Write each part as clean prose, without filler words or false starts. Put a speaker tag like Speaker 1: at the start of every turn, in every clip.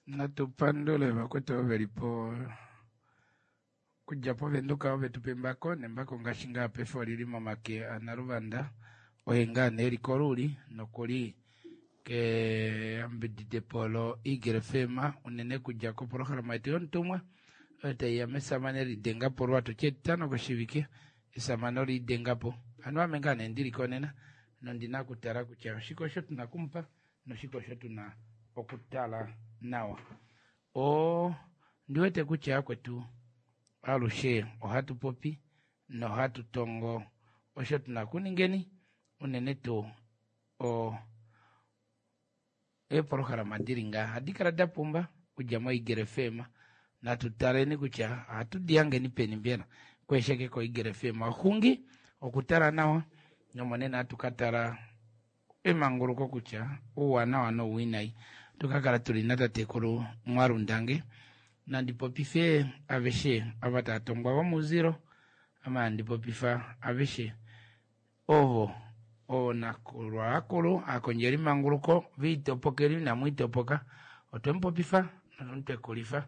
Speaker 1: Natu pandule vakwetu ovo veli po okudja poVenduka ove tu pa embako nembako ngaashi ngaa paife olili momake aNaluvanda oye ngaa nee eli koluuli nokuli keyambididepo loEagle FM unene kudja kopolohalama yetu yomutumwa oyo taiya mesamane lidengapo lwatutya etitano koshivike esamane olidengapo hano ame ngaa nee ndili konena nondina okutala kutya oshike osho tuna okumupa noshike osho tuna okutala nawa. O ndi wete kutya yakwetu alushe ohatu popi nohatu tongo osho tuna okuningeni unene tuu o eepolohalama dili ngaha ohadi kala da pumba okudja moEagle FM. Natu taleni kutya ohatu di hangeni peni mbela kwesheke koEagle FM. Oxungi okutala nawa nomonena hatu ka tala emanguluko kutya ouwanawa nouwinayi. Ohatu ka kala tuli natatekulu Mwalundange. Nandi popife aveshe ava tava tongwa vomouzilo, ame handi popifa aveshe ovo oonakulwa akulu aakondjeli manguluko viitopokeli inamu itopoka. Otwe mu popifa notwe mu tekulifa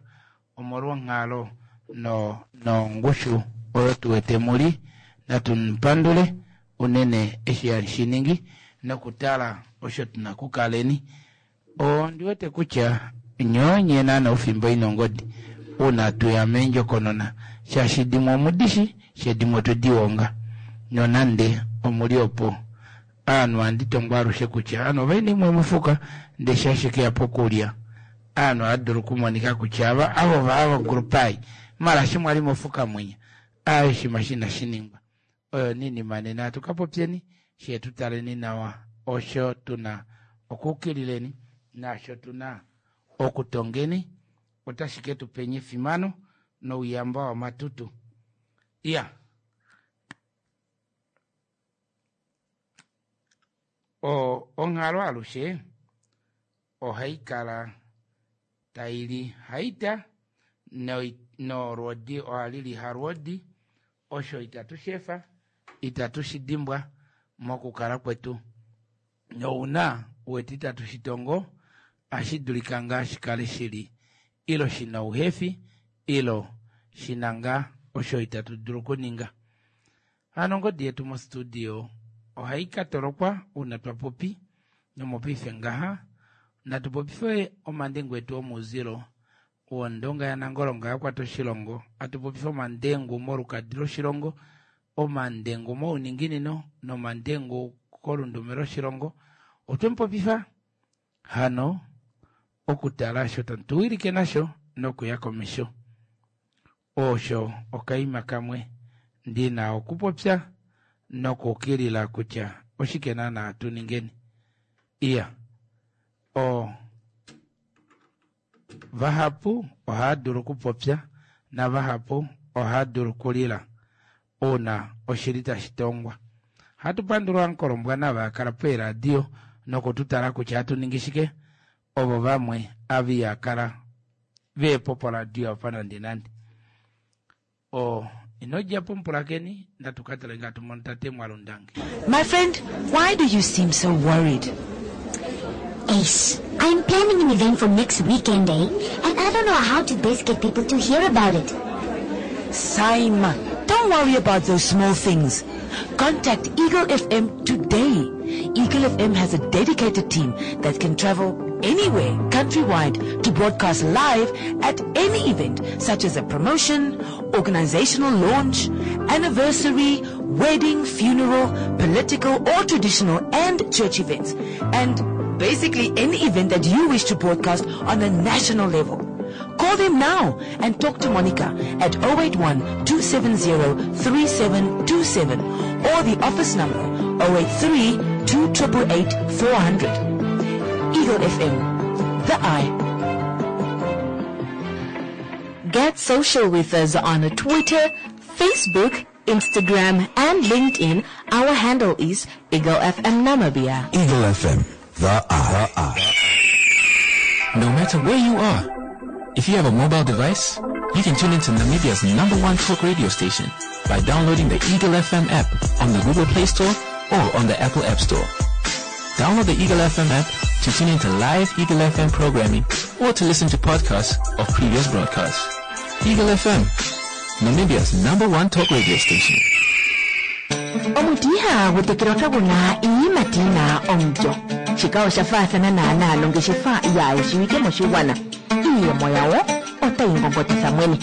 Speaker 1: omolwonghalo no nongushu oyo tu wete muli. Natu mu pandule unene eshi hali shi ningi nokutala osho tuna kukaleni. Ondi wete kutya nyoo nye naana ofimbo ina ongodi uuna tuya meendjokonona shaashi dimwe omudishi shee dimwe otwe di wonga nonande omuli opo aanhu ohandi tongwa alushe kutya aanhu ovaina imwe mofuka ndee sha ashike ya pokulya aanhu ohadulu okumonika kutya ava avo ava group ai mala shi mwali mofuka mwinya aaye shima shina shiningwa oyo ninima nena hatu ka popyeni shee tu taleni nawa osho tuna okuukilileni naasho tuna okutongeni otashi ke tu penya efimano nouyamba wamatutu. Iya o onghalo alushe ohai kala tai li haita nolwoodi ohali li halwoodi osho itatu shefa itatu shi dimbwa mokukala kwetu nouna wete itatu shi tongo ashi dulika ngaa shi kale shili ilo shina ouhefi ilo shina ngaa osho itatu dulu okuninga. Hano ongodi yetu mostudio ohai ka tolokwa uuna twa popi nomopaife ngaha natu popife omandengu etu omouzilo wondonga yaNangolo nga yakwata oshilongo atu popife omandengu molukadi loshilongo omandengu mouninginino nomandengu kolundume loshilongo otwe mu popifa hano okutala osho tamu tu wilike nasho nokuya komesho. Osho okaima kamwe ndina okupopya nokukilila kutya oshike naana tu ningeni. Iya o vahapu ohava dulu okupopya navahapu ohava dulu okulila uuna oshili tashi tongwa. Ohatu pandula Ankolombwana ava kala peeradio nokututala kutya ohatu ningi shike ovo vamwe ava iha kala veepo poradio apa nande nande. O ino dja po mupulakeni natu ka tale ngaa tumono tate Mwalundange.
Speaker 2: My friend, why do you seem so worried?
Speaker 3: Ace, I'm planning an event for next weekend, eh? And I don't know how to best get people to hear about it.
Speaker 2: Saima, don't worry about those small things. Contact Eagle FM today. Eagle FM has a dedicated team that can travel anywhere countrywide to broadcast live at any event, such as a promotion, organizational launch, anniversary, wedding, funeral, political or traditional and church events, and basically any event that you wish to broadcast on a national level. Call them now and talk to Monica at 081-270-3727 or the office number 083-2888-400. Eagle FM, the eye.
Speaker 4: Get social with us on Twitter, Facebook, Instagram, and LinkedIn. Our handle is Eagle FM Namibia.
Speaker 5: Eagle FM, the eye.
Speaker 6: No matter where you are, if you have a mobile device, you can tune into Namibia's #1 talk radio station by downloading the Eagle FM app on the Google Play Store or on the Apple App Store. Download the Eagle FM app to tune into live Eagle FM programming or to listen to podcasts of previous broadcasts. Eagle FM, Namibia's number one talk radio station.
Speaker 2: Omuti ihagu tekelwa kagu na iiyimati yi na omulyo. Shika osha faathana naanaa nongeshefa yaayishiwike moshigwana. Iiyemo yawo otayi ngongotitha mwene.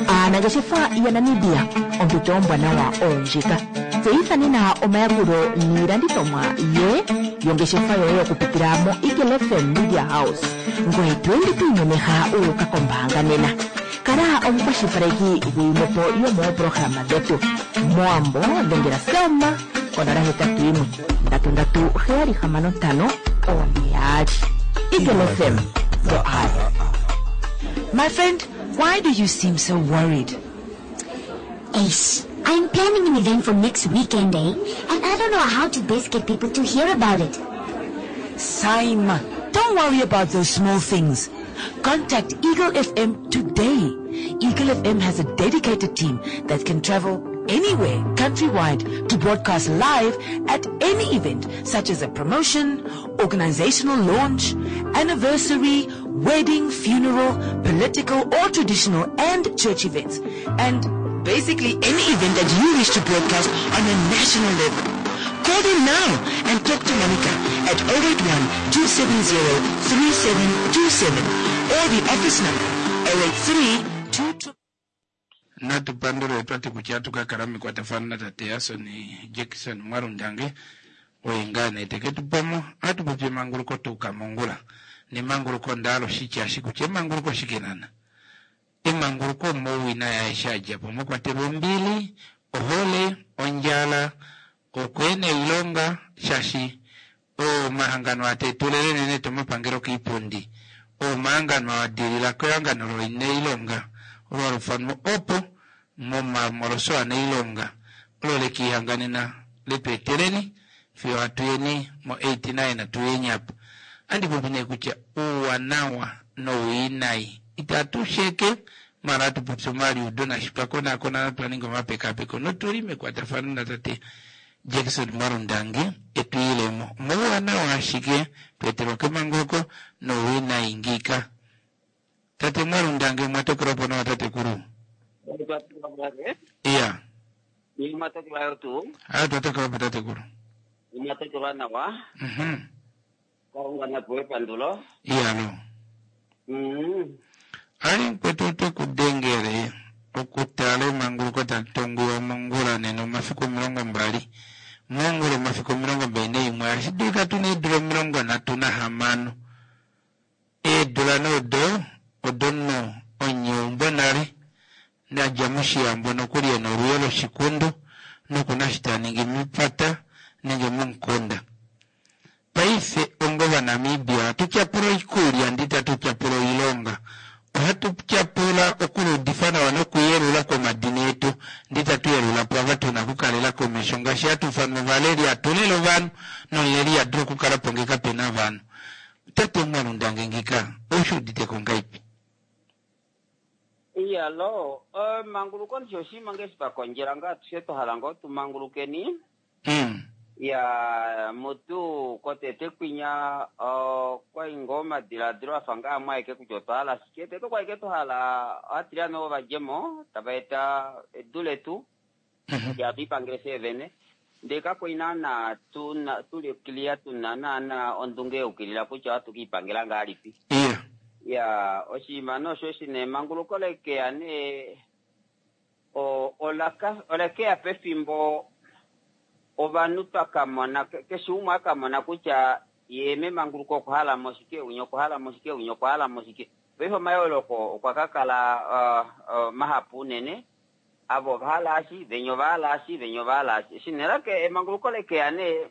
Speaker 2: Aanangeshefa yaNamibia, ompito ombwanawa oyo ndjika. Tseyitha nena omayakulo niilandithomwa ye yongeshefa yoye okupitila moEagle FM Media House. Ngoye to ende to imemeha wu uka kombaanga nena. Kala omukwashilipaleki gwiimwepo yomoopolohalama dhetu. MOwambo dhengela Selma ko 081 337 65 42. Eagle FM, the eye. My friend, why do you seem so worried?
Speaker 3: Ace, I'm planning an event for next weekend, eh? And I don't know how to best get people to hear about it.
Speaker 2: Saima, don't worry about those small things. Contact Eagle FM today. Eagle FM has a dedicated team that can travel anywhere countrywide to broadcast live at any event such as a promotion, organizational launch, anniversary, wedding, funeral, political or traditional and church events. And basically any event that you wish to broadcast on a national level. Call them now and talk to Monica at 081 270 3727 or the office number 083 22
Speaker 1: Natu pandule twati kutya atu ka kala mekwatafano natate Yason Jackson Mwalundange oye ngaa nee teke tu pamo atu popi emanguluko tuuka mongula nemanguluko onda hala oshitya eshi kutya emanguluko oshike nana emanguluko omouwinayi aeshe a dja po mwa kwatelwa ombili ohole ondjala okweena oilonga shaashi omahangano aa tee tulele unene tuu omapangelo koipundi oo omahangano aa dilila kehangano loinailonga olo halufanwa opo momamoloso anailonga olo lekiihanganena letu eteleni fiyo hatu yeni mo 89 tuyeni apa. Andi popi nee kutya ouwanawa nowiinayi itatu sheke mara atu popi omaliudo nashi twa konaakona notwa ninga omapekapeko notuli mekwatafano natate Jackson Mwalundange etu ilemo omouwanawa ashike twa etelwa kemanguluko nowiinayi ngiika. Tate Mwalundange omwa tokelwa po nawa tatekulu? Iya.
Speaker 7: Omwa tokelwa yo tuu?
Speaker 1: Aa twa tokelwa po tatekulu.
Speaker 7: Omwa tokelwa nawa. Kalunga na pewe epandulo.
Speaker 1: Iyalo. Ali mukwetu ote ku dengele okutala emanguluko tali tonguwa mongula nena omafiku 20 mongula omafiku 21 ohashi dulika tu na eedula 36 eedula nee odo odomunhu omunyeumbo nale nadja moshiyambo nokuli ena olwiyo loshikundu nokuna eshi ta ningi mepata nenge momukunda. Paife onga Ovanamibia ohatu tyapula oikulya ndee itatu tyapula oilonga. Ohatu tyapula okuluudifa nawa nokuyelula kwomadina etu ndee itatu yelula pwaava tu na okukalela komesho ngaashi hatu ifanwa ovaleli hatu lele ovanhu nomuleli iha dulu okukala po ngee kape na ovanhu. Tate Mwalundange ngika ou shi udite ko ngaipi?
Speaker 7: Iyalo, emanguluko ndishi oshinima ngee eshi twa kondjela ngaa atushe twa hala ngoo tu mangulukeni. Ya mutu kotete kwinya okwai ngoo omadiladilo afa ngaa amwe aeke kutya otwa hala shike. Tete okwali ike twa hala ovatiliyane ovo vadjemo tava eta edu letu kutya hatu lipangele fyee vene. Ndee kakwali naana tuna tuli clear tuna naana ondunge yaukilila kutya ohatu kiipangela ngahalipi. Ya oshinima nee osho eshi nee emanguluko lekeya nee olaka olekeya pefimbo ovanhu twa ka mona keshe umwe a ka mona kutya ye memanguluko okwa hala mo shike, winya okwa hala mo shike, winya okwa hala mo shike. Paife omayooloko okwa ka kala mahapu unene, ava ova hala eshi, venya ova hala eshi, venya ova hala eshi. Eshi nee lake emanguluko lekeya nee,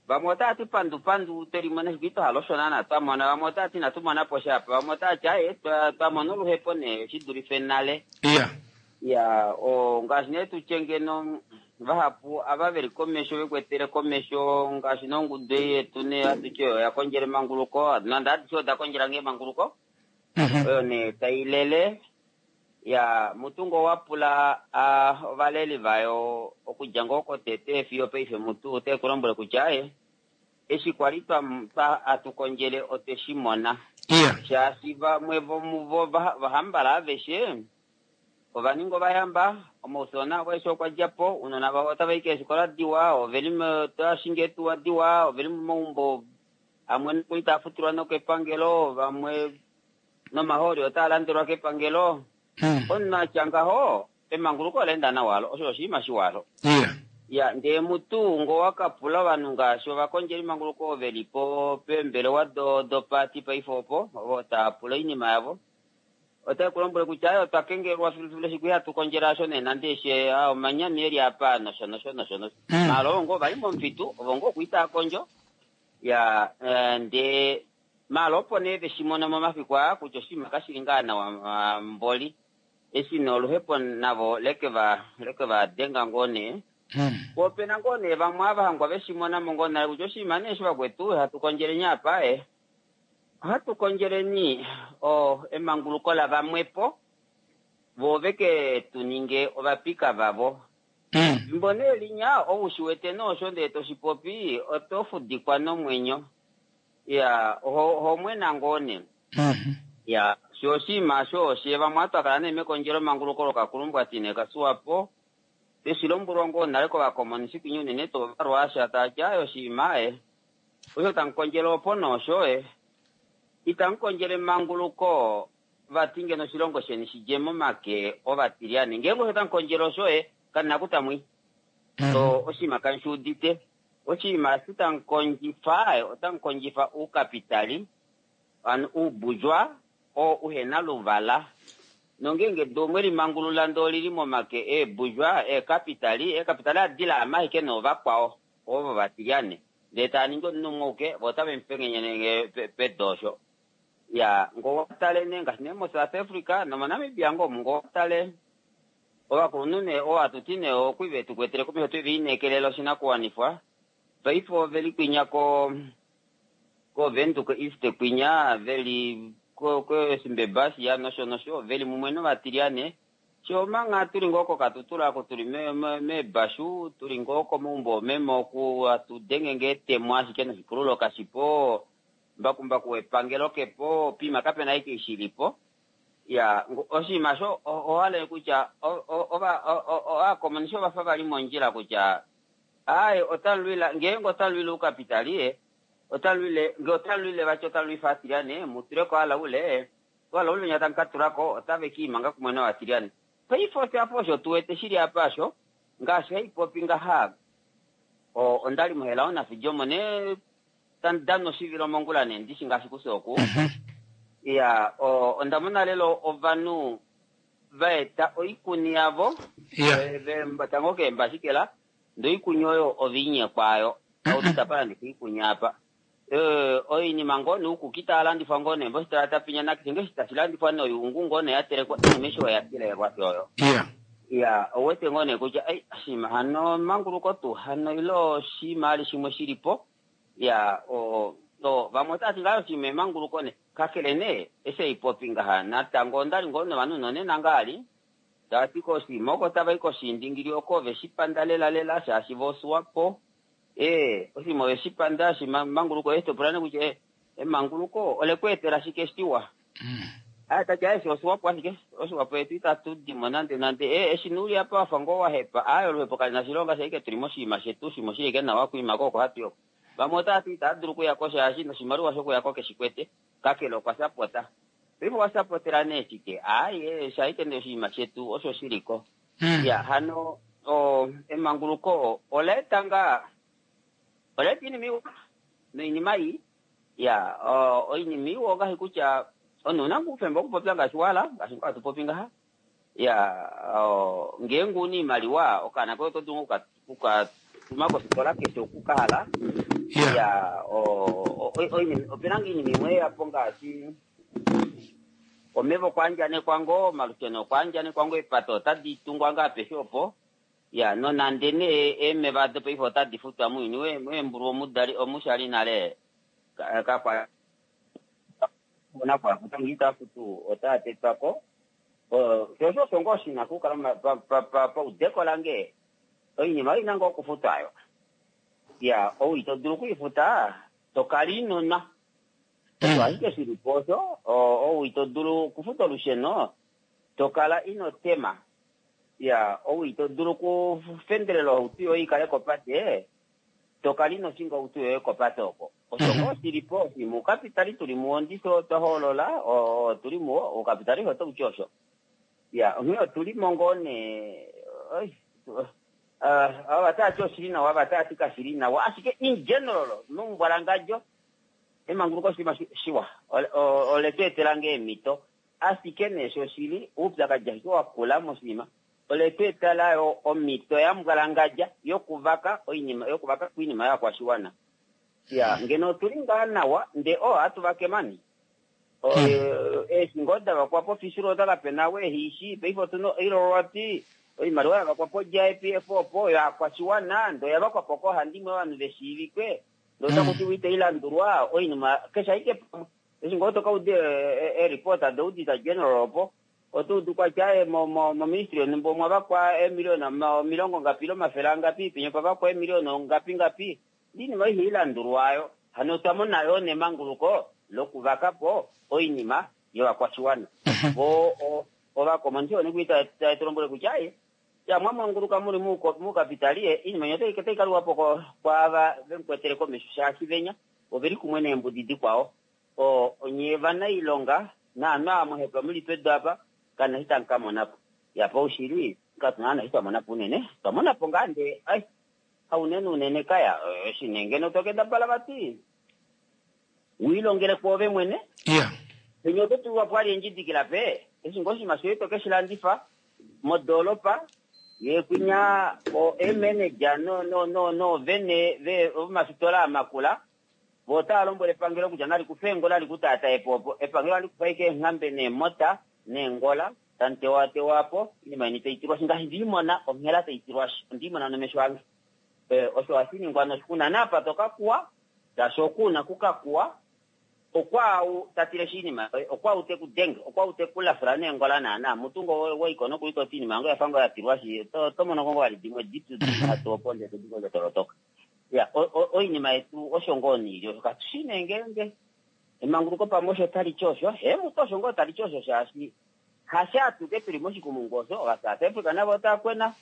Speaker 7: vamwe otava ti pandu pandu twe limona ashike itwa hala osho naana twa mona, vamwe otava ti inatu mona po sha apa, vamwe otava ti aaye twa mona oluhepo nee shi dulife nale. Iya, ngaashi nee tu tye ngeno vahapu ava ve li komesho ve kwetele komesho ngaashi nongudu ei yetu nee hatu ti oyo oya kondjela emanguluko, nande adishe oda kondjela ngee emanguluko, oyo nee tai lele. Ya, mutu ngoo wa pula ovaleli vayo okudja ngoo kotete fiyo paife mutu ote ku lombwele kutya aaye. Eshi kwali hatu kondjele otwe shi mona. Shaashi vamwe vomuvo vahambala aveshe ova ninga ovayamba, omaufyoona avo aeshe okwa dja po, ounona vavo otava i keefikola diwa, oveli otava shingi eetuwa diwa, oveli momaumbo amwe nokuli taa futilwa nokepangelo, vamwe nomahooli otaa landelwa kepangelo. Omunhu atya ngaho, emanguluko ola enda nawa alo, osho oshinima shiwa alo. Ya, ndee mutu ngo wakapula ovanhu ngaashi ovakondjeli manguluko ve li po peembelewa dopaati paife opo, ovo tava pula oinima yavo, otai ku lombwele kutya aye otwa kengelelwa filufilu eshi ihatu kondjele asho nee nande eshi omanyami eli apa nosho nosho nosho nosho. Maala ovo ngoo vali momufitu, ovo ngoo okwi taa kondjo. Ya, ndee maala opo nee veshi mona momafiku aa kutya oshinima kashili ngaa nawa mboli. Eshi nee oluhepo navo leke va denga ngoo nee. Po opena ngoo nee vamwe ava hangwa veshi mona mo ngoo nale kutya oshinima nee eshi vakwetu hatu kondjeleni apa e. Ohatu kondjeleni emanguluko lavamwepo vo veke tu ninge ovapika vavo. Fimbo nee linya ou shi wete noosho ndee to shi popi oto fudikwa nomwenyo. Ya, oho mwena ngoo nee. Ya, sho oshinima osho oshe vamwe atu kala nee mekondjelo manguluko lokakulumbwati nee kaSwapo. Tweshi lombwelwa ngoo nale kovakomonisi kwinya unene tuu Ovarwaasha tava ti aye oshinima aye. Osho tamu kondjele opo noosho e. Itamu kondjele manguluko vati ngeno oshilongo sheni shidje momake ovatilyane. Ngeenge osho tamu kondjele osho e, kanina kutamwi. So oshinima kamu shi udite. Oshinima eshi tamu kondjifa, otamu kondjifa oukapitali, hano oubujwa, oo uhena luvala. Nongeenge do omwe limangulula ndoo olili momake eebujwa, eekapitali, eekapitali adila amaike noovakwao, ovo vatilyane. Ndee taa ningi omunhu umwe auke, vo otave mu pengenyenenge pedoosho. Ya, ngoo watale nee ngaashi nee moSouth Africa nomoNamibia ngoo omu ngoo watale ovakulunhu nee oo hatu ti nee okwi ve tu kwetele komesho twe va inekelela oshinakuwanifwa. Paife ove li kwinya koVenduka East kwinya, ve li koSimbebashiya nosho nosho, ve li mumwe novatilyane. Sho omanga tuli ngoo koKatutura oko tuli meebashu, tuli ngoo komaumbo omeme oku hatu denge ngee etemo ashike noshipululo kashipo, mbakumbaku wepangelo kepo, piima kapena ashike eshi shilipo. Ya, oshinima osho ohala kutya ovakomonisi ovafa vali mondjila kutya aye otalwila ngeenge otalwile oukapitali, otalwile nge otalwile vati otalwifa atilyane, mutuleko alaule, alaule nya tamu ka tulako otave kiimanga kumwe novatilyane. Paife oshafa osho tu wete shili apa osho, ngaashi haipopi ngaha, ondali mohela onafijomo ne tandano oshivilo mongula ne ndishi ngaashi kusoku. Ya, onda mona lelo ovanhu va eta oikuni yavo, tango keembashikela, ndee oikuni oyo oviinyekwa ayo. Autu tapa landifa oikuni apa. Oinima ngoo noukuki taa landifwa ngoo nee mositola tapinya nakeshe ngeshi tashi landifwa noyuungu ngoo nee ya telekwa, oinima eshi oya kelelwa oyo. Ya, ouwete ngoo nee kutya ei oshinima hano manguluko tuu hano ile oshinima ali shimwe shilipo. Ya, vamwe otava ti ngaa oshinima emanguluko nee. Kakele nee, eshi haipopi ngaha natango ondali ngoo novanhu nonena ngaali, tava ti koshinima oko tava i koshiindingili oko ove shi panda lela lela shaashi vo Swapo. Oshinima ove shi panda shi manguluko eshi topula nee kutya emanguluko ole ku etela shike shiwa. Aye tati aye oshiwapo ashike, oshiwapo yetu itatu dimo nande nande. Eshi nuuli apa wafa ngoo wahepa, aye oluhepo kali na oshilonga shaike tuli moshinima shetu, oshinima oshili ashike nawa okwiima ko oko hatu yoko. Vamwe otava ti itava dulu okuyako shaashi noshimaliwa shokuyako keshi kwete, kakele okwa sapota. Paife okwa sapotela nee shike? Aye, shaike nee oshinima shetu osho shiliko. Ya, hano emanguluko ola eta ngaa, ola eta oinima iwa noinima ii. Ya, oinima iwa ongaashi kutya omunhu ouna ngoo oufemba wokupopya ngaashi wahala, ngaashi ngoo hatu popi ngaha. Ya, ngeenge una oimaliwa okaana koye oto dulu okukatuma kofikola keshe oku kahala. Ya, opena ngoo oinima imwe yapo ngaashi omeva okwa andjanekwa ngoo, omalusheno okwa andjanekwa ngoo, eepate otadi tungwa ngoo apeshe opo. Ya, nonande nee eemeva dopaife otadi futwa mounyuni weembulu omudali omushali nale kakwa nakwa futa ngee ita futu otaa tetwako. Sho osho osho ngoo shina okukala paudeko lange oinima oina ngoo okufutwa ayo. Ya, ou ito dulu okuifuta, to kala ino nwa. Osho ashike shi li po osho, ou ito dulu okufuta olusheno, to kala ino tema. Ya, ou ito dulu okufendelela ohauto yoye i kale kopate, to kala ino shinga ohauto yoye kopate oko. Osho ngoo shi li po, oshinima oukapitali tu li muwo ndishi otwa hoolola, otu li muwo, oukapitali otau ti osho. Ya, onghee otu li mo ngoo nee, oi, ava tava ti oshili nawa, ava tava ti kashili nawa, ashike in general, momumbwalangadjo, emanguluko oshinima shiwa, ole tu etela ngoo eemhito, ashike nee shoshili, oupyakadi ashike wa kula moshinima, ole tu etela yo omhito ya mbwalangadja yokuvaka oinima, yokuvaka oinima yovakwashiwana. Ya, ngeno otu li ngaa nawa, ndee oo ohatu vake mani. Eeshi ngoo da vakwa po fishulota kape na we ehiishi. Paife otu na oilolwati, oimaliwa ya vakwa po JPF opo, yovakwashiwana, ndee oya vakwa po koohandimwe ovanhu ve shiivikwe, ndee otaku tiwa itai landulwa, oinima keshe ashike pamwe. Eshi ngoo to ka uda eereport doAuditor General opo, oto udu kwatya aaye moministry yonhumba omwa vakwa eemiliona omilongo ngapi ile omafele angapi, penya opwa vakwa eemiliona ngapi ngapi. Oinima oyo ihai landulwa oyo. Hano otwa mona yoo nemanguluko lokuvaka po oinima yovakwashiwana. Vo ovakomonisi one tave tu lombwele kutya aye, ya mwa manguluka muli moukapitali, oinima yeni otai ka liwa po kwaava ve mu kwetele komesho shaashi venya oveli kumwe neembudi dikwao. Onye ovanailonga naanhu ava mwa hepa muli pedu apa, kamu na eshi tamu ka mona po. Ya paushili katu na eshi twa mona po unene. Otwa mona po ngaa ndee ai haunene unene kaya eshi nee ngeno to kendabala vati u ilongele kwoove mwene.
Speaker 1: Yeah.
Speaker 7: Penya oto tulwa po ali endjidikila pe eshi ngoo oshinima shoye to ke shi landifa modoolopa ye kwinya o eemanager no no no noovene ve vomafitola amakula vo otava lombwele epangelo kutya nali kufe eengola li ku taataye po opo epangelo ohali kufa ashike eenghambe neemota neengola tamu tewatewa po oinima yeni tai tilwashi ngaashi ndiimona onghela tai tilwashi ondiimona nomesho ange. Osho hashi ningwa noshikuna naapa to ka kuwa shaashi oku una ku ka kuwa okwaau ta tileshi oinima yoye okwaau te ku denge okwaau te ku lafula neengola naana mutu ngo waiko nokuli toti oinima yange oyafa ngoo ya tilwashi oto mono ngo vali dimwe dipyu dihatu opo ndee todi ngo tolotoka. Ya oinima yetu osho ngoo niili osho katu shi nee ngeenge emanguluko pamwe osho tali ti osho hee mutu osho ngoo tali ti osho shaashi hasho atuke tuli moshikumungu osho ovaSouth Africa navo otava kwena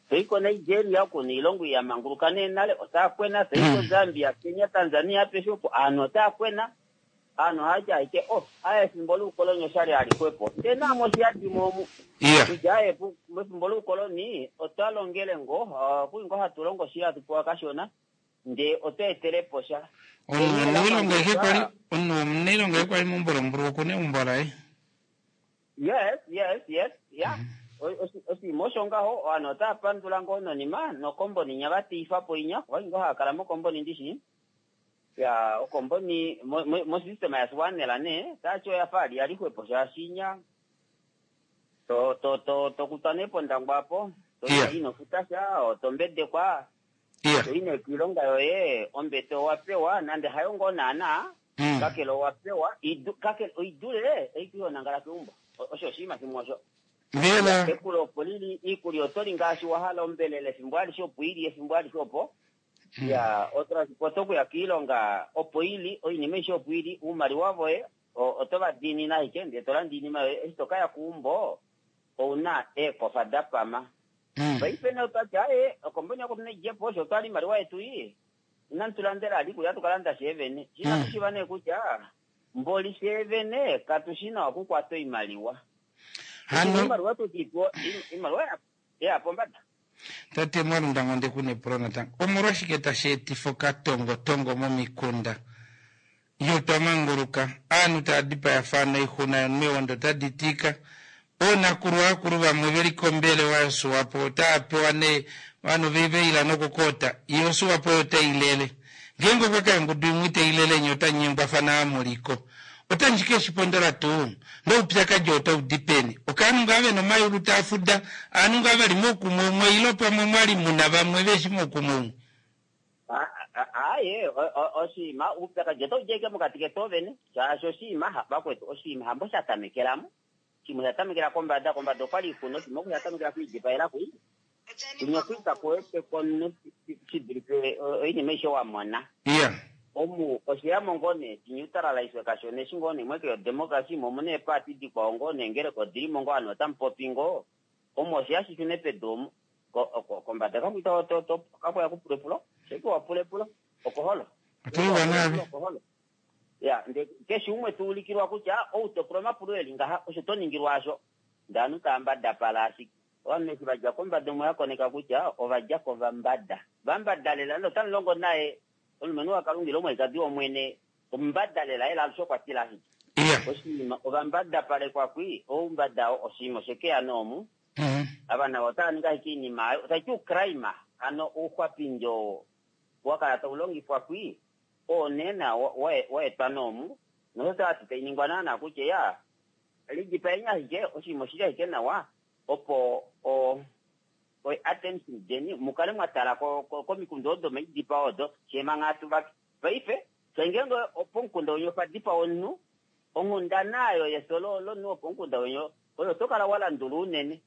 Speaker 7: toi koNigeria oko noilongo ya manguluka nee nale otava kwena toi koZambia Kenya Tanzania apeshe opo ovanhu otava kwena ovanhu ohava ti ashike oh aye efimbo loukoloni oshali alixwepo ndee naamwe oshiyadimo omu kutya aye mefimbo loukoloni otwa longele ngoo okuli ngoo hatu longo shili hatu pewa kashona ndee otwa etele po sha.
Speaker 1: Omunhu womunailonga ehe kwali meumbo oku na eumbo laye.
Speaker 7: Yes, yes, yes, ya. Oshinima osho ngaho, ovanhu otava pandula ngoo nonima nokomboni inya va teifa po inya, okwali ngoo hava kala mokomboni ndishi. Ya, okomboni mosystem yaSwanela nee, tati oya fa ali yali xwepo shaashi inya to to to to kutwa nee pOndangwa apo, to ino futa sha, oto mbedekwa. To i nee kiilonga yoye, ombete owa pewa, nande hayo ngoo naana, kakele owa pewa, kakele oi dule ei to nangala keumbo. Osho oshinima shimwe osho.
Speaker 1: Mbela.
Speaker 7: Ekulo opo li li, iikulya oto li ngaashi wa hala, ombelela efimbo alishe opo i li, efimbo alishe opo. Ya, otransport okuya kiilonga opo i li, oinima aishe opo i li, oumaliwa voye oto va diinine ashike ndee to landa oinima yoye. Eshi to ka ya keumbo ou na eekofa da pama. Paife nee otwa ti aaye, okomboni yako tuna idje po, osho otwa li oimaliwa yetu ii, inamu tu landela vali iikulya ohatu ka landa fyee vene. Sho inatu shiiva nee kutya mboli fyee vene katu shi nawa okukwata oimaliwa.
Speaker 1: Hano
Speaker 7: Oimaliwa tu ti pewa, oimaliwa ya pombada.
Speaker 1: Tate Mwalunda onde ku na epulo natango. Omolwashike tashi etifa okatongotongo momikunda? Iyo twa manguluka, aanhu tava dipayafana oixuna yomewondo otadi tika. Oonakulwa akulu vamwe ve li kombelewa yoSwapo otava pewa nee ovanhu ve ve ila nokukoota, yo oSwapo oyo tai lele. Ngeenge okwa ka ongudu imwe itai lele nye otamu nyengwafana amuliko. Otamu shi ke shi pondola tuu? Noupyakadi otau di peni? Okaanhu ngaa ve na omayulu taa fuda, aanhu ngaa va li moukumwe umwe ile pamwe mwa li mu na vamwe ve shi moukumwe umwe?
Speaker 7: Aaye, oshinima, oupyakadi otau di ashike mokati ketu ovene, shaashi oshinima, vakwetu, oshinima hambo sha tamekela mo. Oshinima osha tamekela kombada, kombada okwali kuna, oshinima oku sha tamekela kwiidipayela kwi. Kunya kwita kuwete komunhu shi dulife oinima aishe wa mona. Omu oshiyamo ngoo nee shinyutalalaiswe kashona eshi ngoo nee mweke yodemocracy mo omuna eepaati dikwao ngoo nee ngeleka odilimo ngoo ovanhu otamu popi ngoo omu osheya shi shune pedu omu kombada kakwita kakuya kupula epulo sheke wapula epulo okoholo okoholo ya nde keshe umwe tuulikilwa kutya ou topula omapulo eli ngaha osho to ningilwa asho ndee ovanhu tava mbadapala ashike ovanhu eshi vadja kombada omwe yakoneka kutya ovadja kovambada vambada lela notamu longo naye omulumenhu waKalunga ile omwalikadi wOmwene omumbada lela ela alushe okwa tila ashike oshinima ovambadapalekwa kwi oumbada oshinima oshekeya noomu ava navo otava ningi ashike oinima ayo otaiti ucrime hano ouxwapindi oo wakala taulongifwa kwi oo nena waetwa noomu nosho tavati tainingwa naana kutya ya lidipaeni ashike oshinima oshili ashike nawa opo attention deni mukale mwatala komikunda odo maidipao odo shemanga atuvake paife shangenge pomukunda wenyu opa dipawa omunhu onghundana ayo yefyo lomunhu wopomukunda wenyu oyo oto kala walandula unene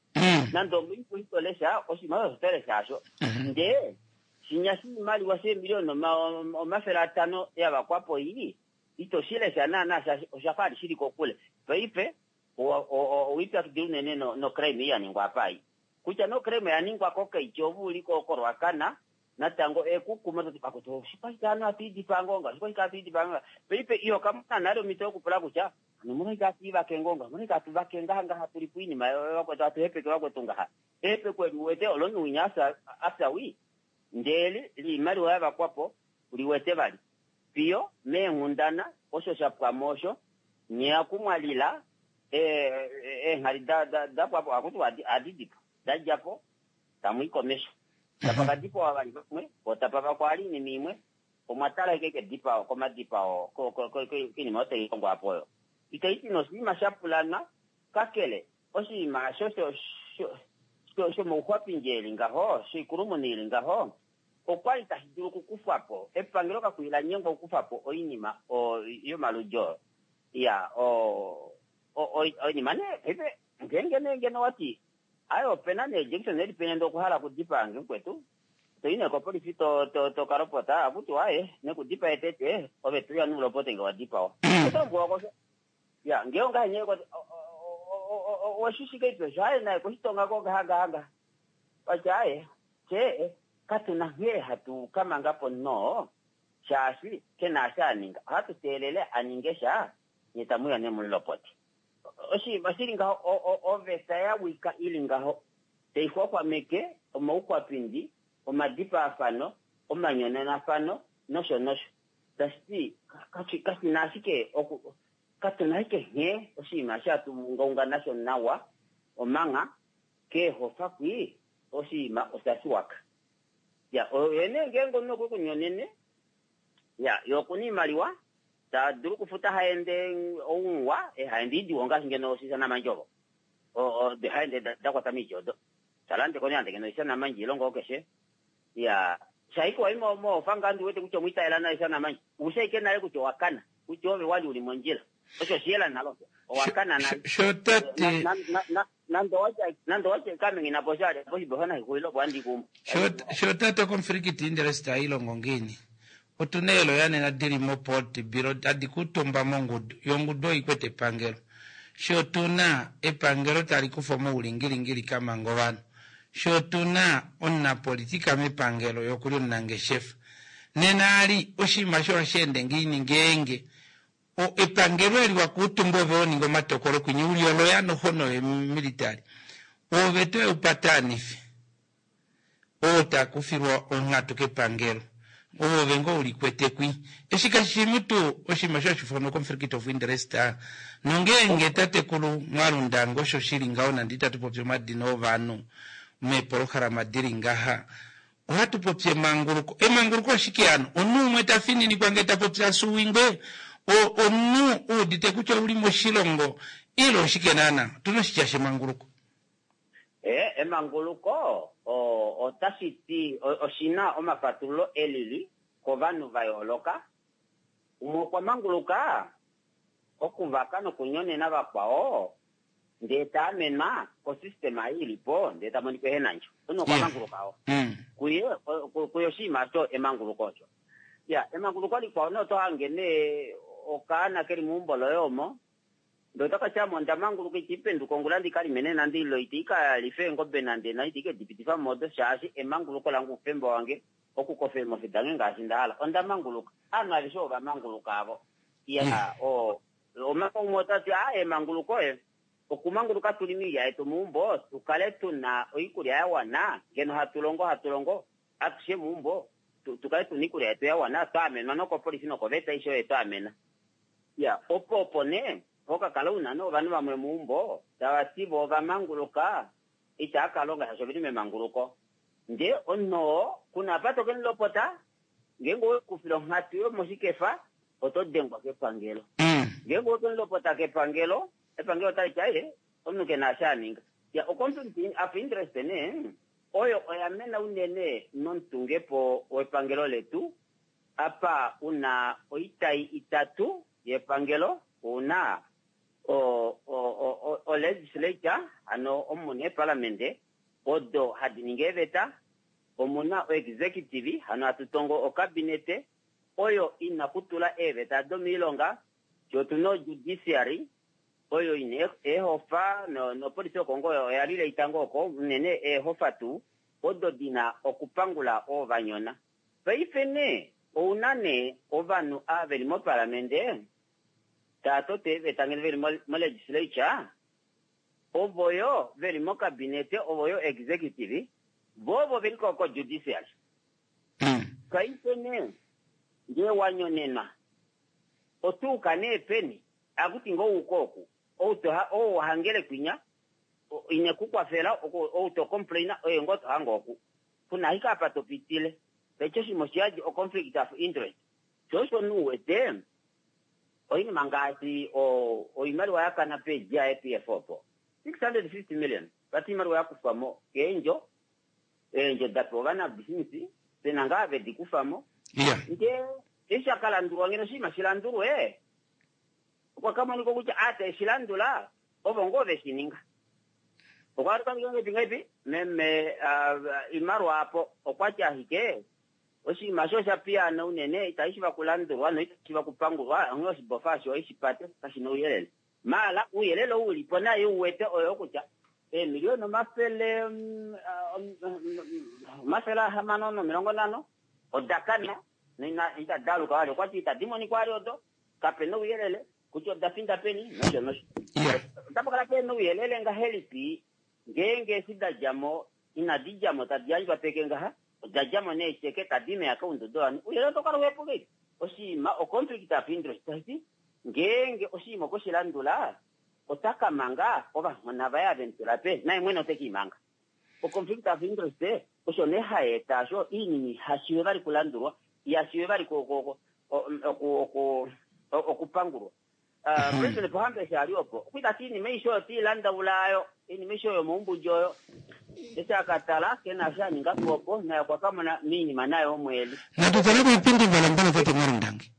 Speaker 7: nande omuipo itolesha oshinima osho tolesha asho ndee shinya shiimaliwa sheemiliyona 500 yavakwapo ii ito shilesha naana oshafa ali shili kokule paife owipyakidila unene nocrime ei yaningwa apa ei kutya nocrime yaningwa kokeityo ove uli koRuacana natango ekukuma toti akuti oshikwashike hano hatu ngonga oshikwashike hatu ngonga paife iho kamona nale omhito yokupula kutya hano omolwashike hatu ivake ngonga omolwashike hatu vake ngaha ngaha tuli poinima vakwetu hatu hepeke vakwetu ngaha ehepeko eli uwete olomunhu winya afya wii ndele liimaliwa yavakwapo liwete vali fiyo meenghundana osho shapwamo osho nyeakumwalila eenghali dapwapo akuti adidipo dadjapo tamui komesho tapa kadipawa vali vamwe otapa vakwali oinima imwe omwatala eke kedipao komadipao koinima oyo tailongwa apo oyo itaiti noshinima shapulanwa kakele oshinima asho shomouxwapindi eli ngaho shoikulumuna ili ngaho okwali tashi dulu okukufwapo epangelo kakwila nyengwa okukufapo oinima yomaludi oyo ya oinima nee paife ngeenge nee ngeno wati aye opena nee Jackson eli penya ndee okuhala okudipaange mukwetu toyi nee kopolifi tokalopota akuti waye nekudipaye tete ove tuya nulopote nge wadipawa otolombwelwa kosho ya ngee ongahenye weshishike ipesho aye naye koshitongako ngaha ngaha ngaha watya aye tye katuna nghee hatu kamangapo noo shaashi kena asha aninga ohatu teelele aninge sha nye tamuya nemulopote oshinima shili ngaho oveta yawika ili ngaho taixwaxwameke omauxwapindi omadipaafano omanyonenafano nosho nosho tashiti kashina ashike katuna ashike nghee oshinima shatu ungaunga nasho nawa omanga keehofa kwi oshinima osha shiwaka ya oyene ngeenge omunhu okwe kunyonene ya ye okuna iimaliwa tadulu okufuta haende ounwa haende idiwa ngaashi ngeno oshisanamandjovo haende dakwata miiti odo talandeko nande ngeno oshisanamandji ilongo keshe ya shaike wai moofa ngaa ndiwete kutya omwiitaela nayo oshisanamandji ushaike nale kutya owakana kutya ove wali uli mondjila osho oshiyela nalo owakana nale nande owatya kamengina po shali poshibofa nashixulile opo andikumo
Speaker 1: sho tate conflict interest ailongo ngiini otuna eelo nena dili mopolitburo tadi kutumba mongudu yongudu oikwete epangelo sho tuna epangelo tali kufa omoulingilingi kamanga ovanhu sho tuna omunapolitika mepangelo yokuli omunangeshefa nena ali oshinima sho ohashi ende ngiini ngeenge epangelo eli wakuutumba ove oninga omatokolo kwinyi uli oloya nohono yemilitary ove to eupatanife oo takufilwa onghatu kepangelo ove ngo ulikwete kwi eshi kashimu tuu oshinima sho hashifanwa conflict of interest nongeenge tatekulu mwalundango osho shili ngaho nande itatu popi omadina ovanhu meepolohalama dili ngaha ohatu popi emanguluko emanguluko oshike hano omunhu umwe tafininikwa ngee tapopi asuwingwe omunhu uudite kutya ouli moshilongo ile oshike naana otuna oshitya shemanguluko
Speaker 7: Emanguluko otashi ti oshina omafatululo elili kovanhu va yooloka umwe okwa manguluka okuvaka nokunyonena vakwao. Ndee ta amenwa kosystema ei ili po ndee ta monika ehe na ndjo. Omunhu okwa manguluka oo. Kuye, kuye oshinima osho emanguluko osho. Iya, emanguluko likwao nee oto hange nee okaana keli meumbo loye omo, ndee otaka ti ame onda manguluka iti penduka ongula ndi ka lime nee nande ile iti ka life eengobe nande na iti ke di pitifa mo odo shaashi emanguluko lange oufemba wange okukofa eemofi dange ngaashi nda hala. Onda manguluka. Ovanhu aveshe ova manguluka avo. Iya, o, omanga umwe ota ti, aa emanguluko e, okumanguluka tu lime oilya yetu meumbo, tu kale tu na oikulya ya wana, ngeno hatu longo hatu longo atushe meumbo, tu, tu kale tu na oikulya yetu ya wana, twa amenwa nokopolifi nokoveta aishe oyo ye tu amena. Iya, opo opo nee ho ka kala u na nee ovanhu vamwe meumbo tava ti vo ova manguluka, itava ka longa shaashi ove li memanguluko. Ndee omunhu oo ku na apa to ke mu lopota, ngeenge owe kufile onghatu yomoshikefa, oto dengwa kepangelo. Ngeenge owe ke mu lopota kepangelo, epangelo otali ti aye, omunhu ke na eshi a ninga. Ya, o-conflict of interest nee, oyo oya mena unene nomutungepo wepangelo letu, apa u na oitai itatu yepangelo, u na o-legislature, hano omu mu na eeparlamente odo hadi ningi eeveta, omu na o-executive, hano hatu tongo okabinete, oyo i na okutula eeveta domoilonga, fye otu na o-judiciary, oyo i na eehofa, nopolifi yOkongo oya lile itango oko, unene eehofa tuu odo di na okupangula oo va nyona. Paife nee, ou na nee ovanhu ava ve li mOparlamente tava toto eeveta ngeno ve li mo-legislature, ovo yo ve li mOkabinete, ovo yo executive, vo ovo ve li ko-judiciary. Paife nee, ngee wa nyonenwa, oto uka nee peni? Akuti ngoo uka oku, ou to ha, ou wa hangele kwinya, ine ku kwafela, ou to complaina, oye ngoo to hange oku. Ku na ashike apa to pitile. Paife oshinima oshiyadi o conflict of interest. Sho osho omunhu u wete, oinima ngaashi o, oimaliwa ya kana pe GIPF opo, 650 million, vati oimaliwa ya kufwa mo keendjo, eendjo da pewa ovanabisinisi, pe na ngaa ve di kufa mo. Ndee eshi sha ka landulwa, ngeno oshinima shi landulwe, okwa ka monika kutya aa te shi landula ovo ngoo ve shi ninga. Okwa ka monika ngahelipi ngahelipi? Meme Imalwa apo okwa ti ashike oshinima osho osha piyaana unene, itashi shiva kulandulwa noitashi shiva kupangulwa, onghee oshibofa osho oye shi pate, kashi na ouyelele. Maala ouyelele ou u li po naye u wete oyoo kutya eemiliona omafele 650 oda kana noina itadi aluka vali. Okwa ti itadi monika vali odo, kape na ouyelele kutya oda finda peni nosho nosho. Otapa kala pe na ouyelele ngahelipi ngeenge eshi da dja mo inadi dja mo tadi yandjwa peke ngaha, oda dja mo neecheke tadi i meakaunda dovanhu, ouyelele otau kala uhepu ngahelipi? Oshinima o-conflict of interest, tashi ti ngeenge oshinima okwe shi landula ota ka manga ovanghona vaye ave mu tula pe, naye mwene ote ke i manga. O-conflict of interest osho nee hai eta osho oinima iha shiive vali kulandulwa, iha shiive vali okupangulwa. President Pohamba eshi a li opo, okwa ita ti oinima aishe oyo te i landaula ayo, oinima aishe oyo yomoumbudi oyo. Eshi a ka tala, ke na eshi a ninga po opo, naye okwa ka mona moinima nayo omo e li.
Speaker 1: Natu tale koipindi valambala tate Mwalundangi.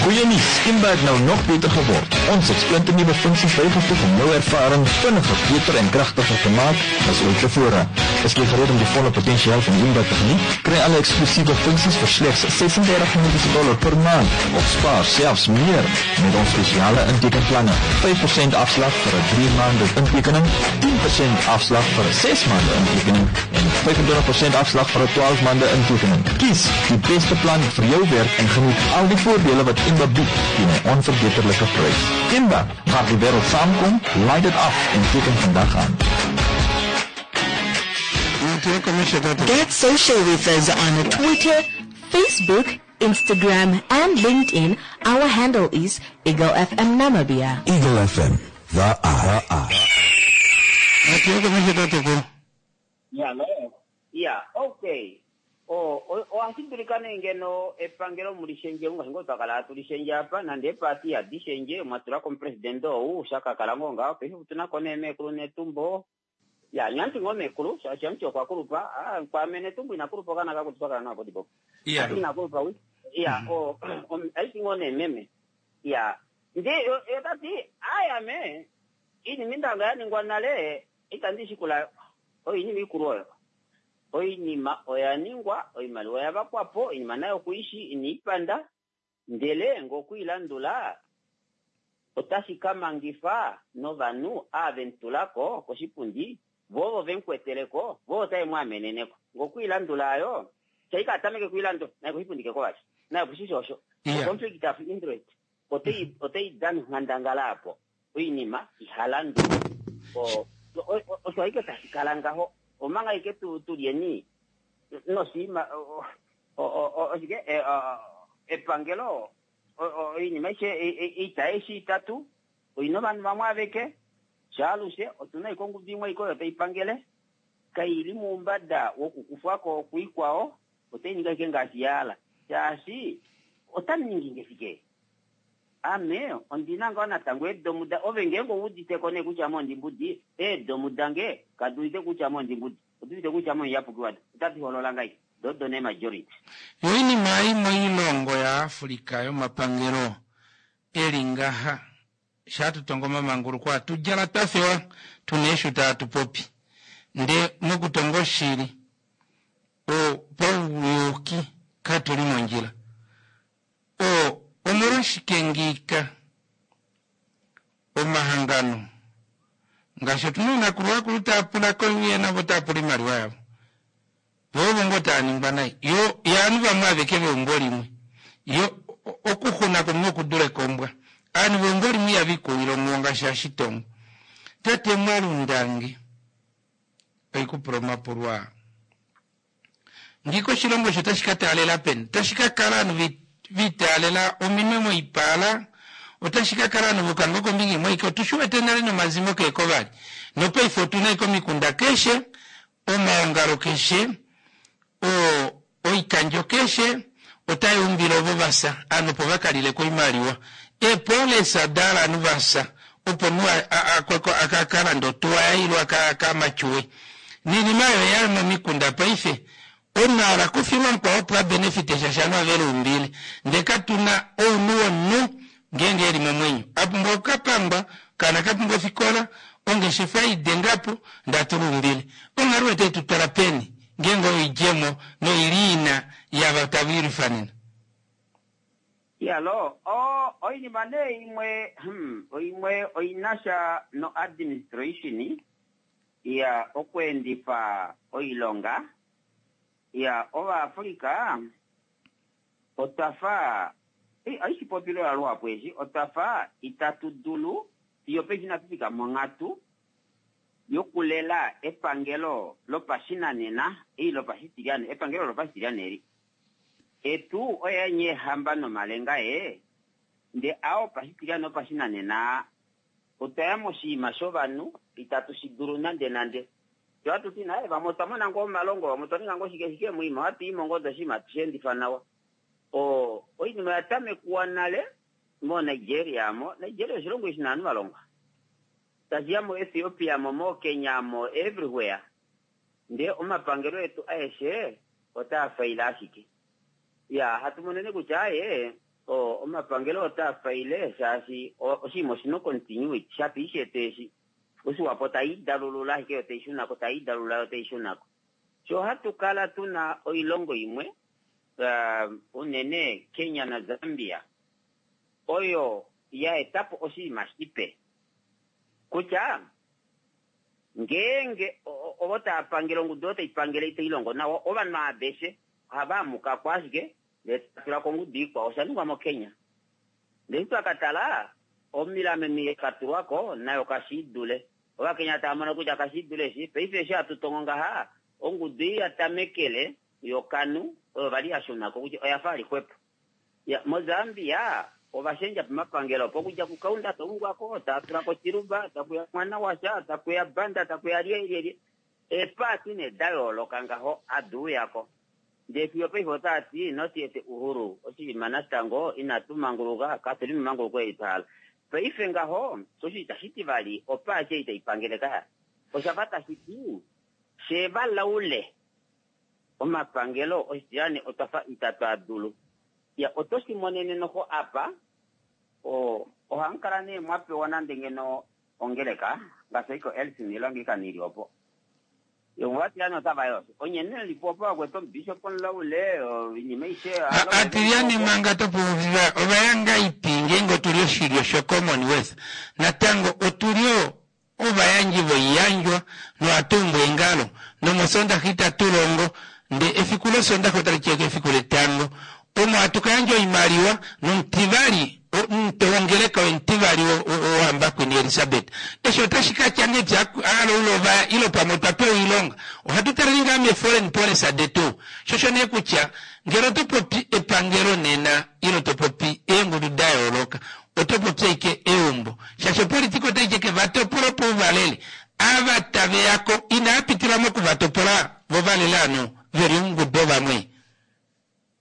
Speaker 6: Goeie nuus, Imba het nou nog beter geword. Ons het splinternuwe funksies bygevoeg om jou ervaring vinniger, beter en kragtiger te maak as ooit tevore. Is jy gereed om die volle potensiaal van Imba te geniet? Kry alle eksklusiewe funksies vir slegs 36 Namibiese dollar per maand of spaar selfs meer met ons spesiale intekenplanne. 5% afslag vir 'n 3 maande intekening, 10% afslag vir 'n 6 maande intekening en 25% afslag vir 'n 12 maande intekening. Kies die beste plan vir jou werk en geniet al die voordele wat Imba bied teen 'n onverbeterlike prys. Imba, waar die wêreld saamkom, laai dit af en teken vandag aan.
Speaker 4: Get social with us on Twitter, Facebook, Instagram and LinkedIn. Our handle is Eagle FM Namibia.
Speaker 5: Eagle FM, the eye.
Speaker 7: Iya, okay. O, o, ohashi dulika nee ngeno epangelo mu li shendje ngaashi ngoo twa kala hatu li shendje apa, nande eepaati ihadi shendje, mwa tula ko omupresidente ou, sha ka kala ngoo ngaho, paife otu na ko nee meekulu Netumbo. Ya, nyanti ngoo meekulu, shaashi amuti okwa kulupa, ah, kwaame Netumbo ina kulupa okaana ka kutwa kala nawa podipopo.
Speaker 1: Iya.
Speaker 7: Ati ina kulupa wi. Iya, o, om, aiti ngoo nee meme. Iya. Ndee yo ta ti, Aye ame, oinima inda ya ningwa nale, itandi shikula oinima ikulu oyo. Oinima oya ningwa, oimaliwa oya vakwa po, oinima nayo okuishi, ine i panda, ndele nge okui landula otashi ka mangifa novanhu ava ve mu tula ko koshipundi, vo ovo ve mu kwetele ko, vo otave mu amenene ko. Nge okui landula ayo, shai ka tameke kui landula, naye koshipundi ke ko vali. Naye okushishi osho. O-conflict of interest otai otai dana onghandangala apo. Oinima iha landulwa. Osho ashike tashi kala ngaho. Omanga ashike tu tu lyeni noshinima oshike epangelo oinima aishe oita eshi itatu oina ovanhu vamwe aveke shaalushe otuna ashike ongudu imwe ashike oyo tai pangele kaili moumbada wokukufwako kuikwao otai ningi ashike ngaashi ya hala shaashi otamu ningi nge shike Ame ondi na ngoo natango eedomu da ove ngeenge ou udite ko nee kutya ame ondimbudi, eedomu dange kadi udite kutya ame ondimbudi, odi udite kutya ame omuyapuki wado. Otadi holola ngahelipi? Do odo nee majority.
Speaker 1: Yo oinima ei moilongo ya Africa yomapangelo eli ngaha shaa tu tonga omamanguluko atu djala twa fewa tuna eeshuta atu popi nde mokutonga oshili o pauyuuki katuli mondjila O, omolwashike ngiika omahangano ngaashi otuna oonakulu vakulu taya pula koiuye navo otaya pula iimaliwa yavo vo ovo ngoo taya ningwa nai yo yaanhu vamwe aveke veumbo limwe yo okuxuna komunhu okudule kombwa aanhu veumbo limwe ihava ikuwile onghuwo ngaashi hashitongo tate mwalundange oikupula omapulo aa. Ngiika oshilongo osho otashi ka taalela peni? Otashi ka kala ovanhu va itaalela ominwe moipala? Otashi ka kala ovanhu voka ngoo kombinga imwe aike? Otu shi wete nale nomazimo keeko vali. Nopaife otu na ashike omikunda keshe, omaongalo keshe, o, oikandjo keshe otai umbile ovo va fya, ovanhu opo va ka lile ko oimaliwa. Eepoolesa da hala ovanhu va fya opo omunhu a, a, a, a ka lande otuwa yaye ile a ka, a ka matyuwe. Niinima oyo oya momikunda paife. Omunhu a hala kufilwa mukwao opo a benefite sha shaashi ovanhu ove luumbile. Ndee katu na ounhu womunhu ngeenge eli momwenyo. A pumbwa oku ka pangwa, okaana ka pumbwa ofikola, ongeshefa ei denga po, ndee atu luumbile. Onghalo oyo otai tu twala peni ngeenge oyo oidjemo noili ina yaava tava ilwifa nena?
Speaker 7: Iyaloo, o, oinima nee imwe, hum, oimwe oina sha no administration, Iya, okuendifa oilonga. Iya, Ovaafrika otwa fa, ohashi popiwa luhapu eshi, otwa fa itatu dulu, fiyo paife inatu fika monghatu yokulela epangelo lopashinanena, ei lopashitilyane, epangelo lopashitilyane eli. Etu oye nye eehamba nomalenga ee, nde aa opashitilyane opashinanena Otwa ya moshinima shovanhu itatu shi dulu nandenande. Fye ohatu ti naye, vamwe otwa mona ngoo omalongo, vamwe otwa ninga ngoo shike shike, moima ohatu i mo ngoo ndee oshinima hatu shi endifa nawa. O, oinima oya tamekwa nale moNigeria mo. Nigeria oshilongo eshi na ovanhu va longwa. Tashi ya moEthiopia mo, moKenya mo, everywhere. Ndee omapangelo etu aeshe otaa faila ashike. Ya, hatu monene kutya aaye, o, omapangelo otaa faile shaashi o, oshinima oshina ocontinuity, shafa ishetu eshi. Oshiwapo tai dalulula ashike yo tai shunako, tai dalulula yo tai shunako. Sho hatu kala tuna oilongo imwe, uh, unene Kenya na Zambia, oyo ya etapo oshinima shipe kutya Ngeenge ovo tava pangele, ongudu oyo tai pangele itai longo nawa, ovanhu aveshe ohava amuka ko ashike ndele tava tula ko ongudu ikwao. Osha ningwa moKenya. Ndele eshi twa ka tala, omilameno ei ya ka tulwa ko nayo kashi i dule. Ovakenya tava mono kutya kashi i dule eshi. Paife eshi hatu tongo ngaha, ongudu ei ya tamekele yoKanu oyo vali ya shuna ko kutya oya fa ali xwepo. Ya, moZambia ova shendja pamapangelo opo okudja kuKaunda ta ungwa ko, ta tula ko Chiluba, taku ya mwana washa, taku ya Banda, taku ya lyelyelye. Eepaati nee da yooloka ngaho hadi uya ko. Ndee fiyo paife otaa ti not yet Uhuru, oshinima natango inatu manguluka, katu li memanguluko eli twa hala. Paife ngaho osho itashi ti vali opaati ei tai pangele kaya. Osha fa tashi ti fye valaule. Omapangelo oshitilane otwa fa itatu a dulu. Ya, oto shi monene noho apa, o, Ohamu kala nee mwa pewa nande ngeno ongeleka, ngaashi oiko Elcin ile Anglican ili opo. Ovatiliyane otava yi osho. Onye nee li po opo vakwetu omubishop omulaule, oinima aishe.
Speaker 1: Atiliyane manga topuuviva ovayangaipi ngeenge otuli oshilyo sho Commonwealth natango otuli o ovayandji voiyandjwa nohatu umbu eengalo nomosondaxa itatu longo ndee efiku losondaxa otali tyeke efiku letango omo hatu ka yandja oimaliwa nomutivali omutwe wongeleka oye omutivali wohamba Queen Elizabeth. Eshi otashi ka tya ngee aloula ovaya ile pamwe otwa pewa oilonga ohatu taleni ngaa mee foreign policy detu. Sho osho nee kutya ngele oto popi epangelo nena ile to popi eengudu da yooloka oto popi ashike eumbo shaashi opolitika otai tyeke va topola opo uvalele ava tave yako inaa pitila mokuvatopola vo valele ovanhu veli oungudu ovamwe.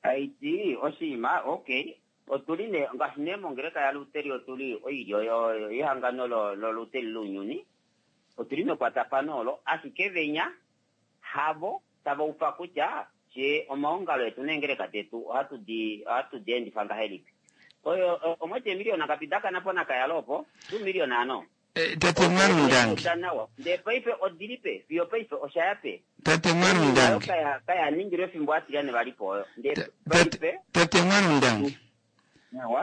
Speaker 7: Haiti oshinima ok otuli nee ngaashi nee mongeleka yaLuteri otuli oilyo yehangano lOluteri lounyuni otuli mekwatafano olo ashike venya havo tava ufa kutya fye omaongalo etu neengeleka detu ohatu di ohatu di endifa ngahelipi oyo omwati eemiliyona ngapi da kana po nakayalo opo 2 million ano
Speaker 1: Eh, tate Mwalundange.
Speaker 7: Nawa. Ndee paife odili pe fiyo paife osha ya pe.
Speaker 1: Tate Mwalundange.
Speaker 7: Kaya kaya ningilwe efimbo atilyane vali po oyo. Ndee paife
Speaker 1: Tate Mwalundange.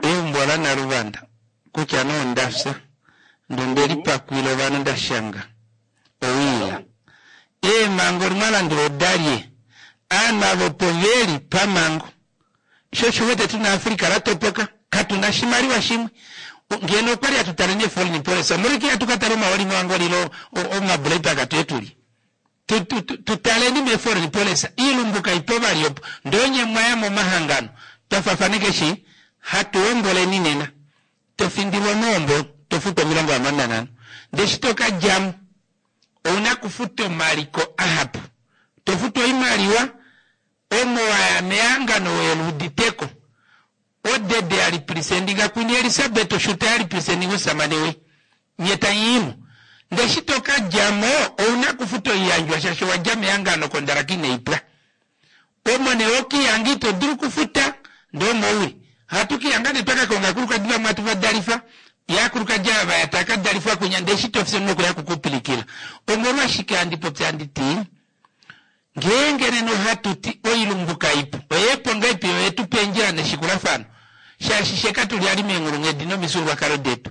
Speaker 1: Eumbo la Naluvanda kutya nee onda fya ndee onde lipakwila ovanhu nda shanga owiila. Eemhango mwa landula odalye? Aanhu ava opo veli pamhango. Sho osho wete tuna Africa la topoka, katu na oshimaliwa shimwe. Ngeno okwali hatu tale nee foreign policy, omolwashike ihatu ka tala omahooli moAngola ile omabulaipa tuye tulye? Tu taleni mee foreign policy, iilumbu kaipo vali opo. Ndee onye mwaya momahangano, twa fafaneka eshi hatu homboleni nena. To findilwa mohombo, to futu 65. Ndee eshi to ka djamo, ouna kufuta omaliko ahapu. To futu oimaliwa, omo waya mehangano weluuditeko. Odede ya represendinga Queen Elizabeth oshuta ya represendinga omusamane we. Nye tamu i mo. Ndee eshi to ka dja mo, ouna kufuta oiyandjwa shaashi owa dja mehangano kondalaka inai pwa. Omo nee hokihanga ito dulu okufuta, ndee omo uli. Ohatu kihanga nee twa ka konga aakulukadi vamwe hatu va dalifa, ye aakulukadi ava vaya taa ka dalifwa kwinya ndee eshi to fi omunhu okuya kukupilikila. Omolwashike handi popi handi ti, ngeenge nena ohatu ti oilumbu kaipu, oyeepo ngaipi yo yetu pa eendjila neshikulafano, shaashi she katu li ali meenghulunghedi nomifyuululwakalo detu.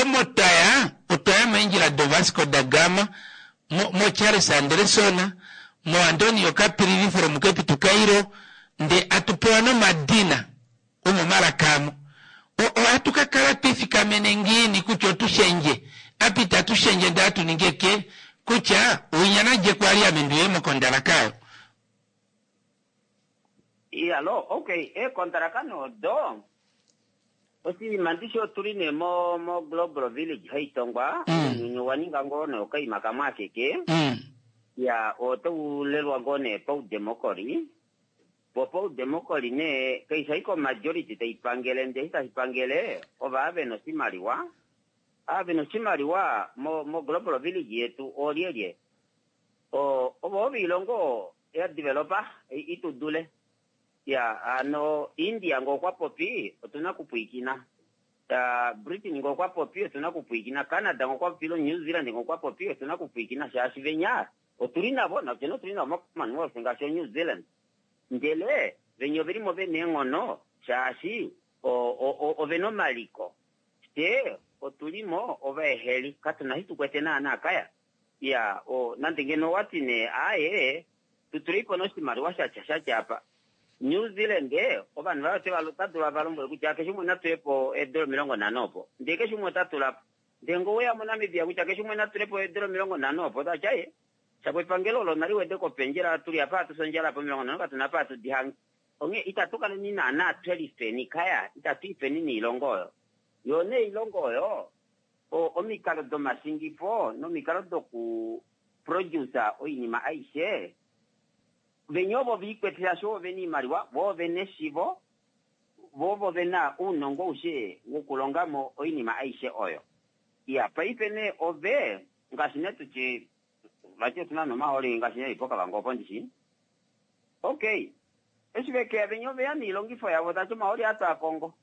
Speaker 1: Omo twa ya, otwa ya meendjila doVasco da Gama, mo, moCharles Anderson, moAntonio Caprilli from Cape to Cairo, ndee atu pewa nomadina omomalaka amo. O, ohatu ka kala twifikamene ngiini kutya otu shendje? Apa itatu shendje ndee atu ningi eke kutya winya nadje kwali ame ndiuye mokondalaka oyo.
Speaker 7: Iyalo, okay, eekondalaka nee odo, oshinima ndishi otuli nee mo, mo Global Village haitongwa, ounyuni owa ninga ngoo nee okaima kamwe akeke, ya, otau lelwa ngoo nee paudemokoli, po paudemokoli nee, kaifi ashike omajority tai pangele, ndee eshi tashi pangele, ova vena oshimaliwa, ava vena oshimaliwa mo, mo Global Village yetu oolyelye? O, ovo ovilongo ya developa itu dule. Ya, ano India ngo okwa popi otuna kupwiikina. Ya, Britain ngo okwa popi otuna kupwiikina. Canada ngo okwa popi ilo New Zealand ngo okwa popi otuna kupwiikina shaashi venya otuli navo nafye otuli navo mo Commonwealth ngaashi o New Zealand. Ndele venya ovelimo vena eenghono shaashi ovena omaliko. Fye otulimo ovaeheli katuna shi tukwete naana kaya. Iya, o, nande ngeno owa ti nee, aaye, tu tuleipo nee oshimaliwa sha tya sha tya apa. New Zealand, ovanhu vaye ote va, ota dulu ava lombwele kutya keshe umwe na tule po eedola 50 opo. Ndee keshe umwe ota tula po. Ndee ngee oweya moNamibia kutya keshe umwe na tule po eedola 50 opo, ota ti aye, shapo epangelo olo nali wede ko opendjela, tuli apa hatu fi ondjala apa 50 katu na apa hatu di hange. Onghee itatu kaleni naana twe lifeni kaya, itatu ifeni noilongo oyo. Yoo nee oilongo oyo, omikalo domashingifo nomikalo doku produce oinima aishe, venya ovo viikwete shaashi ovo vena oimaliwa, vo ovena eshivo, vo ovo vena ounongo aushe wokulongamo oinima aishe oyo. Iya, paife nee ove, ngaashi nee tutye, vati otuna nomahooli ngaashi nee poKavango opo ndishi. Okay, eshi vekeya venya oveya noilongifo yavo, tati omahooli atwaakongo.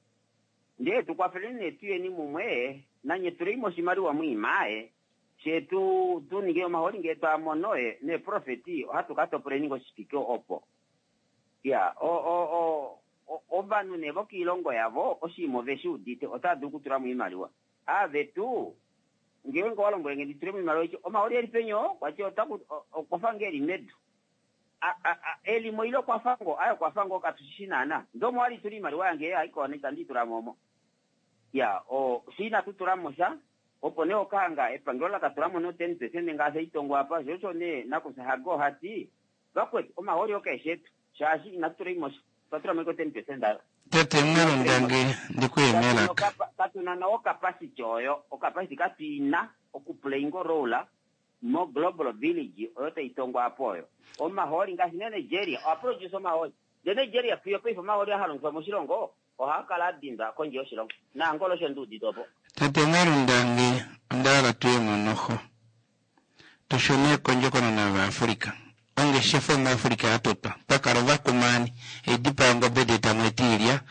Speaker 7: Ndee tukwafeleni nee tuyeni mumwe nanye tuleimo oshimaliwa mwiima fye tu tu ninge omahooli ngee twa mono neeprofeti ohatu ka topoleni ngo shifike opo. Ya o o o ovanhu nee vokiilongo yavo oshinima oveshi udite otava dulu okutulamo oimaliwa. Aavetu ngeenge owa lombwele nge ndi tulemo oimaliwa oiti omahooli eli peni oo kwati otaku okwafa ngee eli medu. A a a elimo ile okwafa ngoo aye okwafa ngoo katushishi naana. Ndee omo wali tula oimaliwa yange haiko itandi i tulamo omo. Ya o fye inatu tulamo sha Opo nee okahanga epangelo la ka tula mo no 10% ngaashi haitongwa apa, sho osho nee nakufya Hage oha ti, Vakwetu, omahooli oo kaeshi etu, shaashi inatu tula mo sha, otwa tula mo ashike o 10% ayo.
Speaker 1: Tate Mwilundange, ndi ku ye melaka.
Speaker 7: Katu na nawa ocapacity oyo, ocapacity katu i na oku playinga o role mo Global Village oyo tai tongwa apa oyo. Omahooli ngaashi nee Nigeria oha produce omahooli, ndee Nigeria fiyo paife omahooli aa ha longifwa moshilongo Ohaa kala a dindwa kondje yoshilongo. NaAngola osho ndi udite opo.
Speaker 1: Tate Mwelundange onda hala tuye mo noho. Tu shune kondjokonona yovaAfrica. Ongeshefa omuAfrica ya totwa. Pa kala ovakumaani, eedipa yongobe ndee tamu eta iilya.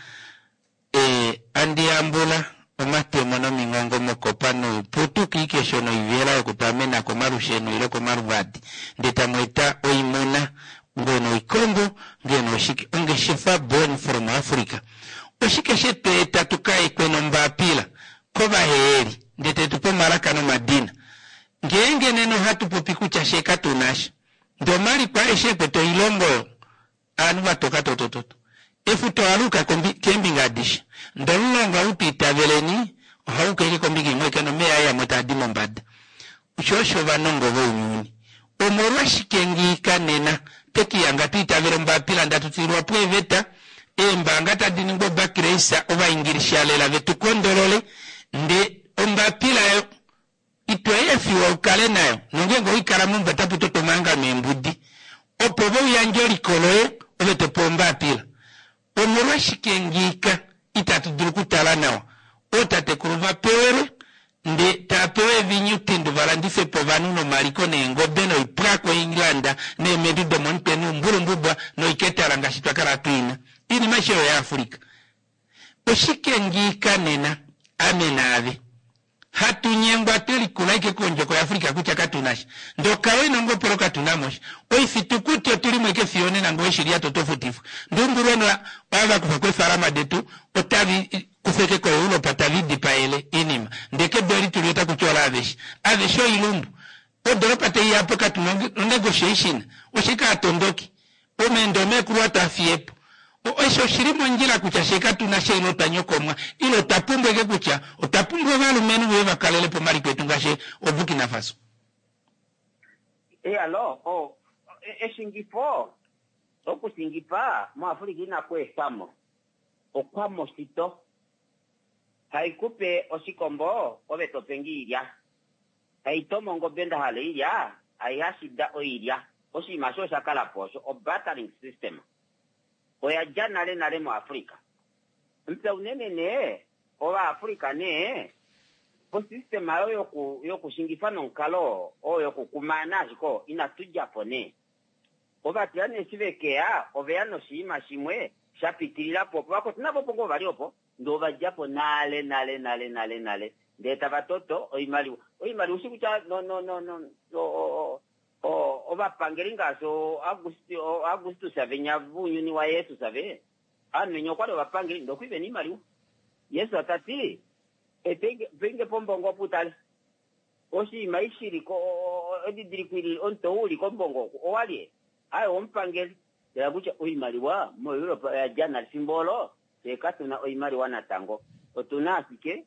Speaker 1: E, andi yambula omatemo nomingongo mokopa nouputu kiikesho noivela yokutwamena komalusheno ile komaluvadi ndee tamu eta oimuna Ngeno oikombo, ngeno oshike. Ongeshefa born from Africa. Oshike she tu eta tu ka ekwe nombapila kovaheheli ndee te tu pe omalaka nomadina? Ngeenge nena ohatu popi kutya fye katu na sha, ndee omaliko aeshe e kwete oilongo oyo ovanhu va toka totototo. Efuta oha li uka keembinga adishe, ndee omulonga ou tu itaveleni ohau uka ashike kombinga imwe aike nomeva aye amwe taa di mombada. Osho osho ovanongo vounyuni. Omolwashike ngiika nena twe kihanga twa itavela ombapila ndatu tulilwa po eeveta, eembaanga tadi ningwa obakreisa ovaingilisha lela ve tu kondolole, nde ombapila yo ito efiwa u kale nayo nongeenge owai kala meumbo otapu totwa omahangano eembudi opo ove u yandje eliko loye ove to pewa ombapila. Omolwashike ngiika itatu dulu okutala nawa ootatekulu va pewelwe nde taa pewa eevinyutindu va landife po ovanhu nomaliko neengobe noipwa koEngland neemedu domomutwe nuumbulumbubwa noiketala ngaashi twa kala hatu i na? Iinima aishe oyo yaAfrica. Oshike ngiika nena ame naave hatu nyengwa twe likula ashike kondjoko yaAfrica kutya katu na sha? Ndee okawe nongopolo katu na mo sha. Oifitukuti otu li mo ashike fiyo onena ngee owe shi lyata oto futifwa. Ndee ombulweno ava va kufa ko eefalama detu otavi kufa ashike koEuropa tavi dipaele iinima. Ndee kedu eli tuli otaku ti olaaveshe. Aveshe oilumbu. Odoropa tai ya po katu na onegotiation. Oshike aatondoki? Omeendo omeekulu ota fiye po. Osho oshi li mondjila kutya fye katu na sha ile otwa nyokomwa ile otwa pumbwa ashike kutya otwa pumbwa ovalumenhu ve va kalele po omaliko etu ngaashi oBurkina Faso.
Speaker 7: Alo, o, eshingifo, okushingifa moAfrica inaku etwa mo. Okwa moshito. Hai ku pe oshikombo, ove to pe nge iilya. Tai tomo ongobe nda hala oilya, ai hashida oilya. Oshinima osho osha kala po osho o-bartering system. Oya dja nale nale moAfrica. Mupya unene nee, Ovaafrica nee, osystem oyo yoku, yokushingifa nomukalo oo yokukumaana ashike oo, inatu dja po nee. Ovatilane eshi ve ke ya, ove ya noshinima shimwe sha pitilila po opo. Vakwetu navo opo ngoo va li opo, ndee ova dja po nale nale nale nale nale, ndee tava toto oimaliwa. Oimaliwa ushi kutya no, no, no, no, o, o, o, ovapangeli ngaashi ooAugustus venya vounyuni waJesus ve, ovanhu venya okwa li ovapangeli ndee okwa li ve na oimaliwa. Jesus ta ti, Etenge, penge po ombongo opo u tale. Oshinima eshi shi li ko, edidiliko eli, omutwe ou u li kombongo oku, owa lye? Aye, owomupangeli. Tala kutya oimaliwa moEurope oya dja nale. Fimbo olo, fye katu na oimaliwa natango. Otu na ashike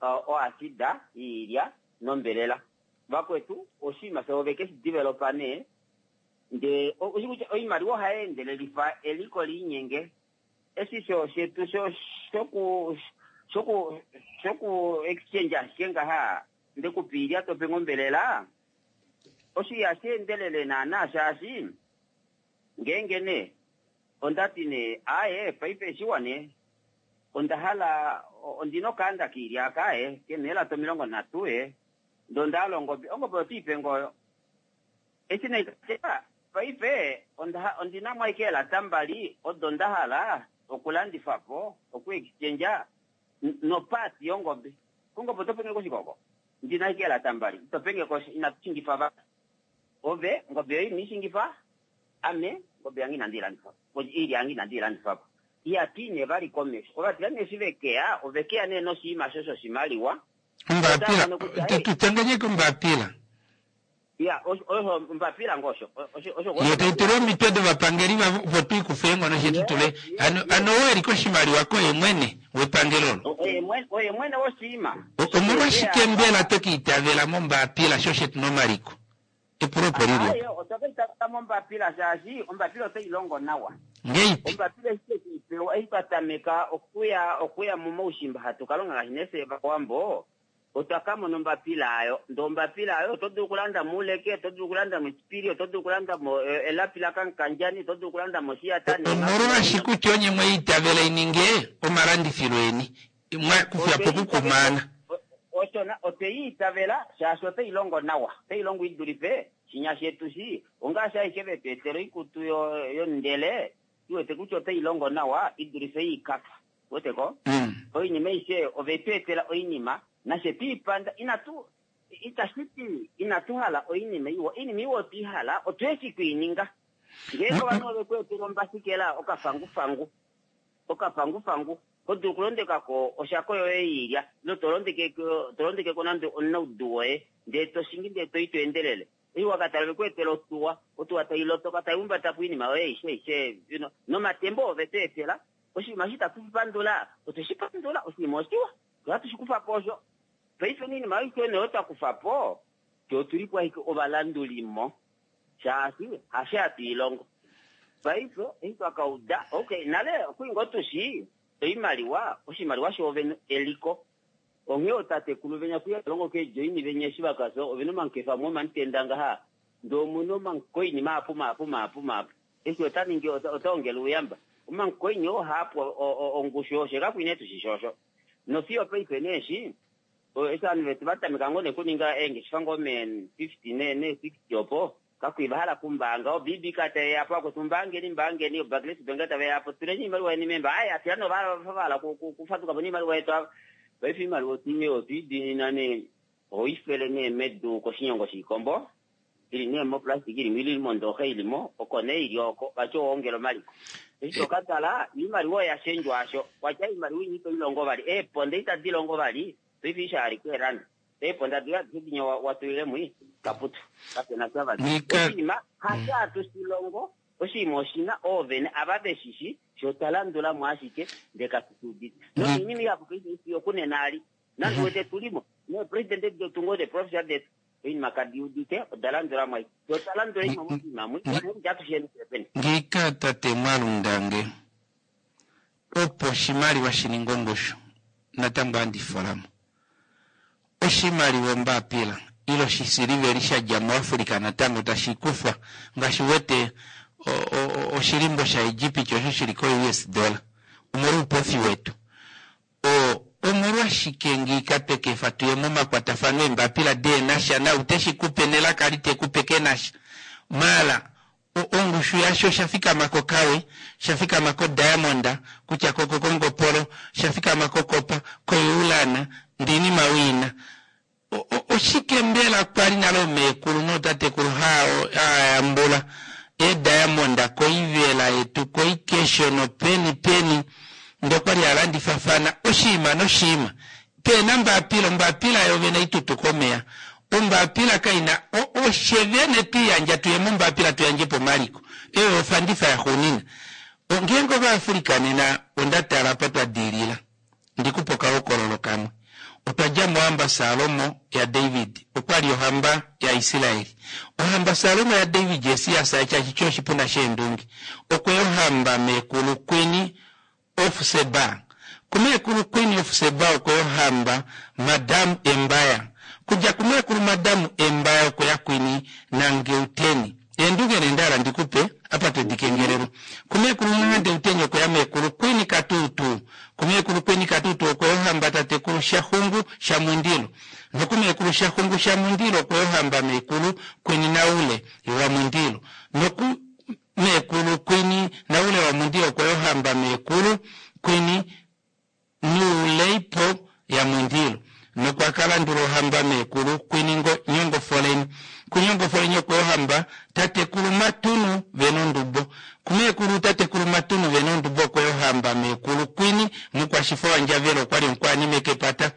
Speaker 7: oasida yiilya nombelela. Vakwetu, oshinima shavo ove ke shi developa nee. Ndee ushi kutya oimaliwa ohai endelelifa eliko liinyenge. Eshi sho shetu sho shoku shoku shoku exchange ashike ngaha nde ku pa iilya to pe nge ombelela, osho ihashi endelele naana shaashi ngeenge nee onda ti nee aaye paife eshiwa nee onda hala ondina okaanda kiilya aka aye kena eelata 30 ee ndee onda hala ongobe, ongobe oto i pe nge oyo. Eshi nee tya paife ondi na mo ashike eelata mbali odo nda hala okulandifa po, oku exchange. Nopati yongobe. Kongobe oto penge koshikoko. Ndina ashike eelata mbali. Ito penge kosha. Inatu shingifa vali. Ove, ongobe yoye ino i shingifa. Ame, ongobe yange inandi i landifa po. Oilya yange inandi i landifa po. Ihatu i nee vali komesho. Ovatilyane eshi ve ke ya, ove ke ya nee noshinima osho shoshimaliwa.
Speaker 1: Ombapila, tu tanganyeke ombapila.
Speaker 7: Ya, osho ombapila ngoo osho. Osho
Speaker 1: Yo tai tula omitwe dovapangeli vavo opo tu ikufe eenghono she tu tule. Hano ano oo e li koshimaliwa koye mwene wepangelo olo.
Speaker 7: Oye mwene woshiima.
Speaker 1: Omolwashike mbela twe ka itavela mombapila sho she tu na omaliko? Epulo opo li li
Speaker 7: opo. Otwa ka itavela mombapila shaashi ombapila otai longo nawa.
Speaker 1: Ngeipi?
Speaker 7: Ombapila eshi twe i pewa eshi twa tameka okuya okuya momaushimba hatu ka longa ngaashi nee fye Ovawambo, Otwa ka mona ombapila ayo. Ndee ombapila ayo oto dulu okulanda mo ouleke, oto dulu okulanda mo esipili, oto dulu okulanda mo elapi lakankanjani, oto dulu okulanda mo oshiyata neemapi.
Speaker 1: Omolwaashi kutya onye mwe i itavela i ninge omalandifilo eni, mwa kufya po okukumaana.
Speaker 7: Osho na, otwe i itavela shaashi otai longo nawa. Otai longo i dulife shinya shetu shi. Ongaashi ashike ve tu etela oikutu yomundele, tu wete kutya otai longo nawa i dulife iikafa. Wete ko? Oinima aishe ove tu etela oinima, nafye twe i panda. Inatu, itashi ti inatu hala oinima iwa. Oinima iwa otwe i hala, otwe shi ku i ninga. Ngeenge ovanhu ove ku etele ombasikela, okafangufangu, okafangufangu, ho dulu okulondeka ko oshako yoye yoilya, ile to londeke ko, to londeke ko nande omunaudu woye, ndele to shingi ndele to i to endelele. Eshi wa ka tala ove ku etela otuwa, otuwa tai lotoka, tai humbata po oinima yoye aishe, aishe, you know, nomatemba oo ove tu etela. Oshinima eshi itatu shi pandula, otwe shi pandula, oshinima oshiwa, fye ohatu shi kufa po osho. Paife oinima aishe nee oyo twa kufa po, fye otu li po ashike ovalandulimo, shaashi hasho hatu i longo. Paife eshi twa ka uda, okay, nale okwa li ngoo tu shii oimaliwa, oshimaliwa shoovene eliko. Onghee ootatekulu venya kuya longo keejoini venya eshi va ka fya, ove na omankefa amwe omamutenda ngaha, ndee omu na omankoini mahapu mahapu mahapu mahapu. Eshi ota ningi, ota ongele ouyamba. Omankoini oo haa pwa ongushu osho kaku ine tu shi osho. Nofiyo paife nee eshi, eshi ovanhu vetu va tameka ngoo nee kuninga eengeshefa ngoo mee 50 nee nee 60 opo, kaku va hala kumbaanga. O BBK taye ya po, akwetu mbaangeni, mbaangeni, o Barclays Bank tave ya po, tuleni iimaliwa yeni meemba. Ai, afya nee ova hala kufaduka po niimaliwa yetu ava. Paife iimaliwa otwe i diinina nee, oho i fele nee medu koshinyongo shiikombo. Ili nee moplastic ili mo ili mondooxa ili mo, oko nee ili oko, vati owa ongela omaliko. Eshi to ka tala, oimaliwa oya shendjwa asho. Watya oimaliwa inya ito i longo vali. Eeponda itadi longo vali, paife eshi hali keeranda. Eeponda doye adishe dinya wa tulile mwi, kaputu. Kape na sha vali. Oshinima hasho hatu shi longo, oshinima oshi na oovene ava ve shi shi, fye otwa landula mo ashike, ndee katu shi udite. Noinima ihapu paife fiyo okunena ali, nande wete tu li mo, neepresidente detu ngoo, neeprofessor detu, Oinima kadi udite, oda landula mwai. Fye otwa landula oinima moshinima mwi, nokutya atusheni fye vene.
Speaker 1: Ngiika tate Mwalundange, opo oshimaliwa shi ninge ongushu, natango ohandi fola mo. Oshimaliwa ombapila ile oshisiliveli sha dja muAfrica natango tashi kufwa, ngaashi u wete oshilimbo shaEgipiti osho shi li koUS dollar, omolwoupofi wetu. O, omolwashike ngiika twe ka efa tu ye momakwatafano eembapila dee na sha na ou te shi ku pe nelaka li te ku pe ke na sha? Maala, o, ongushu yasho osha fikama kokawe, sha fikama kodiamond, kutya ko, ko, kongopolo, sha fikama kokopa, koiulana, ndee oinima wi i na. O, o, oshike mbela kwa li nale oomeekulu nootatekulu haa, haa yambula eediamond koivela yetu, koikesho nopeni peni, ndee okwa li haa landifafana oshiima noshiima. Pe na ombapila, ombapila yoovene itutuka omeya. Ombapila kai na, o, ofye vene twi yandja tu ye mombapila tu yandje po omaliko. Eyo ofandifa yaxuunina. O, ngeenge Ovaafrika nena, onda tala apa twa diilila. Ndi ku pe okahokololo kamwe. Otwa dja mohamba Salomo yaDavid. Okwa li ohamba yaIsrael. Ohamba Salomo yaDavid Jesias tashi ti oshipuna sheendunge. Okwe ya ohamba meekulu Queen of Seba. Kumeekulu Queen of Seba okwe ya ohamba Madam Embaya. Kudja kumeekulu Madam Embaya okwe ya Queen Nangeuteni. Eendunge nee nda hala ndi ku pe, apa to di kengelelwa. Kumeekulu Mwandeutenya okwe ya meekulu Queen Katuutuu. Kumeekulu Queen Katuutuu okwe ya ohamba tatekulu Shaxungu shaMundilo. Nokumeekulu Shaxungu shaMundilo okwe ya ohamba meekulu Queen Naule waMundilo. Noku meekulu Queen Naule waMundilo okwe ya ohamba meekulu Queen. Nuuleipo yaMwindilo nokwa ka landula ohamba meekulu Kwiningo Nyongofoleni. KuNyongofoleni okwe ohamba tatekulu Matunu Venondubo. Kumeekulu tatekulu Matunu Venondubo okwe ohamba meekulu Kwini Mukwashifo waNdjavelo okwali omukwaanime kepata.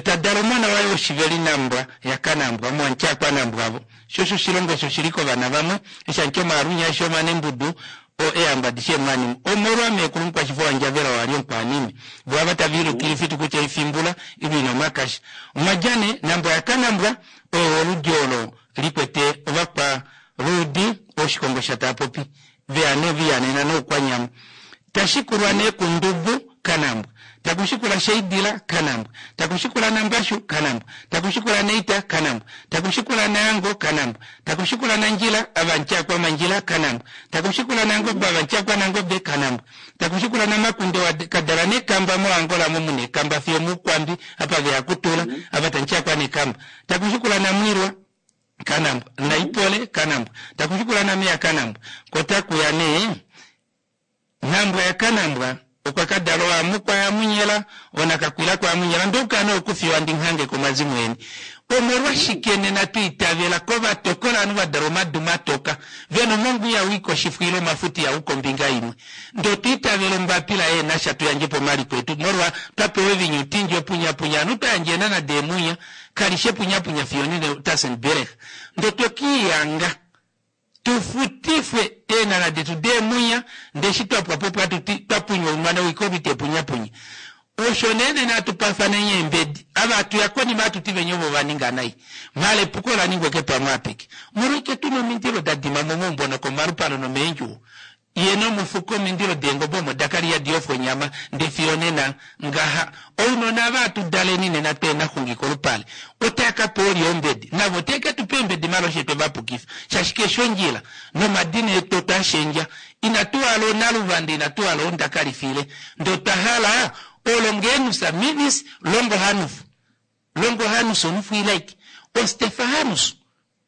Speaker 1: Ta dala omona waye woshiveli Nambwa yaKanambwa omuAntyakwanambwavo. Sho osho oshilongo eshi oshili kovana vamwe, eshi anty omaalunya eshi omanembudu o eehamba adishe eemwanime. Omolwa meekulu Mukwashifo waNdjavela oo ali omukwaanime. Vo ava tava ilukile ifitu kutya oifimbula ilwa ina omakasha. Omwa dja nee Nambwa yaKanambwa oyo woludi olo li kwete ovakwa luudi Oshikongo shaTaapopi veya nee vihanena nOukwanyama. Tashikulwa nee kuNdubu Kanambwa. Takushikula Sheidila Kanambwa. Takushikula Nambashu Kanambwa. Takushikula Neita Kanambwa. Takushikula Naango Kanambwa. Takushikula Nandjila Avantyakwa Mandjila Kanambwa. Takushikula Nangobe Avantyakwa Nangobe Kanambwa. Takushikula Namakunde wa kadala nekamba moAngola mo muna ekamba fiyo omuukwambi apa veya kutula ava tantyakwa nekamba. Takushikula Namwilwa Kanambwa. Naipole Kanambwa. Takushikula Nameya Kanambwa. Ko takuya nee Nambwa yaKanambwa okwa ka dala oAmukwa yaAmunyela, oNakakwila kwaAmunyela ndouka nee okufiwa ndi nghange komazimo eni. Omolwashike nena twa itavela kovatokola ovanhu va dalwa omadu matoka, ve na omongwa ihau i koshifo ile omafuta ihau kombinga imwe? Ndee otwa itavela ombapila yeenasha tu yandje po omaliko etu molwa twa pewa evinyutindji opunyapunya ovanhu twa yandja eenana deemunya kali shi epunyapunya fiyo onena Tassenberg. Ndee otwe kiihanga Tu futifwe eenhana detu deemunya, ndee eshi twa pwa po pwatu ti, twa punywa oumwana woikolwi te punyapunya. Osho nee nena hatu paafaneni eembedi. Ava hatu ya konima hatu ti venya ovo va ninga nai. Mhala epuko ola ningwa eke pamwe apeke. Omolwashike tu na omindilo da dima momaumbo nokomalupale nomeendjuwo? Ye nomufuko omindilo deengobe omo da kala ihadi yofwa onyama, ndee fiyo onena ngaha ounona ava hatu daleni nena tweenaxungi kolupale otava ka pewa olye ombedi? Navo otave ke tu pa eembedi mala oshe twe va pukifa shaashi keshe ondjila nomadina etu otwa shendja. Inatu hala oonaluvanda, inatu hala oondakalifile ndee otwa hala oolongeenus mivis longohanuf longohanus onufuilaiki ostefahanus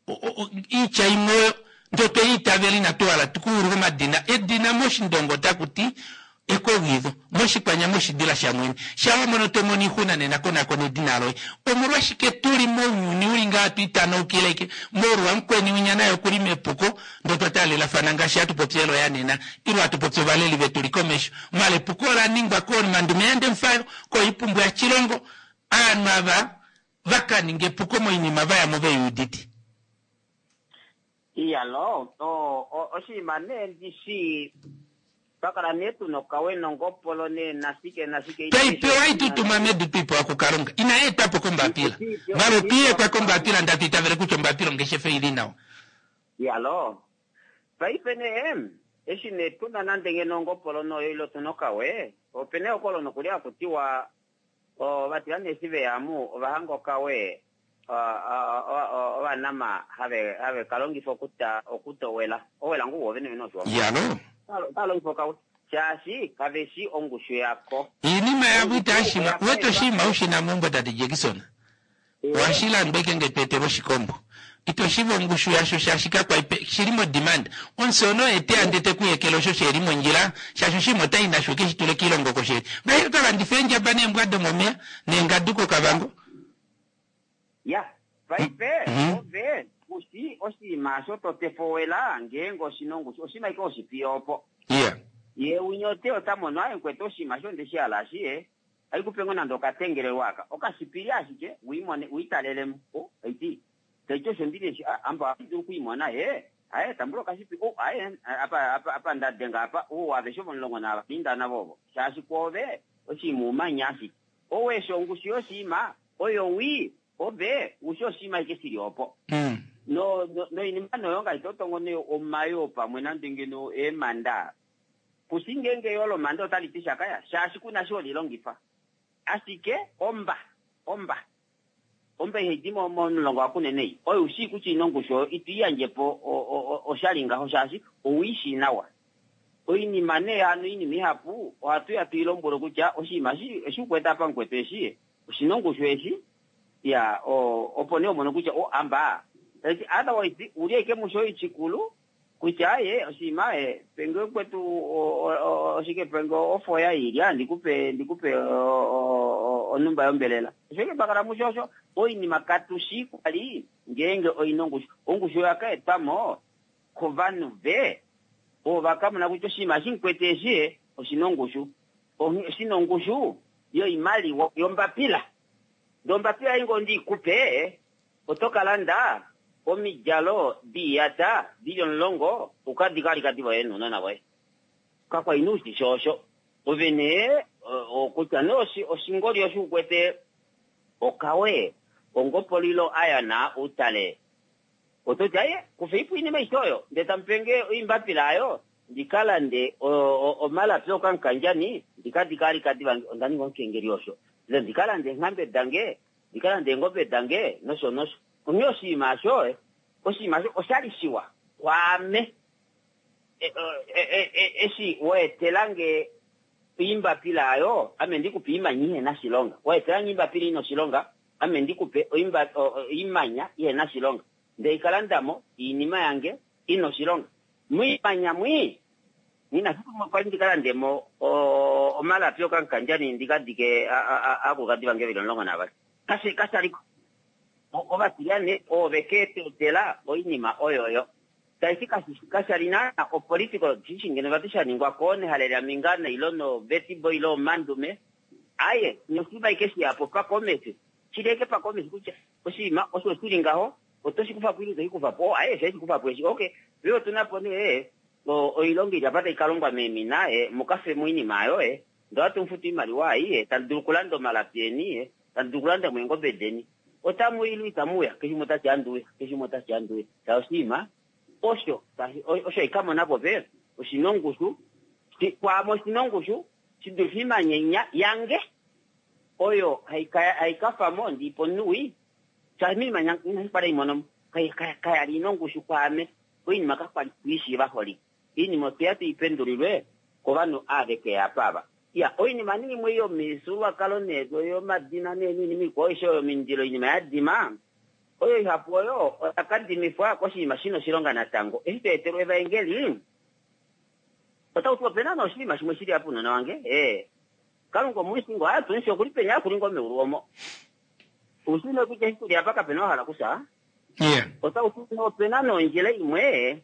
Speaker 1: Oitya imwe oyo ndee otwe i itavela inatu hala tu kuulule omadina. Edina mOshindonga otaku ti ekogidho, mOshikwanyama oshidila shamwene. Shaa wa mono to mono oixuna nena konakona edina loye. Omolwashike tu li mounyuni u li ngaha hatu itanaukileke molwa mukweni winya naye oku li mepuko ndee otwa taalelafana ngaashi hatu popi eloya nena ile hatu popi ovaleli vetu li komesho. Mala epuko ola ningwa kooMandume yaNdemufayo, kooIpumbu yaTshilongo, aanhu ava va ka ninga epuko moinima va ya mo ve i udite.
Speaker 7: Iyalo, oshinima nee ndi shii, twa kala nee tu nokawe nongopolo nee nashike nashike.
Speaker 1: Twei pewa itutuma medu twi pewa kuKalunga. Inai etwa po kombapila. Mala otwi etwa kombapila ndatu itavele kutya ombapila ongeshefa i li nawa.
Speaker 7: Iyalo, paife nee, eshi nee tu na nande ngeno ongopolo noyo ile otu nokawe, ope na ehokolo nokuli haku tiwa Ovatila nee eshi veya amu ova hanga okawe Ovanama have ka longifa okuta owela. Owela ngoo woovene vene Oshiwambo.
Speaker 1: Iyalo.
Speaker 7: Otava longifa okawe shaashi kave shii ongushu yako.
Speaker 1: Iinima yavo itaya shima. Uwete oshinima u shi na meumbo tate Jackson? Ohashi landwa ike nge to etelwa oshikombo. Ito shiva ongushu yasho shaashi kakwa pe shili mo demand. Omusono oye teya nde te ku yekele osho sheli mondjila shaashi oshinima ota yi nasho eke shi tule kiilongo oko sheli. Ngaashi oto landifa eendjaba neembwa domomeya neengadu koKavango.
Speaker 7: Ya, paife ove ku shi oshinima osho to tefowela ngeenge oshi na ongushu, oshinima ashike oshipiya opo.
Speaker 1: Iya.
Speaker 7: Ye winya ote ota mono, aye mukwetu oshinima osho onde shi hala shi ye. Ohai ku pe ngoo nande okatengelelwa aka, okashipili ashike, u i mone, u i talele mo. O, tai ti, tai ti osho ndi neshi, a, amba ohandi dulu oku i mona, ee, aye, tambula okashipili, o, aye, apa, apa, apa nda denga apa, o, aveshe omulongo navali inda navo ovo. Shaashi kwoove, oshinima umanya ashike. Ou eshi ongushu yoshinima, oyo wii, ove, u shi oshinima ashike shi li opo. No, no, noinima noyo ngaashi to tongo nee omayoo pamwe nande ngeno eemanda, Ku shi ngeenge yoo lomande otali ti sha kaya, shaashi ku na shi ho li longifa. Ashike omba, omba, omba ihai di mo momulonga waKunene ei, oyo u shii kutya ina ongushu oyo, ito i yandje po oshali ngaho shaashi ou i shii nawa. Oinima nee hano oinima ihapu ohatu ya tu i lombwelwe kutya oshinima eshi, eshi u kwete apa mukwetu eshi, oshi na ongushu eshi, iya, opo nee ho mono kutya o, amba. Otherwise, u li ashike musho oishikulu. Kutya aye oshinima penge kwetu oshike penge ofoya ilya ndikupe ndikupe onumba yombelela. Oshike twakala musho osho oinima katushi kwali ngeenge oina ongushu. Ongushu oya ka etwamo kovanhu ve ovo vakamona kutya oshinima eshi mukwete eshi oshina ongushu. Oshina ongushu yoimaliwa yombapila. Ndee ombapila ei ngoo ndiikupe oto ka landa omidjalo diiyata dili 10 ukadike alikadi voye nounona voye. Kakwa ina ushisho osho. Ove nee kutya nee oshingoli osho ukwete okawe ongopolilo ayana utale. Oto ti aye kufeipo oinima aishe oyo ndee tamupenge oimbapila ayo ndikalande omalapi okamukandjani ndikadike alikadi vange onda ninga omukengeli osho. Ile ndikalande eenghambe dange ndikalande eengobe dange nosho nosho. Onghee oshinima osho oshinima osho oshali shiwa kwaame eshi waetelange oimbapila ayo ame ndikupe oimanya ihena shilonga. Waetelange oimbapila ina oshilonga ame ndikupe oimanya ihena shilonga. Ndee ikalandamo oinima yange ina oshilonga. Moimanya mwi nina kwali ndikalandemo omalapi okamukandjani ndikadike aakulukadi vange veli 12. Kashaliko. Ovatilane ove keetetela oinima oyoyo. Taiti kashali naana opolitical decision ngeno vati shaningwa koonehale lyaMingana ilo noVetibo ilo omandume. Aye, noshinima ike shiyapo pakomesi. Shili eke pakomesi kutya oshinima osho shili ngaho oto shi kufa po ile ito shi kufa po. Aye, shi kufa po eshi. Okay, veo otuna po nee oilonga ili apa tai kalongwa meemina mukafe moinima ayo ndee ohatu mufutu oimaliwa ai tamu dulu okulanda omalapi eni tamu dulu okulanda eengobe deni. Otamu ile itamu uya keshe umwe otati anduuya keshe umwe otati anduuya. Ta oshinima osho osho ikamonapo pe oshina ongushu kwaame oshina ongushu shidulife oimanya yange oyo haikafamo ndiipa omunhu wii. Shaashi oimanya inashipala imonomo kayali ina ongushu kwaame. Oinima kakwali tuishiiva holike. Oinima otweya tuipendulilwe kovanhu ave keya apa ava. Ya oinima nee imwe yomifyuululwakalo nee yomadina nee noinima ikwao aishe oyo omindilo oinima yadima oyo ihapu oyo oya kadimifwa koshinima shina oshilonga natango. Eshi tweetelwa evaengeli otau ti opena nee oshinima shimwe shili apa unona wange. Kalunga omuishi ngo atuishi okuli peni akulingo meulu omo. Ushine kutya eshi tuli apa kapena wahala kufya. Otau ti opena nondjila imwe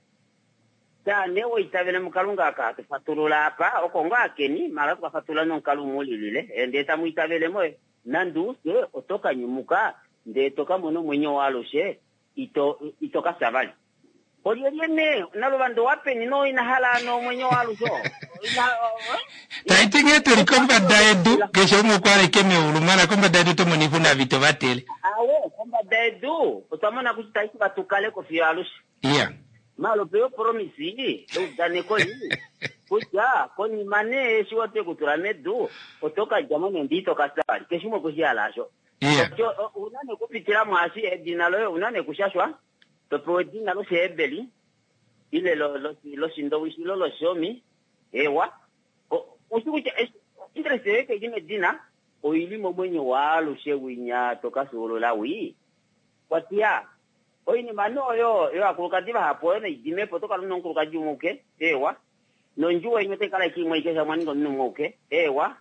Speaker 7: taane woitavele mukalunga aka tufatulula apa oko ngo akeni mala tukafatulula nomukalo umwe ulilile ndee tamu itavele mo nande ufye oto kanyumuka ndee to kamona omwenyo waalushe ito kafya vali. Olyelye nee naluvando wapeni no inahala nomwenyo waalushe
Speaker 1: Taiti nghee tuli kombada yedu keshe umwe okwa aleke meulu mala kombada yedu tomona oixuna vito vatele.
Speaker 7: Awe kombada yedu otwa mona kutya taiti vatukaleko fiyo alushe. Malo peyo promise eudaneko li kutya konima nee eshi watekutula medu oto kadjamo nende ito kafya vali keshe umwe okweshi hala asho. Una nekupitila mwaashi edina loye una nekushashwa topewa edina loshihebeli ile loshindowishi ilo loshomi ewa ushi kutya interest yoye kaili medina oili momwenyo waalushe winya tokafyuulula wii. Kwatiya oinima nee oyo yovakulukadi vahapu oyo naidimepo otokala una omukulukadi umwe uke ewa nondjuwo imwe otai kala ike imwe ike shamwa ninga omunhu umwe uke ewa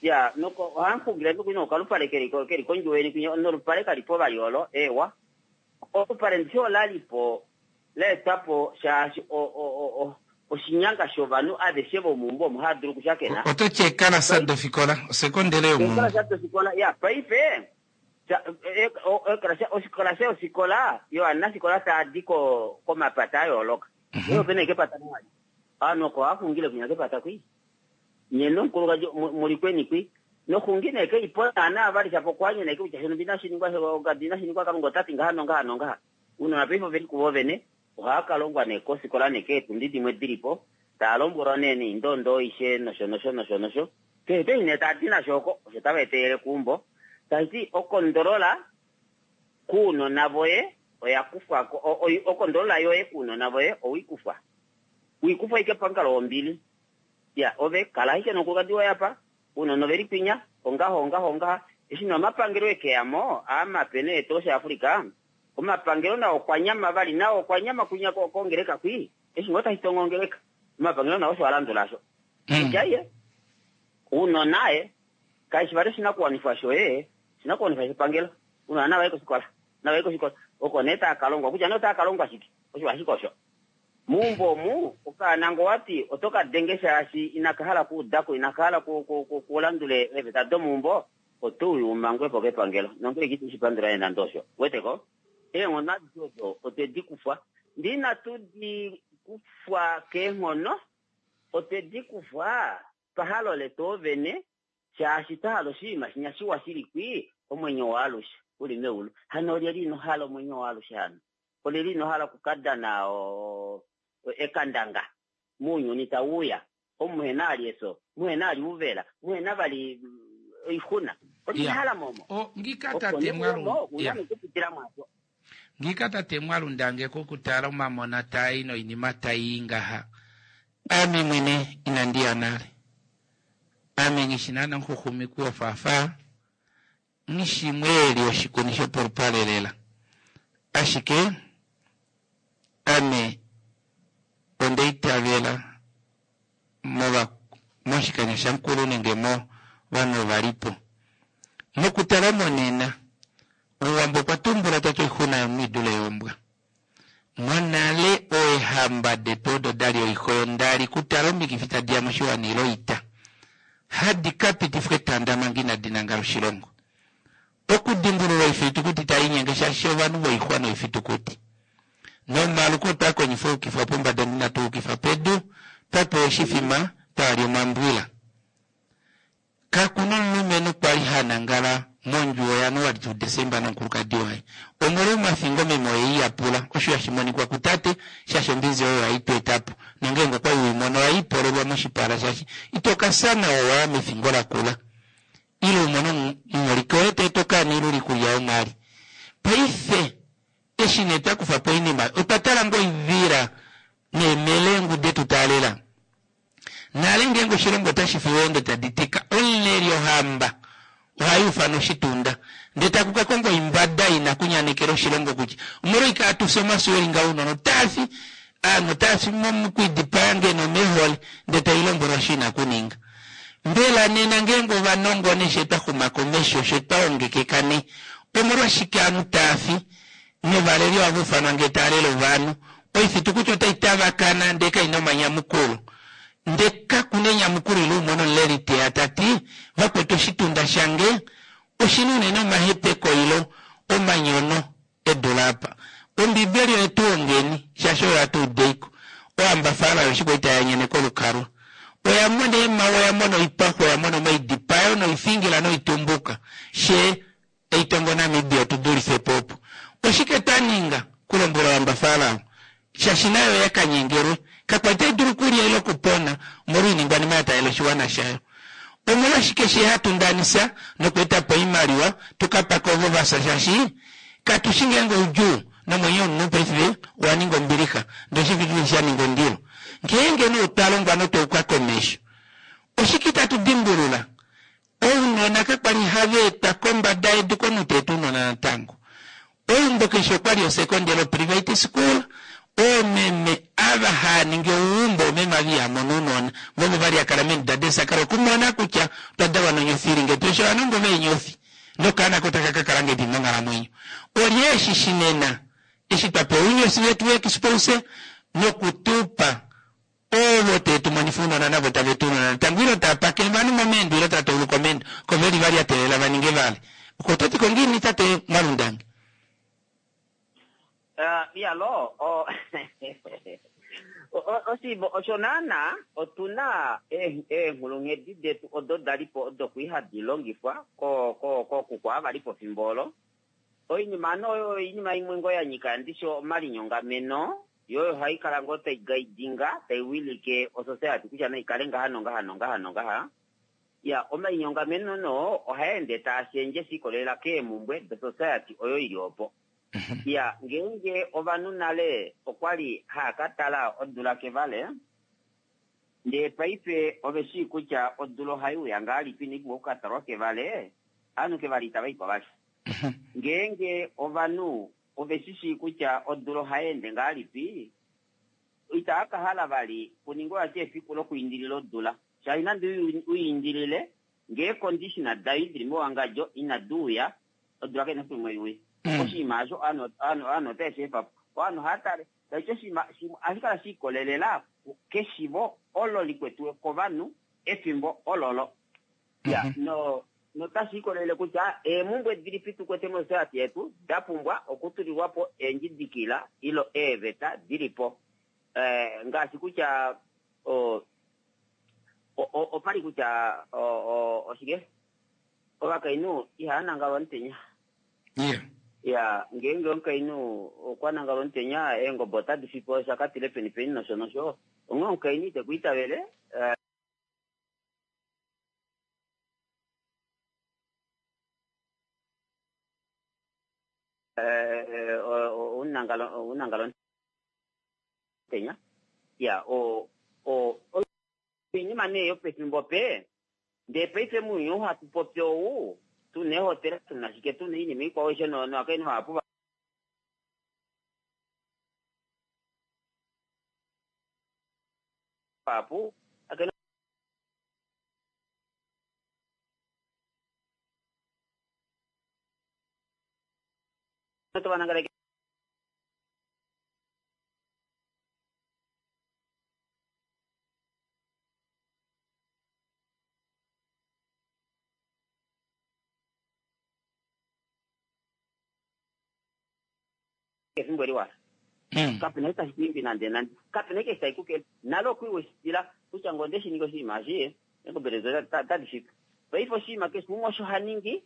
Speaker 7: ya noko ohamuxungile nokuli nokalupale keli kondjuwo yeni kwinya nolupale kalipo vali olo ewa olupale ndishi olalipo laetwapo shaashi oshinyanga shovanhu aveshe vomuumbo omo hava dulu okushakena.
Speaker 1: Oto ti ekalasa dofikola osekondele yomuumbo.
Speaker 7: Ekalasa dofikola ya paife okalasa yofikola yovanafikola taadi komapata ayooloka. Oyo opena ike epata limwe. Ovanhu oko ohaxungile kwinya kepata kwi. Nye nomukulukadi muli kweni kwi. Noxungi nee keipo naana vali shapo okwanye nee kutya shino inashiningwa ogadi inashiningwa Kalunga otati ngaha nongaha nongaha. Ounona paife oveli kuvo vene ohava kalongwa nee kofikola nee keetundi dimwe dilipo taa lombwelwa nee neindondo aishe nosho nosho nosho nosho. Keshe eshi nee taadi nasho oko osho tava etelele keumbo. Taiti okondolola kuunona voye oya kufwako okondolola yoye kuunona voye owikufwa. Wikufwa ike pamukalo wombili. Ya ove kala ashike nomukulukadi woye apa ounona oveli kwinya ongaho ongaho ongaha. Eshi nee omapangelo ekeyamo aamape nee tosha Africa omapangelo nao okwanyama vali nao okwanyama kwinya kongeleka kwi. Eshi ngoo tashi tongo ongeleka, omapangelo nao osho a landula asho. Kutya ye, ounona ye, kashi vali oshinakuwanifwa shoye, oshinakuwanifwa shepangelo. Ounona nava ye kofikola, nava ye kofikola. Oko nee tava ka longwa, kutya nee otava ka longwa shike, osho ashike osho. Meumbo omu, okaana ngoo wati oto ka denge shaashi inaka hala okuudako, inaka hala kulandula eeveta domeumbo, oto uya u mangwe po kepangelo. Nongeleka ito shi pandula nee nande osho. Uwete ko? Eenghono adishe odo otwe di kufwa. Ndee inatu di kufwa keenghono, otwe di kufwa pahalo letu ovene, shaashi twa hala oshinima shinya shiwa shili kwi, omwenyo waalushe u li meulu. Hano olyelye ino hala omwenyo waalushe hano? Olyelye ino hala oku ka dana ekandanga mounyuni tau uya, omu muhe na vali efyo, muhe na vali ouvela, muhe na vali oixuna? Olyelye ino hala mo omo?
Speaker 1: O, ngiika
Speaker 7: Opo
Speaker 1: tate
Speaker 7: nee
Speaker 1: Mwalu,
Speaker 7: mo, u na
Speaker 1: ya.
Speaker 7: nee okupitila mwaasho.
Speaker 1: Ngiika tate Mwalundange kokutala omamona taa i noinima tai i ngaha, ame mwene inandi ya nale. Ame nghi shi naana omuxuxumiki wofaafaa, nghi shi mweeli woshikuni shopolupale lela. Ashike ame onda itavela mova, moshikanya shamukulu nenge mo vanhu ova li po. Mokutala monena, Omuwambo okwa tumbula ta ti oixuna yomunhu i dule yombwa. Monale oehamba detu odo da li oihoyondali kutala omikifi tadi ya moshiwana ile oita, hadi ka pitifwa etanda manga inadi nangala oshilongo. Okudimbulula oifitukuti tai linyenge shaashi ovanhu voixwa noifitukuti. Nomaluko otwa kondjifa oukifwa pombada ndee inatu ukifa pedu, twa pewa oshifima, twa lya omambwila. Kaku na omulumenhu kwa li ha nangala mondjuwo yaNoa tuu Desemba nomukulukadi waye. Omolwa omafingo meme oye i yapula, osho hashi monikwa kutate, shaashi ombinzi oyo hai tu eta po, nongeenge okwa li we i mono ohai polelwa moshipala shaashi ito ka fya nawa wa ya mefingo lakula. Ile u mone omuholike woye ta eta okaana ile oikulya yomwali. Paife eshi nee twa kufa po oinima, otwa tala ngoo oivila neemelengu de tu taalela? Nale ngeenge oshilongo otashi fi eendo tadi tika, omuleli ohamba ohai ufana oshitunda ndee taku ka kongwa oimbada ina kunyanekela oshilongo kutya omolwoike hatu fi omafyo eli ngaho ounona otaa fi, aanhu otaa fi mokwidipaya ngeno omeehole ndee tai lombwelwa osho ina kuninga. Mbela nena ngeenge ovanongo she twa xuma komesho she twa ongekeka nee omolwashike aanhu taa fi novaleli ohava ufanwa ngee taa lele ovanhu. Oifitukuti otai tavakana ndee kai na omanyamukulo. Ndee kaku na enyamukulo ile umone omuleli te ya ta ti, Vakwetu oshitunda shange oshi na unene omahepeko ile omanyono e dule apa. Ombibeli oye tu hongeni, shaashi oyo hatu udeiko. Ohamba Farao eshi kwali tai anyene kolukalwa, oya mona eemhawe, oya mona oipaxu, oya mona omaidipayo noifingila noitumbuka. She Eitongo Namibia otu dulife po opo. Oshike twa ninga? Kulombwela ohamba Farao. Shaashi nayo oya ka nyengelwe. Kakwa li tai dulu okulya ile okupona omolwa oiningwanima ya taalela oshiwana shayo. Omolwashike she hatu ndanisa nokweeta po oimaliwa tu ka pake ovo va fya shaashi katu shi ngeenge oudjuu nomwenyo womunhu paife owa ninga ombilixa ndee oshifitukuti sha ninga ondilo. Ngeenge nee otwa longwa notwa uka komesho oshike itatu dimbulula Ounona kakwa li hava etwa kombada yedu komunhu ta eta ounona natango. Eumbo keshe okwa li osekondele oprivate school, oomeme ava haa ningi ouumbo oomeme ava iha mono ounona, vovo vali ha kala meenduda deesakala okumona kutya otwa dalwa nonyofi ili ngee tulesha ovanongo veenyofi nokaana ko taka ka kala ngahelipi monghalamwenyo. Olye eshi shi nena eshi twa pewa ounyofi vetu veexpose noku tu pa Ovo te tu monifa ounona navo tave tu ounona natango ilo tava pake ovanhu momeendo ilo tava tauluka omeendo ko veli vali a teelela va ninge vali. Oko oto ti ko ngiini tate Mwalundange?
Speaker 7: Uh, iyalo oshiivo osho naana otu na eenghulunghedi detu odo da li po odo kui hadi longifwa kookuku ava li po fimbo olo. Oinima ano oyo oinima imwe ngoo ya nyika ndishi omalinyongameno Yo oyo hai kala ngoo tai guidinga, tai wilike osociety kutya nai kale ngaha nongaha nongaha nongaha. Ya, omainyongameno no ohaa ende taa shendje shi ikolelela keemumbwe dosociety oyo ili opo. Ya, ngeenge ovanhu nale okwali haa ka tala odula kevale, ndee paife ove shii kutya odula ohai uya ngahalipi inai pumbwa oku ka talwa kevale, ovanhu kevale itava i ko vali. Ngeenge ovanhu ove shi shii kutya odula ohai ende ngahelipi. Itaa ka hala vali kuningwe vati efiku lokuindilila odula shaashi nande uiindilile ngee eeconditiona dayo dili mewangadjo inadi uya odula kaina efiku limwe iuye. Oshinima osho ovanhu otave shi efa po. Ovanhu ohava tale taiti oshinima shimwe ohashi kala she ikolelela keshivo olo likwetiwe kovanhu efimbo ololo. Ya, no notashi ikolelele kutya eemumbwe dilipi tu kwete mosociety yetu da pumbwa okutulilwa po eendjidikila ilo eeveta dili po. Ngaashi kutya opali kutya oshike ovakainhu ihava nangalwa omutenya. Ya, ngeenge omukainhu okwa nangalwa omutenya eengobe otadi fipo shakatile peni peni nosho nosho. Onghee omukainhu ite ku itavele. Unangalo omutenya. Ya, o o oinima nee yopefimbo pe ndee paife mounyuni ou hatu popi ou tuna eehotela tuna shike tuna oinima ikwao aishe novakainhu vahapu vahapu tovanangala efimbo eliwa kapena eshi tashi kuimbi nande nande kapena eshi tashi kukele nale okwiiweshitila kutya ngee onde shi ningi oshinima eshi eengobe detu otadi fipo paife oshinima keshe umwe osho ha ningi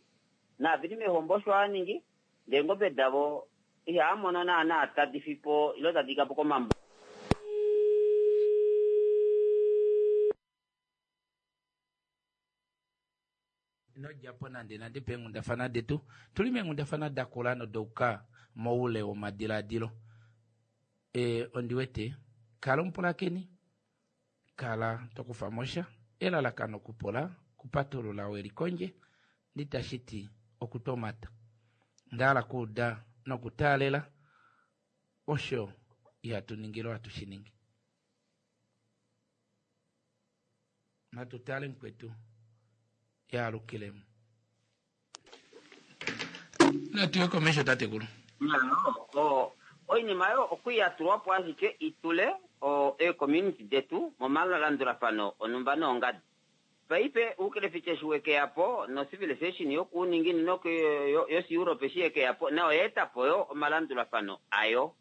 Speaker 7: naaveli meehombo osho hava ningi ndee eengobe davo ihava mono naana tadi fipo ile tadi kapo komambo.
Speaker 1: Ino dja po nandenande peenghundafana detu. Tu li meenghundafana da kula noda uka moule womadiladilo. E, ondi wete, kala omupulakeni, kala to kufa mo sha. Elalakano okupula, okupatulula we li kondje, nditashi ti okutomata. Onda hala okuuda nokutaalela osho ihatu ningile ohatu shi ningi. Natu tale mukwetu yaalukilemo. Natu ye komesho tatekulu.
Speaker 7: Oinima oyo okwi ya tulwa po ashike i tule eecommunity detu momalandulafano onhumba noongadi. Paife oukelefica eshi we ke ya po nocivilization yokuuninginino yoshiEurope eshi ye ke ya po nayo oya eta po yo omalandulafano ayo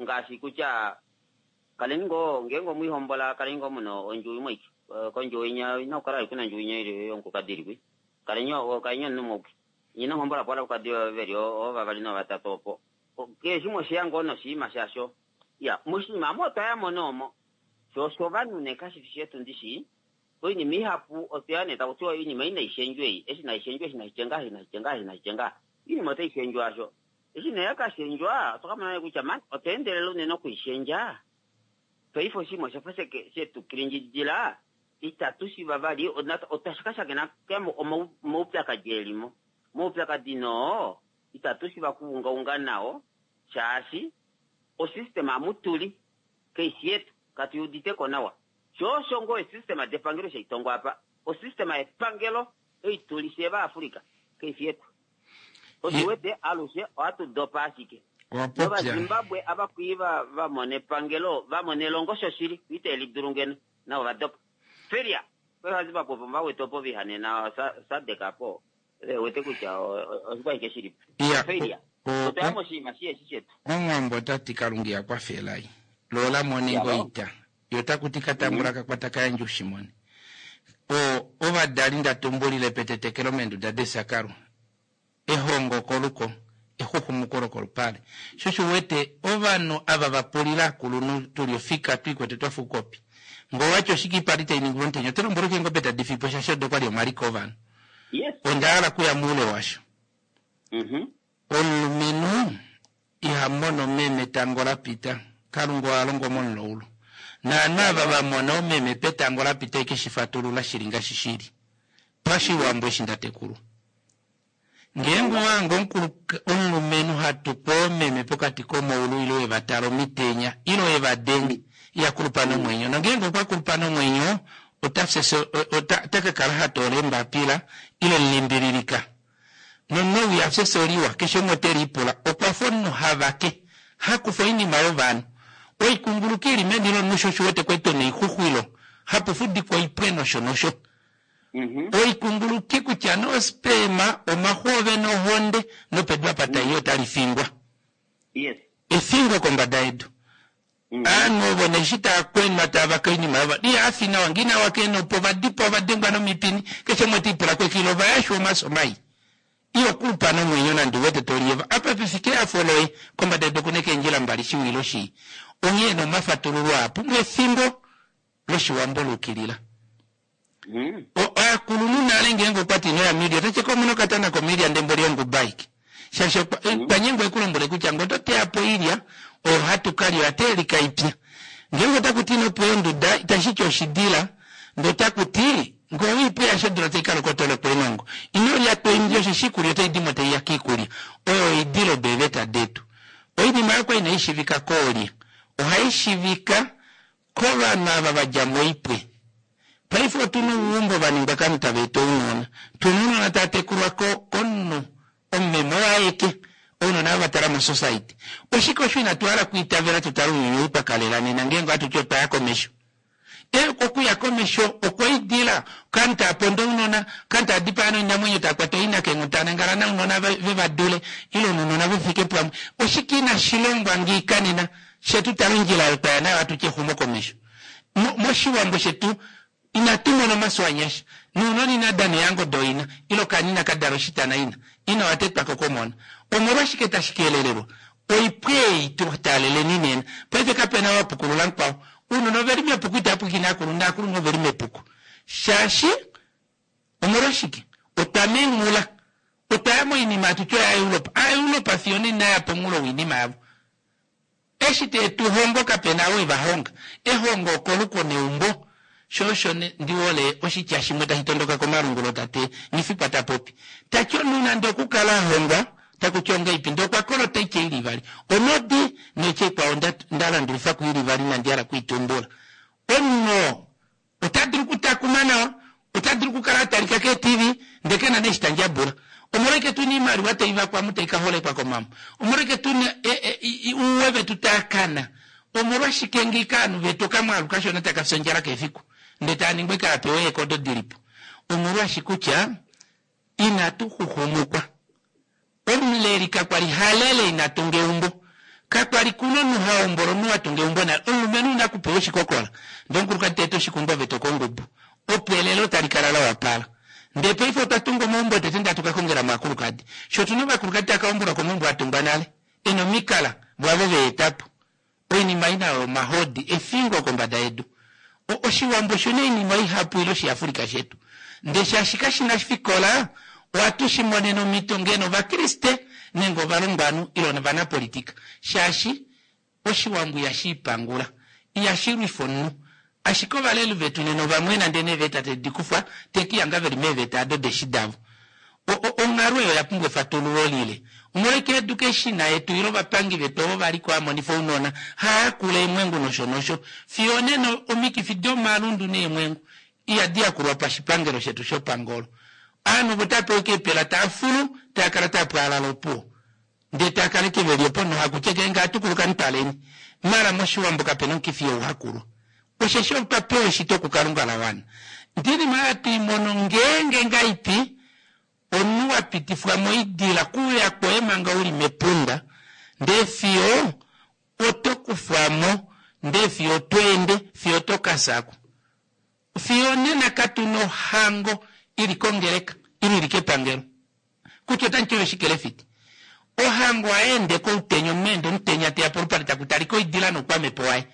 Speaker 7: ngaashi kutya kaleni ngoo ngeenge omwihombola kaleni ngoo muna ondjuwo imwe aike kondjuwo inya ina kukala kuna ondjuwo inya ili yomukulukadi ili kwi kaleni kaleni omunhu umwe auke nye inamuhombola po ovakulukadi veli oovavali noovatatu opo keshe umwe osheya ngoo noshinima shasho ya moshinima omo otwa yamo nee omo sho oshovanhu nee kashifi shetu ndishi oinima ihapu otweya nee takutiwa oinima ei naishendjwe ei eshi naishendjwe eshi nashitye ngaha eshi nashitye ngaha eshi nashitye ngaha oinima otaishendjwa asho Eshi nee ya ka shendjwa, otwa ka mona nee kutya man otwa endelela unene oku i shendja. Paife oshinima osha fa she tu kilindjidila, itatu shiva vali, otwa ka shakena omaupyakadi e li mo. Omaupyakadi noo itatu shiva okuungaunga nao shaashi osystem amu tu li kai shi yetu, katu i udite ko nawa. Sho osho ngoo eesystem depangelo eshi hai tongwa apa, osystem yepangelo ei tu li fyee Vaafrica kai fi yetu. Oshi wete alushe ohatu dopa ashike. NovaZimbabwe ava kwii va va mona epangelo, va mona elongo shoshili, ite li dulu ngeno, navo va dopa. Failure! Paife ovaZimbabwe opo va wete opo va ihanena SADC apo, ve wete kutya oshikwa ashike shili po. Failure! Otwa ya moshinima shiheshi shetu.
Speaker 1: Omuwambo ota ti Kalunga iha kwafa elai, lo ola mone ngoo oita, ye ota kuti ka tambula ka kwata ka yandje ushimone. O, ovadali nda tumbulile petetekelo meenduda desakalo, ehongo koluko, exuxumuko lokolupale. Sho osho u wete ovanhu ava va pulila akulunhu tu li ofika tu ikwete twa fa oukopi. Ngee owati oshike ipali tai ningilwa omutenya, oto lombwelwa ashike eengobe tadi fi po shaashi odo kwa li omaliko ovanhu. Onda hala okuya moule washo. Omulumenhu iha mono meme etango la pita. Kalunga oha longo momulaulu. Naanhu ava va mona oomeme petango la pita eke shi fatulula shili ngaashi shili. Pashiwambo eshi nda tekulwa. Ngeenge owa hanga omulumenhu ha tuku oomeme pokati komaulu ile we va tala omitenya ile. Ile eva denge iha kulupa nomwenyo. Nongeenge okwa kulupa nomwenyo ota fye ota ka kala ha toola eembapila ile limbililika. Nomunhu ou iha fye efyo liwa, keshe umwe ote lipula okwa fa omunhu ha vake, ha kufa oinima yovanhu. Oikunguluki ili meni lomunhu sho osho u wete kwali tuna oixuxwilo, hapu fudikwa oipwe nosho nosho. Oikunguluki kutya nee osperma, omaxu oovene ohonde nopedu apa tai i otali fingwa. Efingo kombada yedu. Ovanhu ovo nee eshi tava kwenwa tava vake oinima yovanhu, ihava fi nawa, ngee inava waka eenhopo, ova dipawa, ova dengwa nomipini, keshe umwe ote lipula kwekilo, ova yashwa omafyo mai. Iho kulupa nomwenyo nande u wete to liyeva. Apa pe fike ehafo loye, kombada yedu oku na eendjila mbali, shiwa ile shii. Onghee nee omafatululo aa pumbwa efimbo lOshiwambo la ukilila. Ovakulunhu nale ngeenge okwa ti ino ya miilya, ota ti komuna okatana komiilya ndee mboli onguba aike. Shaashi okwa nyengwa e ku lombwele kutya ngee oto teya po oilya oyo hatu ka lya oya teelika ipya. Ngeenge otaku ti ino pweya onduda itashi ti oshidila, ndee otaku ti ngee owei pweya eshi odula tai ka loka oto lokwa eenongo. Ino lya to imbi osheshi iikulya otai di mo tai ya kiikulya. Oyo oidila odo eeveta detu. Oinima oyo kwa inai shivika koolye? Ohai shivika kovanhu ava va dja moipwe. Paife otu na ouumbo va ningwa kovanhu tava eta ounona. Tu na ounona tava tekulwa komunhu omumeme oye aeke, ounona ava va tala mosociety. Oshike osho inatu hala okwiitavela tu tale ounyuni ou twa kalela nena ngeenge ohatu ti otwa ya komesho? Okuya komesho okwa idila ovanhu tava ponda ounona, ovanhu tava dipaya noinamwenyo, tava kwata ooina keenhu, tava nangala nounona ve va dule ile ounona ve fike pamwe. Oshike inashi longwa ngiika nena? Fye tu tale ondjila oyo twa ya nayo ohatu ti exumokomesho. Moshiwambo shetu inatu mona omafyo anyasha. Nounona ina dana eehango dooina ile okaana inaka dala oshitana ina. Ina oha tetwa ko komona. Omolwashike tashi keelelelwa? Oipwe ei tu taaleleni nena. Paife kape na ou a pukulula mukwao. Ounona ove li mepuko itava pwilikine aakulunhu naakulunhu ove li mepuko. Shaashi omolwashike? Otwa menghula. Otwa ya moinima hatu ti oyaEuropa. Aaeuropa fiyo onena ya pomunghulo woinima yavo. Eshi te tu hongo kape na ou e va honga. Ehongo okoluko neumbo. Sho osho ndi hole oshitya shimwe tashi tondoka komalungulo tate Nghifikwa ta popi. Ta ti omunhu nande okukala a hongwa taku ti ongeipi ndee okwa kolota oitya ili ivali. Onodi noitya ikwao nda landulifa ku ili ivali inandi hala oku i tumbula. Omunhu oo Ota dulu okutakuma nawa, ota dulu okukala a talika keeTV, ndele ke na nee eshi ta ndjabula. Omolwashike tu na oimaliwa tai vakwa mu tai ka holekwa komambo? Omolwashike tu na ouwe vetu taa kana? Omolwashike ngiika ovanhu vetu okamwaalu kashona taka fi ondjala keshe efiku, ndele taa ningwa ashike hava pewa eekodo di li po? Omolwaashi kutya inatu xuxumukwa. Omuleli kakwa li ha lele ina tunga eumbo. Kakwa li kuna omunhu ha hombola omunhu a tunga eumbo nale. Omulumenhu ina kupewa oshikokola, ndee omukulukadi ta eta oshikundu ove to kongubu. Opo elelo tali kala la wapala. Ndee paife otwa tunga omaumbo tete ndee hatu ka kongela mo aakulukadi. Sho otu na ovakulukadi tava ka hombolwa komaumbo a tungwa nale, e na omikala, vo avo ve eta po. Oinima ina oyo omahodi efingo kombada yedu. O, Oshiwambo oshi na oinima ihapu ile Oshiafrika shetu. Ndee shaashi kashi na fikola, ohatu shi monene omhito ngeno Ovakriste nenge ovalongwanhu ile ovanapolitika. Shaashi Oshiwambo ihashi ipangula. Ihashi lwifa omunhu. Ashike ovaleli vetu nena ovamwena ndee neeveta tedi kufwa, teki hanga veli meeveta ado deshi davo. O, o, onghalo ei oya pumbwa efatululo lile. Omolwashike education yetu ile ovapangi vetu ovo va li ko hamonifa ounona, haa yakula eemwengu nosho nosho. Fiyo onena omikifi domalundu neemwengu ihadi yakulwa pashipangelo shetu shopangolo. Ovanhu ovo tava pewa ashike eepela tava fulu, tava kala tava pwaalala opuwo. Ndee tava kala ashike veli opo nohakutya ngeenge ohatu kuluka mutaleni. Mara moshiwambo kapena omukifi youhakulwa. Osheshi otwa pewa eshito kuKalunga la wana. Ndinima oyo hatu i mono ngeenge ngaipi omunhu wa pitifwa moidila kuuya kwoye manga u li mepunda, ndee fiyo oto kufwa mo, ndee fiyo oto ende, fiyo oto ka fya ko. Fiyo onena katu na ohango i li kongeleka ile i li kepangelo kutya otamu ti oyo oshikelefiti. Ohango ohai ende koutenya, omunhu ende omutenya te ya polupale taku talika oidila noukwamhepo waye.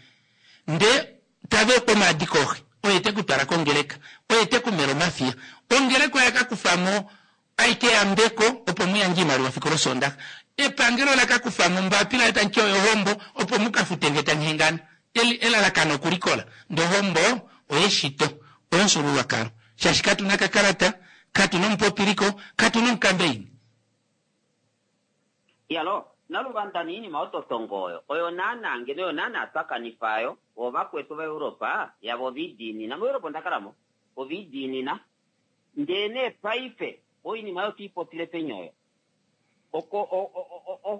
Speaker 1: Ndee tava ekwa omaadi kooxe, oye te ku twala kongeleka, oye te ku mela omafiya. Ongeleka oya ka kufa mo aike eyambeko opo mu yandje oimaliwa fiku lOsoondaxa. Epangelo ola ka kufa mo ombapila oyo tamu ti oyo ohombo opo mu ka fute ngee tamu hengana. Elalakano okulikola, ndee ohombo oyeshito, oyomufyuululwakalo. Shaashi katu na kakalata, katu na omupopiliko, katu na omukambeini.
Speaker 7: Iyalo, naluvanda niinima ototongo oyo oyo naana ngeno oyo naana twa kanifa ayo ovakwetu vaEuropa yavo ovidiinina muEuropa onda kalamo ovidiinina ndee nee paife oinima oyo tiipopile peni oyo oko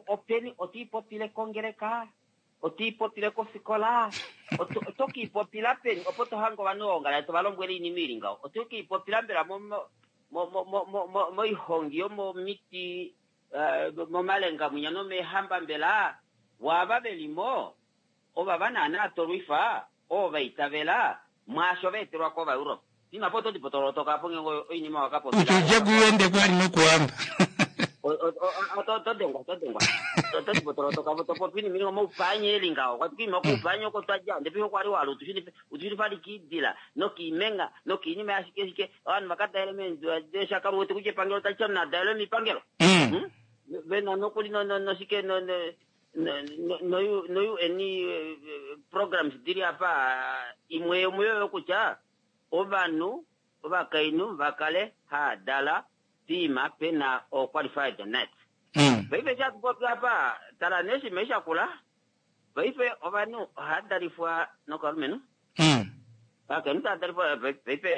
Speaker 7: openi otiipopile kongeleka otiipopile kofikola oto kiipopila peni opo tohange ovanhu ongala tovalombwele iinima ili ngaho oto kiipopila mbela moihongi yomomiti momalenga mwinya nomeehamba mbela waava velimo ovava naana tolwifa ovo vaitavela mwaasho vaetelwa kovaeuropa ima po otodi potolotoka po ngenge oinima wakapopila
Speaker 1: uja kuende kwali nokuhamba
Speaker 7: todengwa todengwa todi potolotoka po topopi inima ilinga omaupanya eli ngaho kwatukiima okuupanya oko twadja ndepi okwali wala utushili kiidila nokiimenga nokiinima yashike shike ovanhu vakadaele meendeshakalu wete kutya epangelo tali tya munadaele mipangelo vena nokuli noshike no-UN programs dili apa imwe yomuyo oyo kutya ovanhu ovakainhu vakale haadala piima pena o-qualified net. Paife shatupopi apa tala neshima shakula paife ovanhu ohadalifwa nokalumenhu vakainhu taadalifwa paife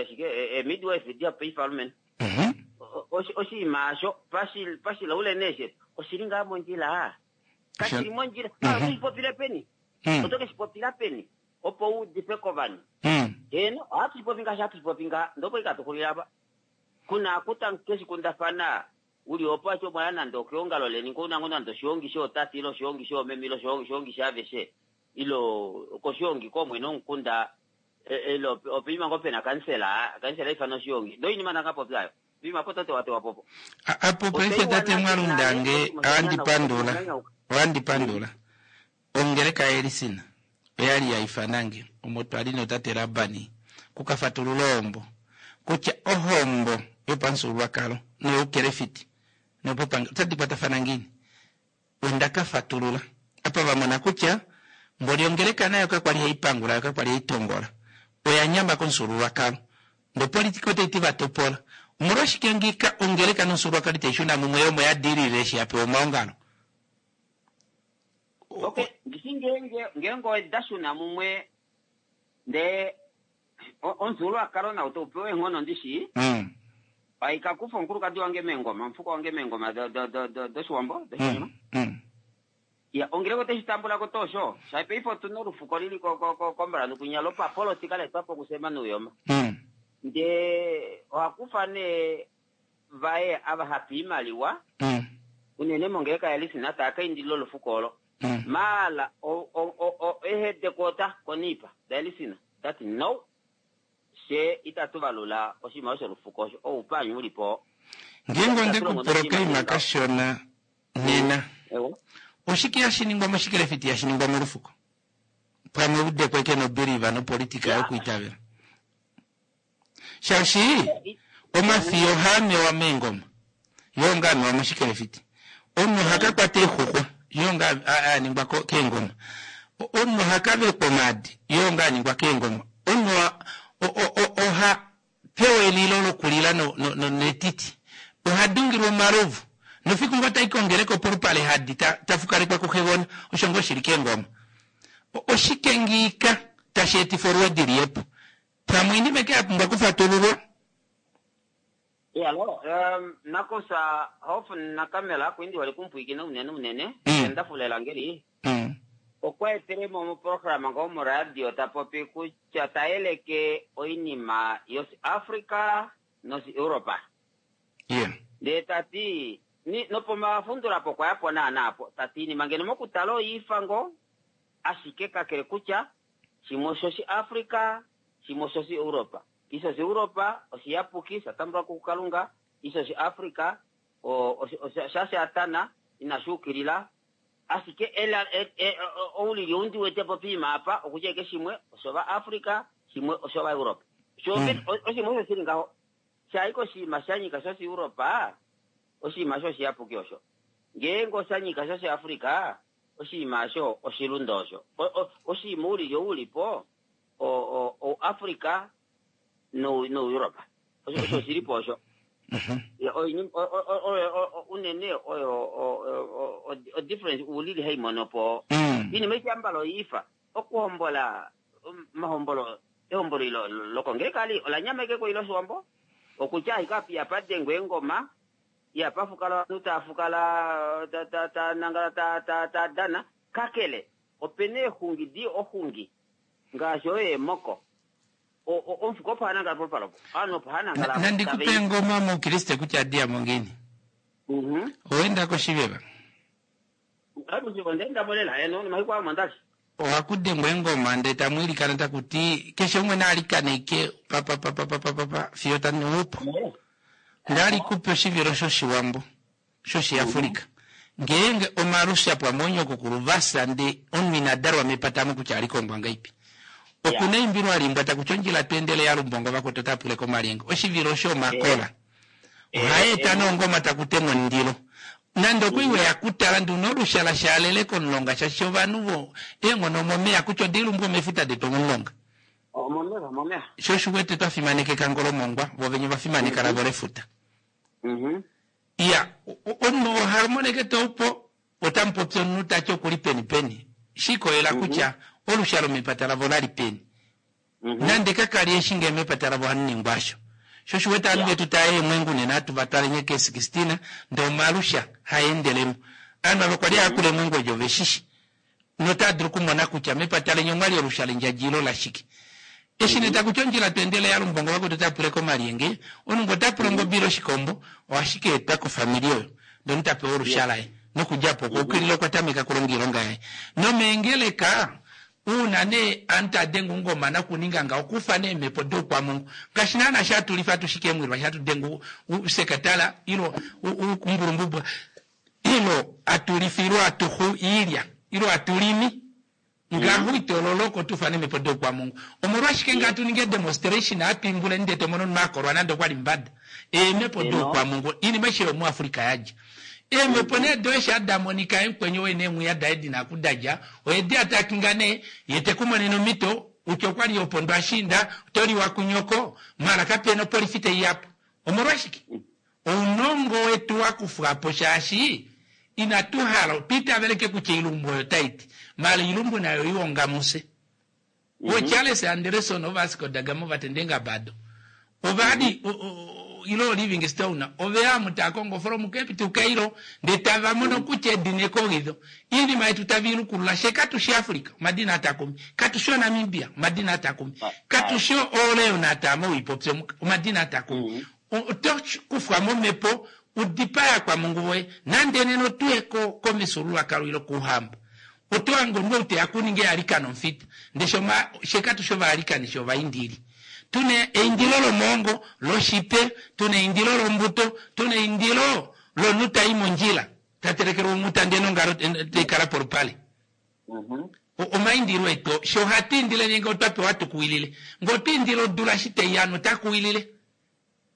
Speaker 7: shike midwife dia paife alumenhu oshinima asho pashilaule neeshetu oshili ngaa mondjila kashili mondjila otoshipopile peni oto keshipopila peni opo uudife kovanhu heno ohatu shipopi ngaashi hatu shipopi ngaa ndopo ikatuxulila apa kuna kuta keshikundafana uli opo acho mwaya nande okeongalo leni kounango nande oshiongi shootate ile oshiongi shoomeme ile oshiongi shaaveshe ile koshiongi koomwene womukunda ile opeima ngoo pena kansela kansela ifana oshiongi ndoinima ndangapopya ayo pima po totewatewa popo
Speaker 1: apo paife tate Mwalundange awandipandula awandipandula ongeleka yelisina oyali yaifanange omo twali notate Labani kukafatulula ohombo kutya ohombo yopamufyuululwakalo noyoukelefiti nopopangelo otadi kwatafana ngiini ondakafatulula apa vamona kutya mboli ongeleka nayo kakwali haipangula yo kakwali haitongola oya nyama komufyuululwakalo nopolitika otaiti vatopola omolwashike ngika ongeleka nomufyuululwakalo itaishuna mumwe yomo yadilile eshi yapewa omaongalo.
Speaker 7: Okay, ndishi ngenge ngenge odashuna mumwe ndee omufyuululwakalo nawo taupewa eenghono ndishi aikakufa omukulukadi wange meengoma omufuko wange meengoma doshiwambo doshinyama ya ongeleka oteshi tambulako toosho shapaife otuna olufuko lili kombalanu kunya lopapolitika letwapo kusema nuuyoma ndee ohakufa nee vaye ava hapa iimaliwa unene mongeleka yalisina taakaindilila olufuko olo maala ehedekota koniipa dalisina tati no she itatu valula oshinima sholufuko osho oupanyu ulipo.
Speaker 1: Ngeenge ondekupula okaima kashona nena oshike hashiningwa moshikelefiti hashiningwa molufuko pamwe udekweke nobiliva nopolitika yokuitavela shaashi omafiyo ohaamewa meengoma yoo ngaa amewa moshikelefiti omunhu ohakakwata eexuxwa yoo ngaa aningwa keengoma omunhu ohakavekwa omaadi yoo ngaa aningwa keengoma omunhu oha pewa elilo lokulila netiti ohadungilwa omalovu nofiku ngoo tai kongeleka polupale hadi tafukalekwa kuxegona osho ngoo shili keengoma oshike ngiika tashi etifa olwoodi liyepo pamwe inima ke yapumbwa okufatululwa.
Speaker 7: Iyalo nakusa hofu nakamela kwindi wali kumpwikina unene unene endafulela ngeli okwa etelemo moprograma ngoo moradio tapopi kutya taeleke oinima yosi Africa nosi Europa ndee tati nopomafundulapo kwayapo naanaapo tati inima ngeno mokutala oyiifa ngoo ashike kakele kutya shimwe oshoshi Africa shimwe oshoshi Europa isho shi Europa oshiyapuki shatambulwa kuKalunga isho shi Africa shashatana inashuukilila ashike oulili oundi wetepo piima apa okutya eke shimwe oshova Africa shimwe oshova Europa oshimwe osho shili ngaho shaiko oshinima shanyika shoshi Europa oshinima shoshiyapuki osho ngeenge oshanyika shoshi Africa oshinima osho oshilunda osho oshinima oulili oulipo o Africa no Europa osho shilipo osho. Ya, oinima- o- o- o- o- o- unene oyo o- o- o difference ulili haimono po iinima ityambala oyiifa okuhombola mahombolo ehombolo ilo lokongelekali olanyameke ko ilo oshiwambo okutya ashike ihapadengwa eengoma ihapafukala ovanhu taafukala ta- ta- ta nangala ta- ta- ta dana kakele opena eexungi di oxungi ngaashi oyo eemoko omufuko opo hanangala polupale opo ovanhu opo hanangala
Speaker 1: Nandikupe engoma moukriste kutya adiyamo ngiini. Owenda koshiveva.
Speaker 7: Ondaendamo lela eno nomafiku amo ndali.
Speaker 1: Ohakudengwa eengoma ndee tamwiilikana takuti keshe umwe naalikaneke papapapapapa fiyo tanuupo. Ndalikupe oshivilo shoshiwambo shoshiafrika. Ngeenge omalusha pwamonyoko kuluvasa nde omunhu ina dalwa mepatamo kutya alikongwa ngaipi. Okuna eimbilo alimbwa takuti ondjila twendele yalumbongo vakwetu otapule komalyenge. Oshivilo osho omakola. Ohaeta nongoma takutemwa omundilo. Nande okwiiwe yakutala nduno olushala shaalele komulonga shaashi ovanhu vo eenghono omomeya kutya odilumbwa omefuta detu omomulonga.
Speaker 7: Omomeva omomeva.
Speaker 1: Sho oshiwete twafimaneka ngolomongwa vo venye vafimaneka lavo lefuta. Iya, omunhu ohamoneke toupo otamupopi omunhu tati okuli peni peni. Shikolela kutya olusha lomepata lavo lali peni. Nande kakali eshi ngee mepata lavo ohaningwa asho. Sho oshiwete ovanhu vetu taya eemwengu nena hatu vatwale nye ke 16 ndee omalusha haendelemo. Ovanhu ava kwali haakula eemwengu edi oveshishi. Notadulu okumona kutya mepata lenye omwali olusha lendjadji ilo lashike. Eshi nee takuti ondjila twendele yalumbongo vakwetu otapule komalyenge, omunhu ngee otapula ongobe ile oshikombo ohashi kaetwa kofamili oyo ndee omunhu tapewa olusha laye nokudjapo okwa ukilila okwa tameka okulonga oilonga yaye. Nomeengeleka uuna nee aantu taya denge ongoma nokuninga ngawo okufa nee eemhepo doukwamungu ngaashi naana shatulifa atushike eemwilwa shatu denge usekatala ilo umbulumbubwa ilo atulifilwa atuxu iilya ilo atulimi ngaho itololoko tufane eemhepo doukwamungu. Omolwashike nga atuninge demonstration atwimbule ndee tomono omunhu akolwa nande okwali mbada. Eemhepo doukwamungu iinima aishe yomuAfrika yadja. Eemhepo nee do eshi adamonika emukwenyo woye neemwiya daye dina okudadja oyedi atakinga nee ye tekumonene omhito kutya okwali opondo ashiinda otoliwa kunyoko mala kapena opolifi teiyapo. Omolwashike? Ounongo wetu wakufwapo shaashi inatu hala twiitaveleke kutya oilumbu oyo taiti mala oilumbu nayo iwongamuse. Wo Charles Anderson oVasco da Gama ovatendenga bado ovali ilo Livingstone oveya mutakongo from Cape to Cairo ndee tavamono kutya edina ekogidho iinima yetu taviilukulula she katushi Africa omadina atakumi katushi oNamibia omadina atakumi katushi ooLeon atama oipopya omadina atakumi. Oto kufwa momhepo udipaya kwamungu woye nande nena otuye komifyuululwakalo ilo kouhamba. Oto hange omunhu ou teya kuninga ealikano omufita ndee she katushi ovaalikani she ovaindili. Tuna eindilo lomoongo loshipe, tuna eindilo lombuto, tuna eindilo lomunhu tai mondjila tatelekelwa omuta ndee nongalo taikala polupale. Omaindilo etu she ohatu indile nge otwa pewa tukuwilile. Ngee otwa indile odula eshi taiya ovanhu otakuwilile.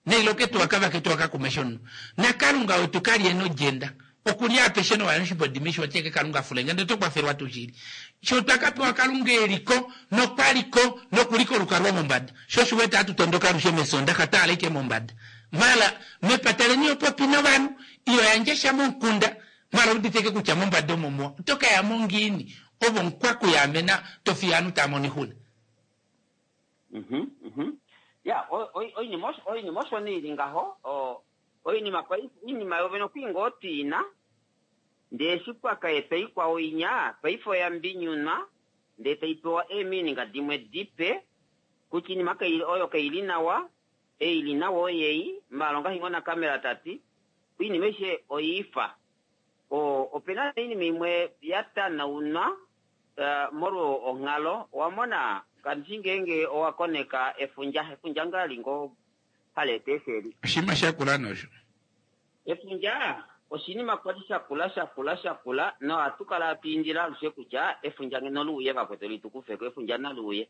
Speaker 1: Neilo ketu wakava ketu wakakumesha omunhu. Nakalunga wetu kali ena odjenda. Okulya apeshe nowa oshimbodi mesho oteke kalunga afulenge ndee oto kwafelwa tuu shili. Sho twakapewa kalunga eliko nokwaliko nokuliko olukalwa mombada. Sho oshiwete hatu tondoka alushe mesondaxa twahala ashike mombada. Mala mepata leni opopi novanhu iyo yandje sha momukunda mala uditeke kutya mombada omo muwa. Oto kayamo ngiini ovo omukwakuyaamena tofiya ovanhu taamono oixuna.
Speaker 7: Ya, oinima oinima osho nee ili ngaho oinima paife oinima yovene okwii ngoo twiina ndee eshi kwakaetwa ikwao inya paife oya mbinyunwa ndee taipewa eemininga dimwe dipe kutya iinima oyo kaili nawa eili nawa oyei maala ongaashi ngoo nakamera tati oinima aishe oyiifa. Opena oinima imwe yatanaunwa molwo onghalo owamona kandishi ngeenge owakoneka efundja efundja ngali ngoo haleeta eesheli.
Speaker 1: Oshinima shakula nosho.
Speaker 7: Efundja oshinima kwali shakula shakula shakula nohatu kala hatu indile alushe kutya efundja ngeno luuye vakwetu litukufeko efundja naluuye.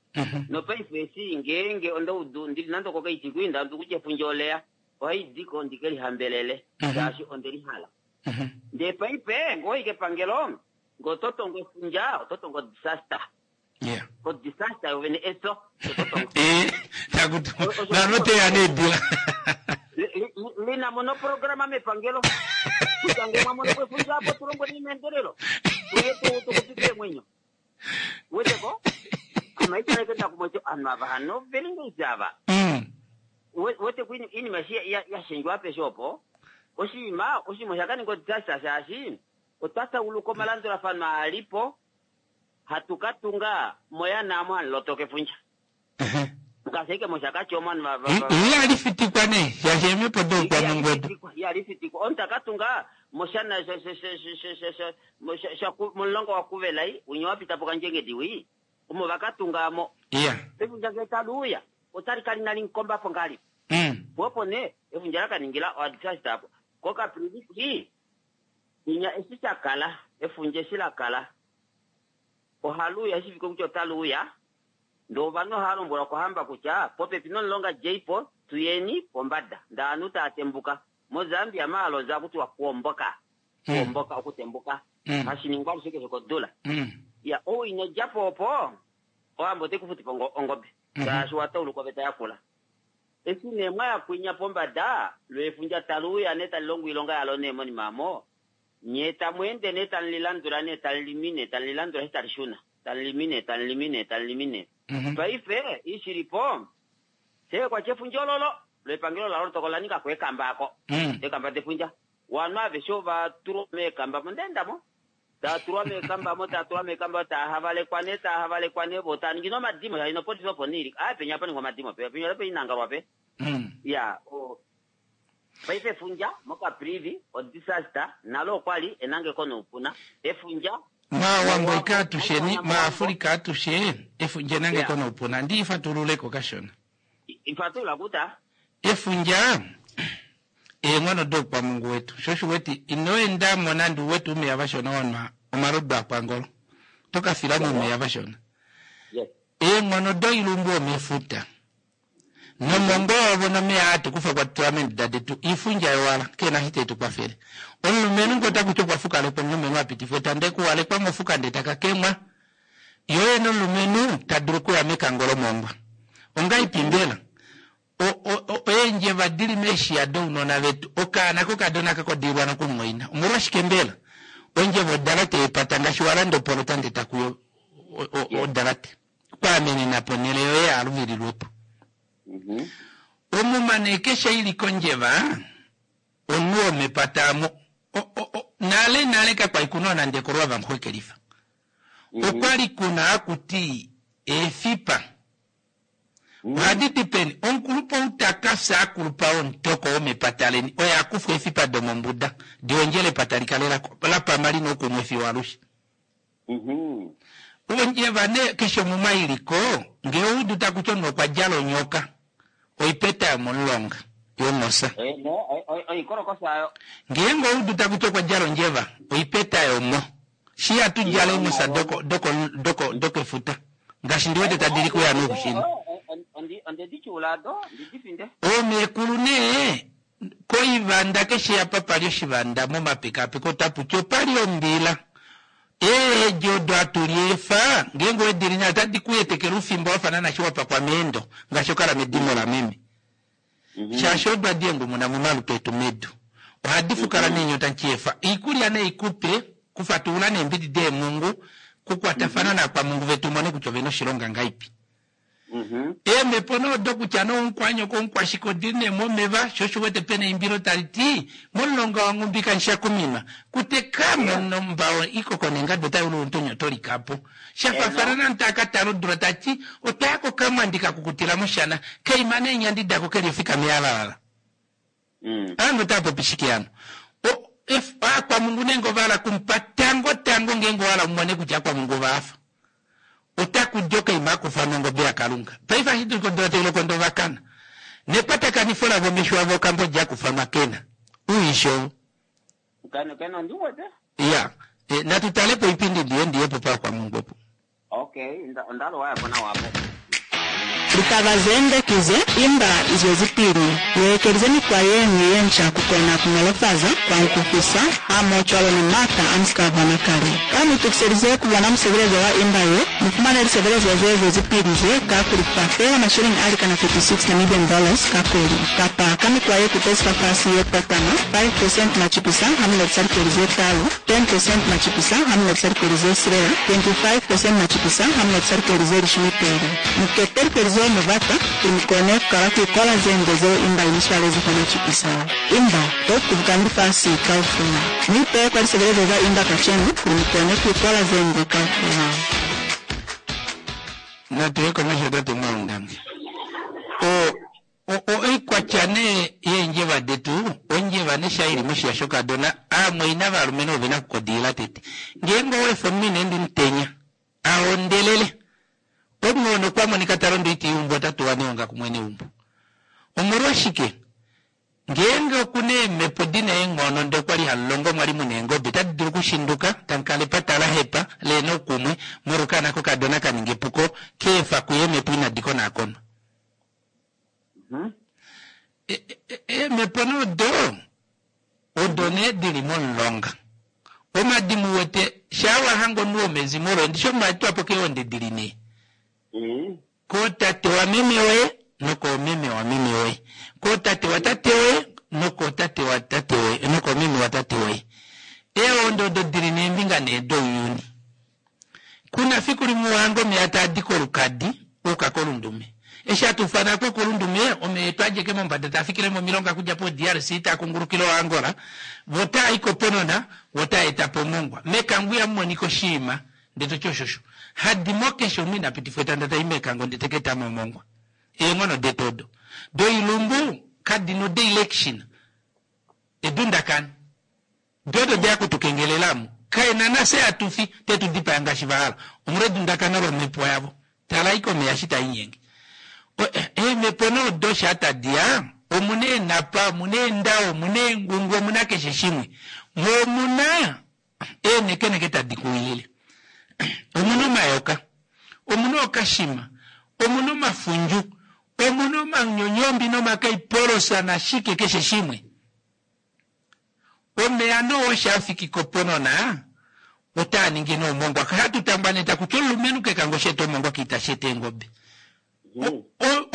Speaker 7: Nopaife eshi ngeenge ondaudu ndili nande okokaiti ndaudu kutya efundja oleya ohaidiko ndikelihambelele shaashi ondelihala. Ndee paife ngee owayi kepangelo ngee ototongo efundja ototongo disaster. Ko disaster yovene eso ototongo.
Speaker 1: Takuti nanoteya needila.
Speaker 7: Lina mo noprograma mepangelo kutya ngee mwa mono po efundja apo tu lombweleni meendelelo tuye tu tuxupife eemwenyo. Weteko? Ame haitaleke ndakumwa ovanhu ava hano veli ngeipi ava. Wete ko iinima eshi ya shendjwa apeshe opo, oshinima oshinima osha ka ninga odisaster shaashi otwa tauluka omalandulafano aa li po hatu ka tunga moyana omo hamu lotoka efundja. Ngaashi ashike mOshakati omo ovanhu va, va, va,
Speaker 1: Ihali fitikwa nee, shaashi eemhepo doukwamungu odo.
Speaker 7: Ihali fitikwa. Omunhu ta ka tunga moshana sha, sha, sha, sha, sha, sha, sha, sha, momulonga waKuvelai, winya wa pita poKandjengedi wii, omo va ka tunga mo.
Speaker 1: Iya.
Speaker 7: Efundja ngee tali uya, otali kala inali mukomba po ngahelipi? Po opo nee, efundja la ka ningila oadisaster apo. KoCaprivi, winya eshi sha kala, efundja eshi la kala, ohali uya eshi fike kutya otali uya, Ndee ovanhu ohava lombwelwa kohamba kutya popepi nomulonga djeipo tuyeni pombada ndee ovanhu tava tembuka. MoZambia maalozi ohaku tiwa kuomboka, kuomboka, okutembuka, hashi ningwa alushe keshe kodula. Iya, ou ino djapo opo, ohamba otai ku futifa ongobe shaashi owa tauluka oveta yakula. Eshi nee mwa ya kwinya pombada, lo efundja tali uya nee tali longo oilonga yalo nee monima omo, nye tamu ende nee tamu li landula nee tamu limine, tamu li landula eshi tali shuna. Tamu limine, tamu limine, tamu limine. Paife, i shili po, fye kwa tya efundja ololo, lo epangelo lalo tokola la ninga ko eekamba ako. Eekamba defundja. Ovanhu aveshe ova tulwa meekamba mo, nda enda mo. Tava tulwa meekamba mo, tava tulwa meekamba mo, tava havalekwa nee, tava havalekwa nee, vo tava ningi nee omadimo, shaashi nopolifi opo nee ili. Aaye, penya opa ningwa omadimo, penya opa inangalwa pe. Iya, o. Paife efundja moCaprivi, odisaster, nalo okwa li enangeko noupuna. Efundja.
Speaker 1: MAawambo ike atusheni, MaAfulika atushe, efundja enangeko noupuna. Ndi fatululeko kashona.
Speaker 7: Fatulula kuta.
Speaker 1: Efundja eenghono doukwamungu wetu. Sho osho uwete ino enda mo nande uwete oumeya vashona wa nwa omalodu akwangolo. Oto ka fila moumeya vashona. Eenghono doilumbu omefuta. Nomongo yovo nomeya aa tukufa kwa tula meenduda detu iifundja yowala, keena eshi tai tu kwafele. Omulumenhu nge ota kuti okwa fukalekwa omulumenhu a pitifwa etanda ekuwalekwa mofuka ndee taka kemwa. Ye oye nomulumenhu ta dulu okuya mekango lomongwa. Ongaipi mbela? O, o, o, eendjeva di li meeshiya dounona vetu, okaana kokadona ka kodiilwa nokumumwaina. Omolwashike mbela? Ondjeva odalate yepata ngaashi wa landa opolota ndee taku yo o, o, odalate. Kwaamenena ponhele yoye yaaluvililwe po. Omuma nee keshe i li kondjeva, omunhu womepata amo. Nale nale kakwa li kuna nande ekolwa vanxwekelifa. Okwa li kuna haku ti eefipa. Ohadi di peni? Omukulupe ou ta ka fya a kulupa womutoko womepata leni oye a kufwa eefipa domombuda di hondjele epata li kale la pama li na oukumwe fiyo alushe. Ondjeva nee keshe omuma i li ko, ngee oudu taku ti omunhu okwa djala onyoka, oipeta yomomulonga, yonhosa. Ngeenge oudu taku ti okwa djala ondjeva, oipeta yomo. Shi hatu djala eenhosa doko, doko, doko, dokefuta. Ngaashi ndi wete tadi li kuya noushini. Oomeekulu nee, koivanda keshe apa pa li oshivanda momapekapeko otapu ti opa li ombila. Eedi odo hatu liefa, ngeenge owe di li nayo otadi ku etekele oufimba wa fa naana shi wa pakwa meendo, ngaashi okala medimo lameme. Shaashi odo hadi engumuna momalutu etu medu. Ohadi fukala neenyota nchiefa. Oikulya nei ku pe, kufatulula neembidi deemhungu, kukwatafana naakwamungu vetu umone kutya ove na oshilonga ngaipi. Eemhepo nee odo kutya nee omukwanyoko omukwashike odi li nee momeva, sho osho u wete pena eimbilo tali ti, Momulonga waNghumbi kamushakuminwa, kuteka mo nombao ikoko nengadu otai ulu omutonya oto lika po. Sha faafana naantu taa ka tala odula ta ti, Otwa ya kokamwandi ka kukutila moshana, kaima neenyandi dako ke li ofika mealalala. Aanhu otava popi shike hano? O, ef, aakwamungu nenge ova hala kumupa tango tango ngeenge owa hala umone kutya aakwamungu ova hafa. Otaku di okaima akufa nongobe yaKalunga. Paife ashi dulika odula tai loko ndee ova kana. Nekwatakanifo lavo omesho avo okambodi akufa kena. Uishi ou.
Speaker 7: Kena, kena ondi wete.
Speaker 1: Iya. E, natu tale po oipindi ndiye ndiye po paakwamungu opo.
Speaker 7: Okay, onda lowa yapo nawa apo.
Speaker 8: Litaba zende ki ze, Imba izwezipili yeekelize mikwa yeñwi yenca kukona kunolofaza kwa nkufisa hamohocwalo ni maata amusika bona kale. Ka muitukiselize kubona musebelezo wa imba ye, mufumane lisebelezo ze zwezipili ze ka kulifa feela masheleñi alikana 36 Namibian dollars ka kweli kapa ka. Ka mikwa ye kutezi fafasi ye tatama, 5% machipisa ha mu lekisa likweli ze talu, 10% machipisa ha mu lekisa likweli ze silela, 25% machipisa ha mu lekisa likweli ze lishumi peli. Mu kete likweli zeo mu bata kuli mu kone ku kala ku ikola ze nde zeo imba i mi swalezi fa machipisa. Imba, to kubukani lifasi kaufela. Mu ipeye kwa lisebelezo za imba kacenu kuli mu kone ku ikola ze nde kaufela.
Speaker 1: Natu ye komesho tate Mwaundange. O, o, o, oikwatya nee yeendjeva detu, ondjeva ne sha ili moshiya shokadona, aamwaina valumenhu ove na okukodiila tete. Ngeenge owa efa omunhu ina enda omutenya, a hondelele, omunhu oo nokwa monika ta londo oiti yeumbo ota tuwa neonga kumwene weumbo. Omolwashike? Ngeenge oku na eemhepo di na eenghono ndee okwa li hamu longo omwa li mu na eengobe otadi dulu okushinduka, tamu kala epata la hepa, le na oukumwe, molwa okaana kokadona ka ninga epuko, ka efa kuye eemhepo inadi konaakonwa. Eemhepo nee odo, odo nee di li momulonga. Omadimo u wete, shaa wa hanga omunhu womezimo loye, ndishi omatwa po keewonde di li nee. Kootate wameme woye nokoomeme wameme woye, kootate watate woye nokootate watate woye nokoomeme watate woye. Eewondo odo di li neembinga nee douyuni. Ku na fiku limwe wa hanga omeya taa di kolukadi a yuka kolundume. Eshi hatu ufana ko kolundume, omeya etu a djeke mombada taa fikile momilonga okudja poDRC taa kungulukile oAngola, vo taa i koPonona, vo taa eta po omongwa. Mekango ihamu monika oshiima. Ndee to ti oshosho. Hadi mo keshe omunhu ina pitifwa etanda tai mekango ndee te ka eta mo omongwa. Eenghono detu odo. Doilumbu kadi na odilection. Edundakano. Do odo deya kutukengelela amu. Kaena nafye hatu fi te tu dipaya ngaashi va hala. Omolwa edundakano lomhepo yavo. Tala ashike omeya eshi taa inyenge. Eemhepo nee odo shaa tadi ya, omuna eenhapa, omuna eendao, omuna eengungu, omuna keshe shimwe. Mo omuna eenekeneke tadi kuwilile. Omu na omayoka, omu na ookashima, omu na omafundju, omu na omanyonyombi nomakaipolosa nashike keshe shimwe. Omeya noo osho a fiki koponona otaa ningi nee omongwa. Hatu tangwaneta kutya omulumenhu kekango shi eta omongwa kiitashi eta eengobe.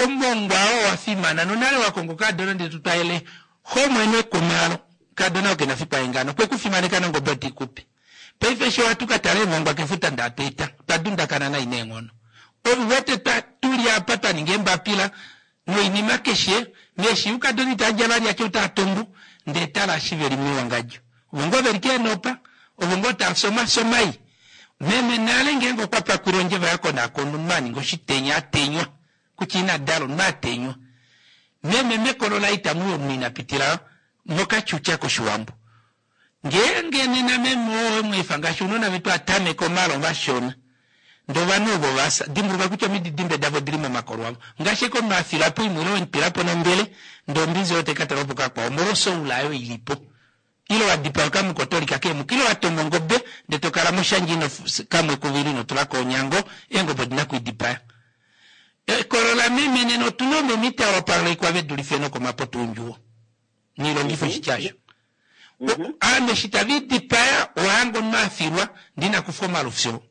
Speaker 1: Omongwa oo wa fimana nonale wa konga okadona ndele to twalele xomwene kumalo. Kadona oo kena fiku aengana okwe ku fimaneka nongobe oti kupe. Paife eshi ohatu ka tala eemongwa kefuta nda hatu eta, otwa dundakana nai neenghono. Ou wete twa tuli apa twa ninga eembapila noinima keshe, meeshi ukadona itaa dja vali atya otaa tumbu, ndee tala eshi veli mewangadjo. Ovo ngoo veli keenopa, ovo ngoo tava fi omafyo mai. Meme nale ngeenge okwa pakwile ondjeva ya konakonwa omunhu a ninga oshitenya a tenywa kutya ina dala omunhu a tenywa. Meme mekolo laye itamu i omunhu ina pitila mokatyutya koshiwambo. Ngeenge nena meme oo owe mu efa ngaashi ounona vetu a tameka omalo vashona ndee ovanhu ovo va fya, dimbuluka kutya omididimbe davo odili momakolo avo. Ngaashi ashike omunhu a fila po imwe ile we mu twila po nombele ndee ombinzi oyo tai ka talwa po kakwao omolwa osoula oyo ili po. Ile wa dipaya okamukotolika keemuka ile wa toma ongobe ndee to kala moshandja ino kamwe kuvili ino tula ko onyango, eengobe odi na okwiidipaya. Ekolo lameme nena otu na oomeme itava wapalekwa ve dulife nokomapoto oundjuwo. Niilongitho oshitya osho. Aanhu eshi tava idipaya owa hanga omunhu a filwa ndee ina kufa omalufyo.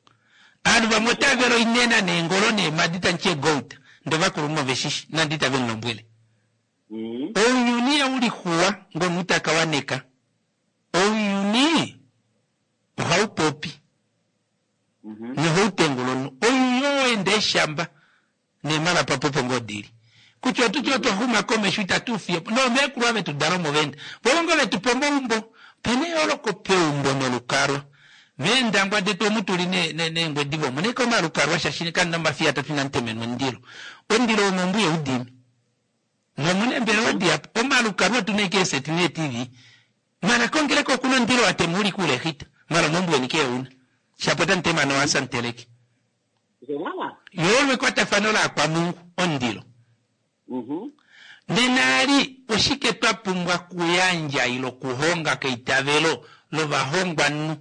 Speaker 1: Aanhu vamwe otava vele oinena neengolo neemadi tandi ti egout ndee ovakulunhu ove shishi nande itave mu lombwele. Ounyuni ihau lixuwa ngomunhu taka waneka. Ounyuni ohau popi nohau tengula omunhu. Ounyuni oo enda eeshamba neemhalapa opo opo ngoo dili. Kutya otu tye otwa xuma komesho itatu u fiye po. Noomeekulu ava vetu dala omo va enda. Vo ngoo vetu pa omaumbo. Ope na eyooloko peumbo nolukalwa. Meendangwa detu omu tu li neengwediva omu na ashike omalukalwa shaashi kamu na omafiya atatu inamu temenwa omundilo. Omundilo womeumbo ihau dimi. Nomu na eembelewa dihapu. Omalukalwa otu na ashike eeseti neeTV. Mara kongeleka okuna omundilo wa tema u li kuulehita. Mara omeumbo weni keuna. Shapo otamu tema nohasa mu teleke. Yo ekwatafano laakwamungu, omundilo. Nena ali oshike twa pumbwa kuyandja ile okuhonga keitavelo lovahongwanhu?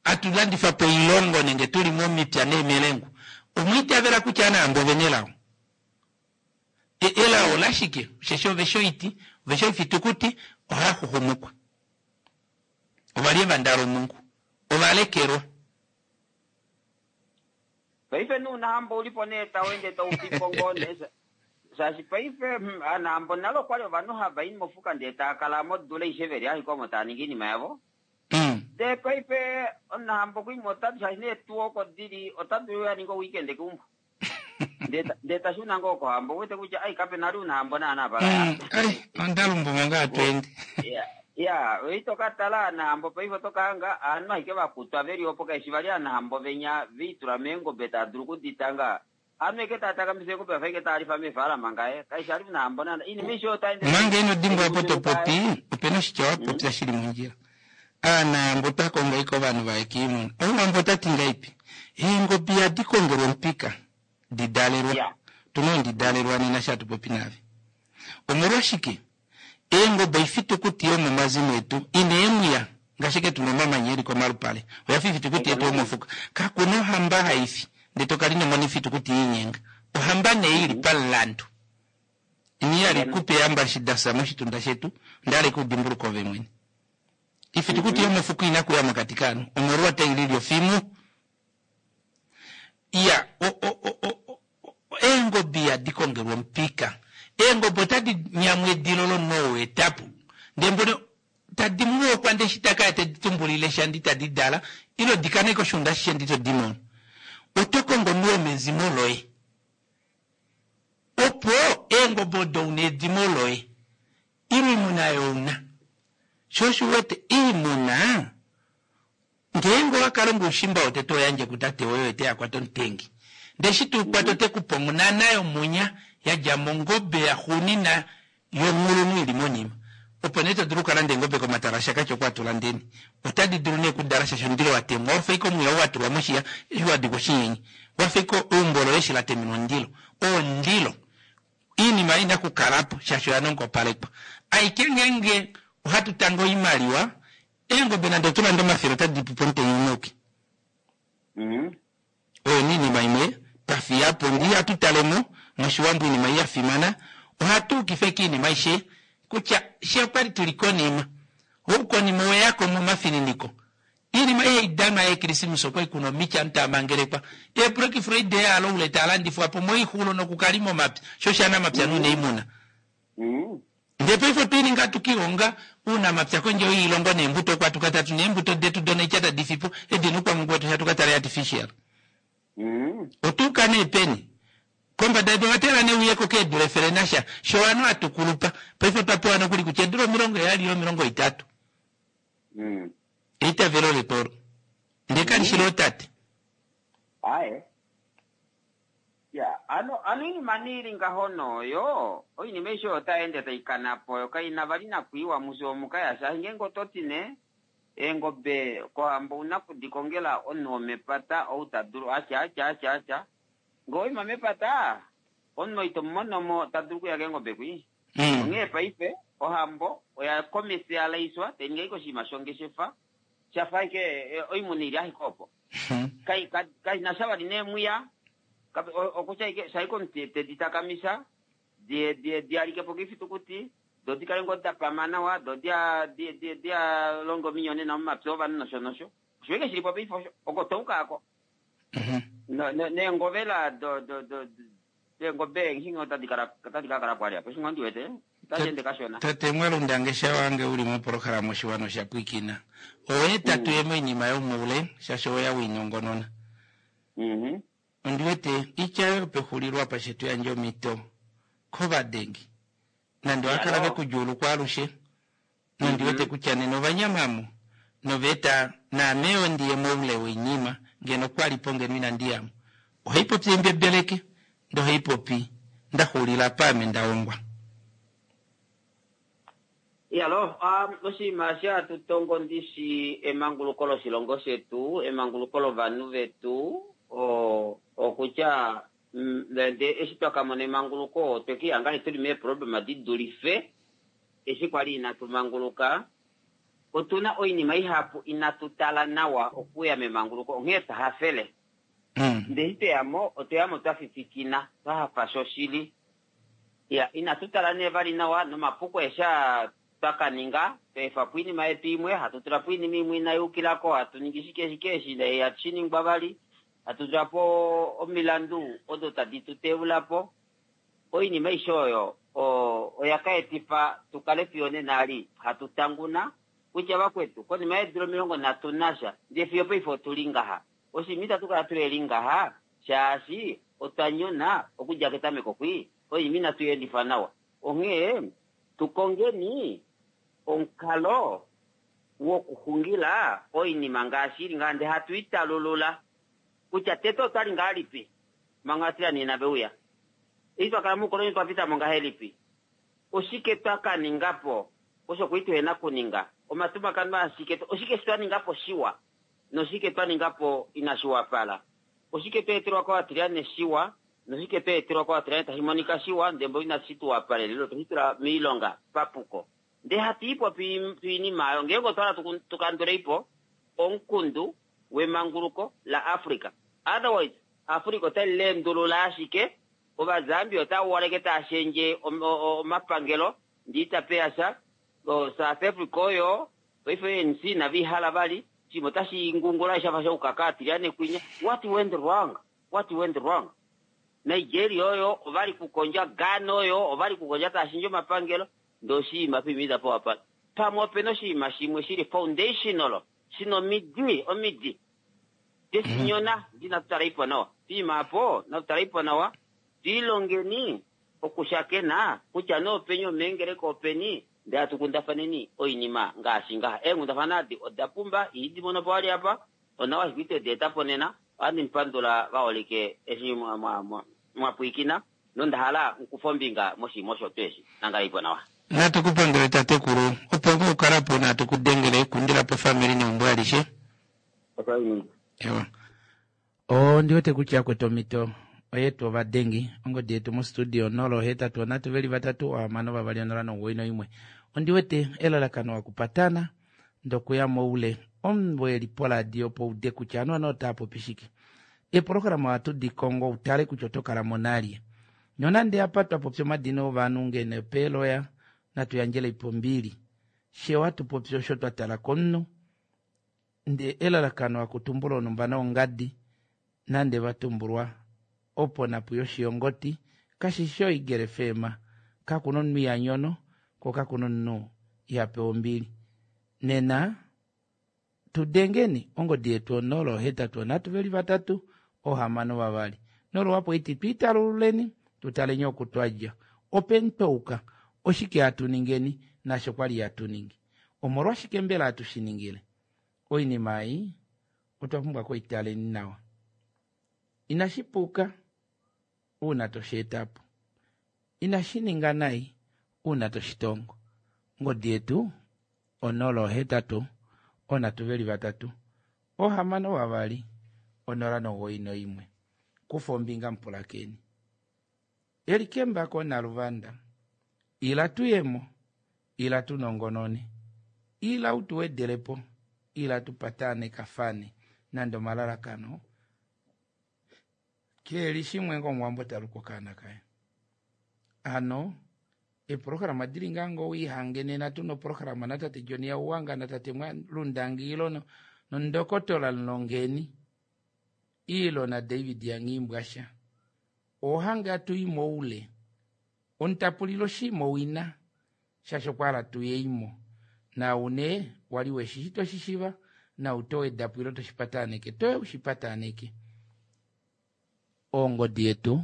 Speaker 1: Atu landifa po oilongo nenge tu li momipya neemelengu. Omwa itavela kutya anahambo ove na elao? Elao olashike? Osheshi ove shi oiti, ove shi oifitukuti, ohaa xuxumukwa. Ova li evanda lomungu. Ova lekelwa.
Speaker 7: Paife nuunahambo u li po nee tau ende tau fi po ngoo nee. Shaashi paife anahambo nale okwali ovanhu hava i mofuka ndee tava kala modula aishe veli ashike omo tava ningi oinima yavo. Ndee paife omunahambo okuima ota shaashi neetuwa oko dili ota dulu a ninge oweekend keumbo. Ndee ta shuna ngoo kohambo ouwete kutya ai kape nale unahambo naana pala.
Speaker 1: Ai onda lumbumo ngaa to ende.
Speaker 7: Ya, ito ka tala anahambo paife oto ka hanga aanhu ashike vakutwa veli opo kaishi vali anahambo venya viitula meengobe tava dulu okuditanga. Aanhu eke tava takamisa eengobe vafa eke tava lifa meefaalama ngaye. Kaishi ali unahambo naana. Oinima aishe oyo ende
Speaker 1: Manga ino dimbwa opo to popi, opena oshitya wa popya shili mondjila. Aanahambo twa konga ike ovanhu vaye kiimuna. Omuwambo ota ti ngaipi? Eengobe ihadi kongelwa omupika, di dalelwa. Tuna ondi dalelwa nena sha tupopi naave. Omolwashike? Eengobe oifitukuti yomomazimo etu ina eemwiya ngaashi eke tuna omamanya eli komalupale. Oya fa ifitukuti yetu yomofuka. Kakuna ohamba haifi ndee tokala ino mona ifitukuti yinyenga. Ohamba nee ili pamulandu. Ini ya li kupe eembashi da fya moshitunda shetu, onda hala ike udimbuluke ove mwene. Ifitukuti yomofuka ina kuya mokati kaanhu, omolwa otai lili ofimu. Iya, o, o, o, o, o, eengobe ihadi kongelwa omupika. Eengobe otadi nyamwa edilo lomunhu ou etapo. Ndee mbono tadi muokwa ndee eshi taka ya tedi tumbulile sha ndi tadi dala, ilo di kane koshiunda ashishe ndi to di mono. Oto kongo omunhu womezimo loye. Opo eengobe odo una edimo loye, ile oimuna oyo una. Sho osho u wete, oimuna, ngeenge owa ka longa oushimba wotete oho yandje kutate woye oye te ya kwata omutengi. Ndee eshi te u kwata ote ku pe ongunana yomunya ya dja mongobe yaxuunina yonghulunhu ili monima. Opo nee to dulu oku ka landa eengobe komatala aShakati oko hatu landeni. Otadi dulu nee okudala shaashi omundilo wa temwa wa fa ashike omwiya ou wa tulwa moshiya eshi wa dikwa oshinyenye. Wa fa ashike eumbo loye eshi la temenwa omundilo. Oo omundilo. Oinima ina ku kala po shaashi oya nongopalekwa. Aike ngeenge ohatu tange oimaliwa, eengobe nande otu lande 100 otadi pu pomutenya umwe auke. Oyo nee iinima imwe twa fiya po ndee ihatu tale mo mOshiwambo oinima ei ya fimana, ohatu ukifa ashike oinima aishe kutya fye okwali tuli konima. Oukonima oweya ko momafininiko. Iinima ei hai danwa yeekrismesa okwali kuna omiti ovanhu tava mangelekwa. Eeblack Friday aloule taa landifwa po moixulo nokukalima omapya, sho oshanamapya nuunaimuna. Ndee paife otwa ili ngaa tukihonga uunamapya kondje yoilongo neembuto okwa tuka tatu neembuto detu donaitya tadi fipo edi nuukwamungu wetu shatuka tale artificial. Otuuka nee peni? Kombada yedu ova teelela nee uyeko keedula efele nasha sho ovanhu hatu kulupa. Paife otwa pewa nokuli kutya eedula 70 ile 30. Eitavelo letu olo. Ndee kali shi lootate.
Speaker 7: Aye. Ya, ano, ano oinima nee ili ngaho nooyo, oinima aishe oyo otai ende tai kana po, yo kai na vali nakwiiwa mufye omu ka ya shaashi ngeenge oto ti nee, eengobe kohambo ouna kudi kongela omunhu womepata ou ta dulu atya atya atya atya. Ngee owaima mepata, omunhu ito mu mono mo ta dulu okuya keengobe kwii. Onghee paife ohambo oya commercialiswa, tai ningi ashike oshinima shongeshefa, shafa ashike oimuna ili ashike opo. Kai, ka, kai na sha vali neemwiya, kape, okutya ashike, sha ashike omuti te di takamisa, di, di, di alike po koifitukuti, do di kale ngoo da pama nawa, do dia, di, di, dia longe ominyonena momapya ovanhu nosho nosho. Osho ashike shi li po paife osho, oko twa uka ako. No, no, neengovela do, do, do, Eengobe eenghingi otadi kala otadi ka kala po ali apa, eshi ngoo ndi wete otashi ende kashona.
Speaker 1: Tate Mwalundange shawange uli mopolohalama Oshiwana osha pwiikina. Owe eta tuye moinima yomoule shaashi oweya wiinongonona. Ondi wete itya yoye yopexulilo apa she tu yandje omhito kovadengi nande ova kala ve ku djuulukwa alushe nondi wete kutya nena ova nyama mo nova eta naame yo ndi ye moule woinima ngeno kwa li po ngeno inandi ya mo. Ohai popi embebeleke ndee ohai popi nda xuulila apa ame nda ongwa.
Speaker 7: Iyalo, oshinima eshi hatu tongo ndishi emanguluko loshilongo shetu, emanguluko lovanhu vetu, okutya ndee eshi twa ka mona emanguluko otwe kihanga nee tuli meeproblema di dulife eshi kwali inatu manguluka. Otuna oinima ihapu inatu tala nawa okuya memanguluko, onghee twa hafele. Ndee eshi tweyamo, otweyamo twa fifikina, twa hafa shoshili. Iya, inatu tala nee vali nawa nomapuko eshi aa twa ka ninga, twa efa po oinima yetu imwe, hatu tula po oinima imwe inai yukila ko, hatu ningi shike shike eshi ihatu shi ningwa vali, hatu tula po omilandu odo tadi tu teula po. Oinima aishe oyo oya ka etifa tu kale fiyo nena ali hatu tanguna kutya vakwetu konima yeedula 30 nasha ndee fiyo paife otu li ngaha. Oshinima itatu kala tuheli ngaha shaashi otwa nyona okudja ketameko kwii, oinima inatu i endifa nawa. Onghee tu kongeni omukalo wokuxungila oinima ngaashi ili ngaha ndee hatu i talulula kutya tete otwali ngahelipi manga Ovatilani inave uya. Eshi twa kala moukoloni otwa pita mo ngahelipi? Oshike twa ka ninga po osho kwali tuhena kuninga? Omatumakano ashike? Oshike eshi twa ninga po shiwa noshike twa ninga po inashi wapala? Oshike twa etelwa kOvatilane shiwa noshike twa etelwa kOvatilane tashi monika shiwa ndee mboli inashi tu wapalela ile otwe shi tula moilonga papuko? Ndee hatu i po poinima oyo ngeenge otwa hala tu kandulei po omukundu wemanguluko laAfrica. Otherwise, Africa otali leendulula ashike, Ovazambia otava waleke tava shendje omapangelo ndee itapeya sha, South Africa oyo paife ANC inave i hala vali, oshinima otashi ngungula shafa shoukaka atilyane kwinya. What went wrong? What went wrong? Nigeria oyo ovali kukondja, Ghana oyo ovali kukondja tava shendje omapangelo ndee oshinima poima itapa wapala. Pamwe opena oshinima shimwe shili foundational shina omidi, omidi deshinyona ndi natu taleipo nawa. Poima apo natu taleipo nawa, twiilongeni okushakena kutya nee openi omeengeleka openi ndee hatu kundafaneni oinima ngaashi ngaha. Eenghundafana adi oda pumba, ihidi mono po wali apa, onawa ashike ito di eta po nena. Ohandi mu pandula vaholike eshi mwa pwiikina nonda hala mu kufe ombinga moshinima osho tuu eshi. Nangaleipo nawa.
Speaker 1: Natu ku pandule tatekulu, opo ngoo ukala po natu ku dengele, kundila po ofamili neumbo alishe. Ewa. Ondi wete kutya kwetu omhito oyetu ovadengi ongodi yetu mostudio 083 3 6 2 0 91. Ondi wete elalakano wakupatana ndokuya moule omunhu eli poradio opo ude kutya anu ano otaa popi shike. Eeprograma ohatu di kongo utale kutya oto kala mo nalye. Nonande apa twa popya omadina ovanhu ngeno peeloya natu yandjele ipo ombili. She ohatu popi osho twa tala komunhu nde elalakano akutumbula onhumba noongadi nande va tumbulwa opo napu yoshiyongoti kashi shi oigele feema kakuna omunhu iha nyono ko kakuna omunhu iha pewa ombili. Nena tu dengeni ongodi yetu 083 3 6 2 nolwapo iti twiitalululeni tutaleni oku twadja openi twauka oshike hatu ningeni nasho kwali hatu ningi omolwashike mbela hatu shi ningile oinima ei otwa pumbwa koitaleni nawa inashi puka uuna toshi eta po inashi ninga nai uuna toshi tongo ongodi yetu 083 3 6 2 091 kufa ombinga mupulakeni elikembako naluvanda ila tuyemo ila tunongonone ila utuwedelepo ila tupatane kafane nande omalalakano keeli shimwe ngomuwambo taluka okaana kaye ano eprograma dili ngaa ngo wiihange nena tuna oprograma natate John Yauwanga natate Lundangi ilo nondokotola Mlongeni ilo na David Yangimbwasha ohange atuyi moule omutapulilo oshinima owina shaashi okwa hala tuyeimo naune wali weshi toshishiva nau towedapo ilo toshipataneke toye ushipataneke ongodi yetu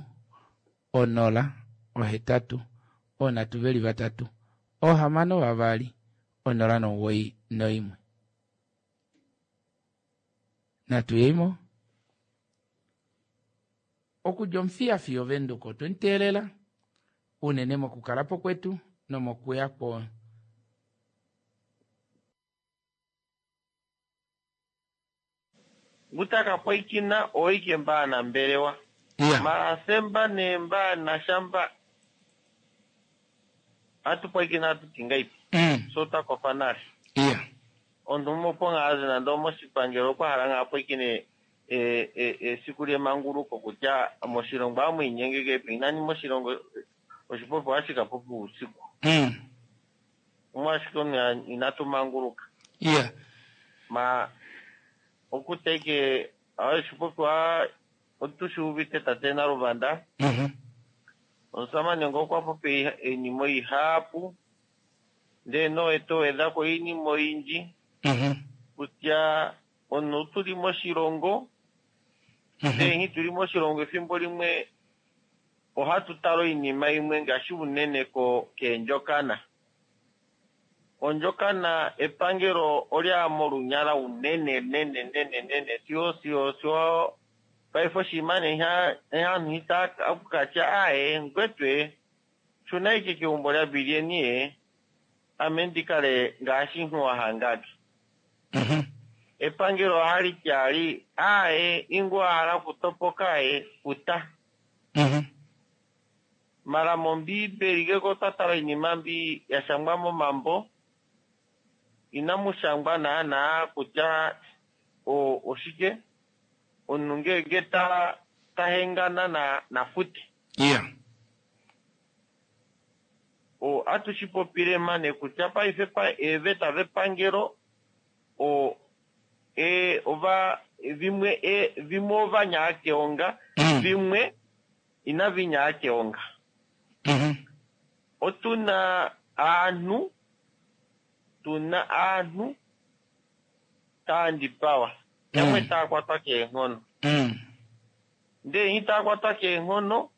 Speaker 1: 0 8 3 6 2 0 91 natuyeimo okudja omufiya fiyo Venduka otwemuteelela unene mokukalapo kwetu nomokuya kwo
Speaker 9: Ngutaka pwaikina oike mbaanambelewa
Speaker 1: Yeah.
Speaker 9: Maasemba neembaanashamba atu pwaikina atu tingaipi so twakofa nale
Speaker 1: Yeah.
Speaker 9: omunhu opo ngaa azi nande omoshipangelo okwa hala ngaa pwaikine esiku lyemanguluko kutya moshilongo amu inyenge kepi nani moshilongo oshipopiwa hashi ka popiwa uusiku omwashike omunhu inatu manguluka
Speaker 1: Yeah.
Speaker 9: ma okuteke oshipopiwa otu shi uvite tate Naluvanda. Omusamane ngo okwa popi iinima ihapu ndee nowe towedhako iinima oyindji kutya omuntu tuli moshilongo ndee nghi tuli moshilongo efimbo limwe ohatu tala oinima imwe ngaashi unene ko keendjokana. Ondjokana epangelo olya molunyala unene nene nene nene siyo siyo siyo paife oshinima nee aantu itaa okukatya aye ngwetwe shuna ike keumbo lyabilieni ye ame ndikale ngaashi nhuwa hangake. Epangelo ohali ti ali aye ingu wa hala okutopoka ye futa. Mara mombiibeli ngeke otwa tala oinima mbi ya shangwa momambo inamu shangwa naanaa kutya oshike omunhu ngenge ta ta hengana na nafute.
Speaker 1: Yeah.
Speaker 9: O atu shi popile mane kutya paife pa eeveta vepangelo o e ova vimwe e vimwe ova nyaa keonga vimwe inavi nyaa keonga. Otu na aanhu tu na aanhu taa ndipawa yamwe taa kwatwa keenghono ndee nghi taa kwatwa keenghono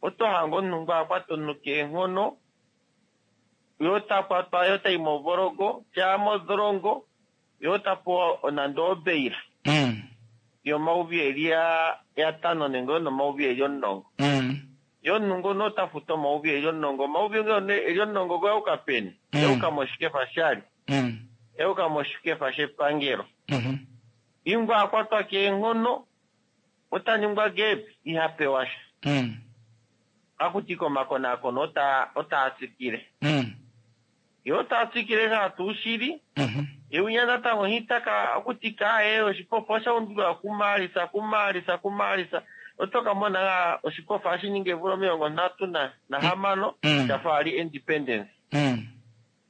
Speaker 9: oto hange omunhu ngo akwata omunhu keenghono yo ta kwatwa yo tayi movologo shaa modholongo yo ta pewa nande obeila yomauvi eli yatano nenge yonomauvi eli omulongo yo omunhu ngono ota futu omauvi eli omulongo omauvi eli omulongo goyauka peni yauka moshikefa shali yauka moshikefa shepangelo ingwa akwatwa keenghono ota ningwa gepi iha pewa sha akuti komakonaakono ota otaa tsikile yo taa tsikile ngaa tuu shili ye natango hitaka okuti kaaye oshipofa osha undulwa kumaalisa kumaalisa kumaalisa oto ka mona ngaa oshipofa hashi ningi eemvula omilongo nhatu nahamano shafa ali independence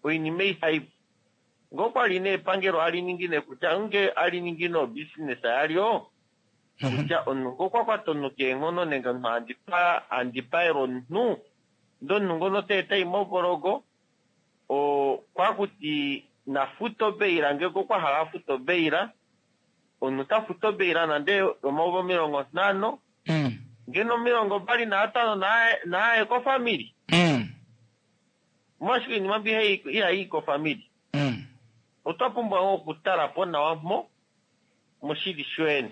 Speaker 9: oinima ei ngoo kwali nee epangelo ali ningi nee kutya nge ali ningi no business yalyo kutya omunhu ngo okwa kwata omunhu keenghono nenge omunhu andipaela omunhu ndee omunhu ngono tayi movologo okwakuti nafuta obeila ngenge okwa hala afuta obeila omunhu ta futu obeila nande omauvi omilongo nhano ngeno omilongo mbali naatano naaye kofamili omolwashike oinima mbi ihayi kofamili otwa pumbwa ngoo okutala po nawa mpo moshili shoyene.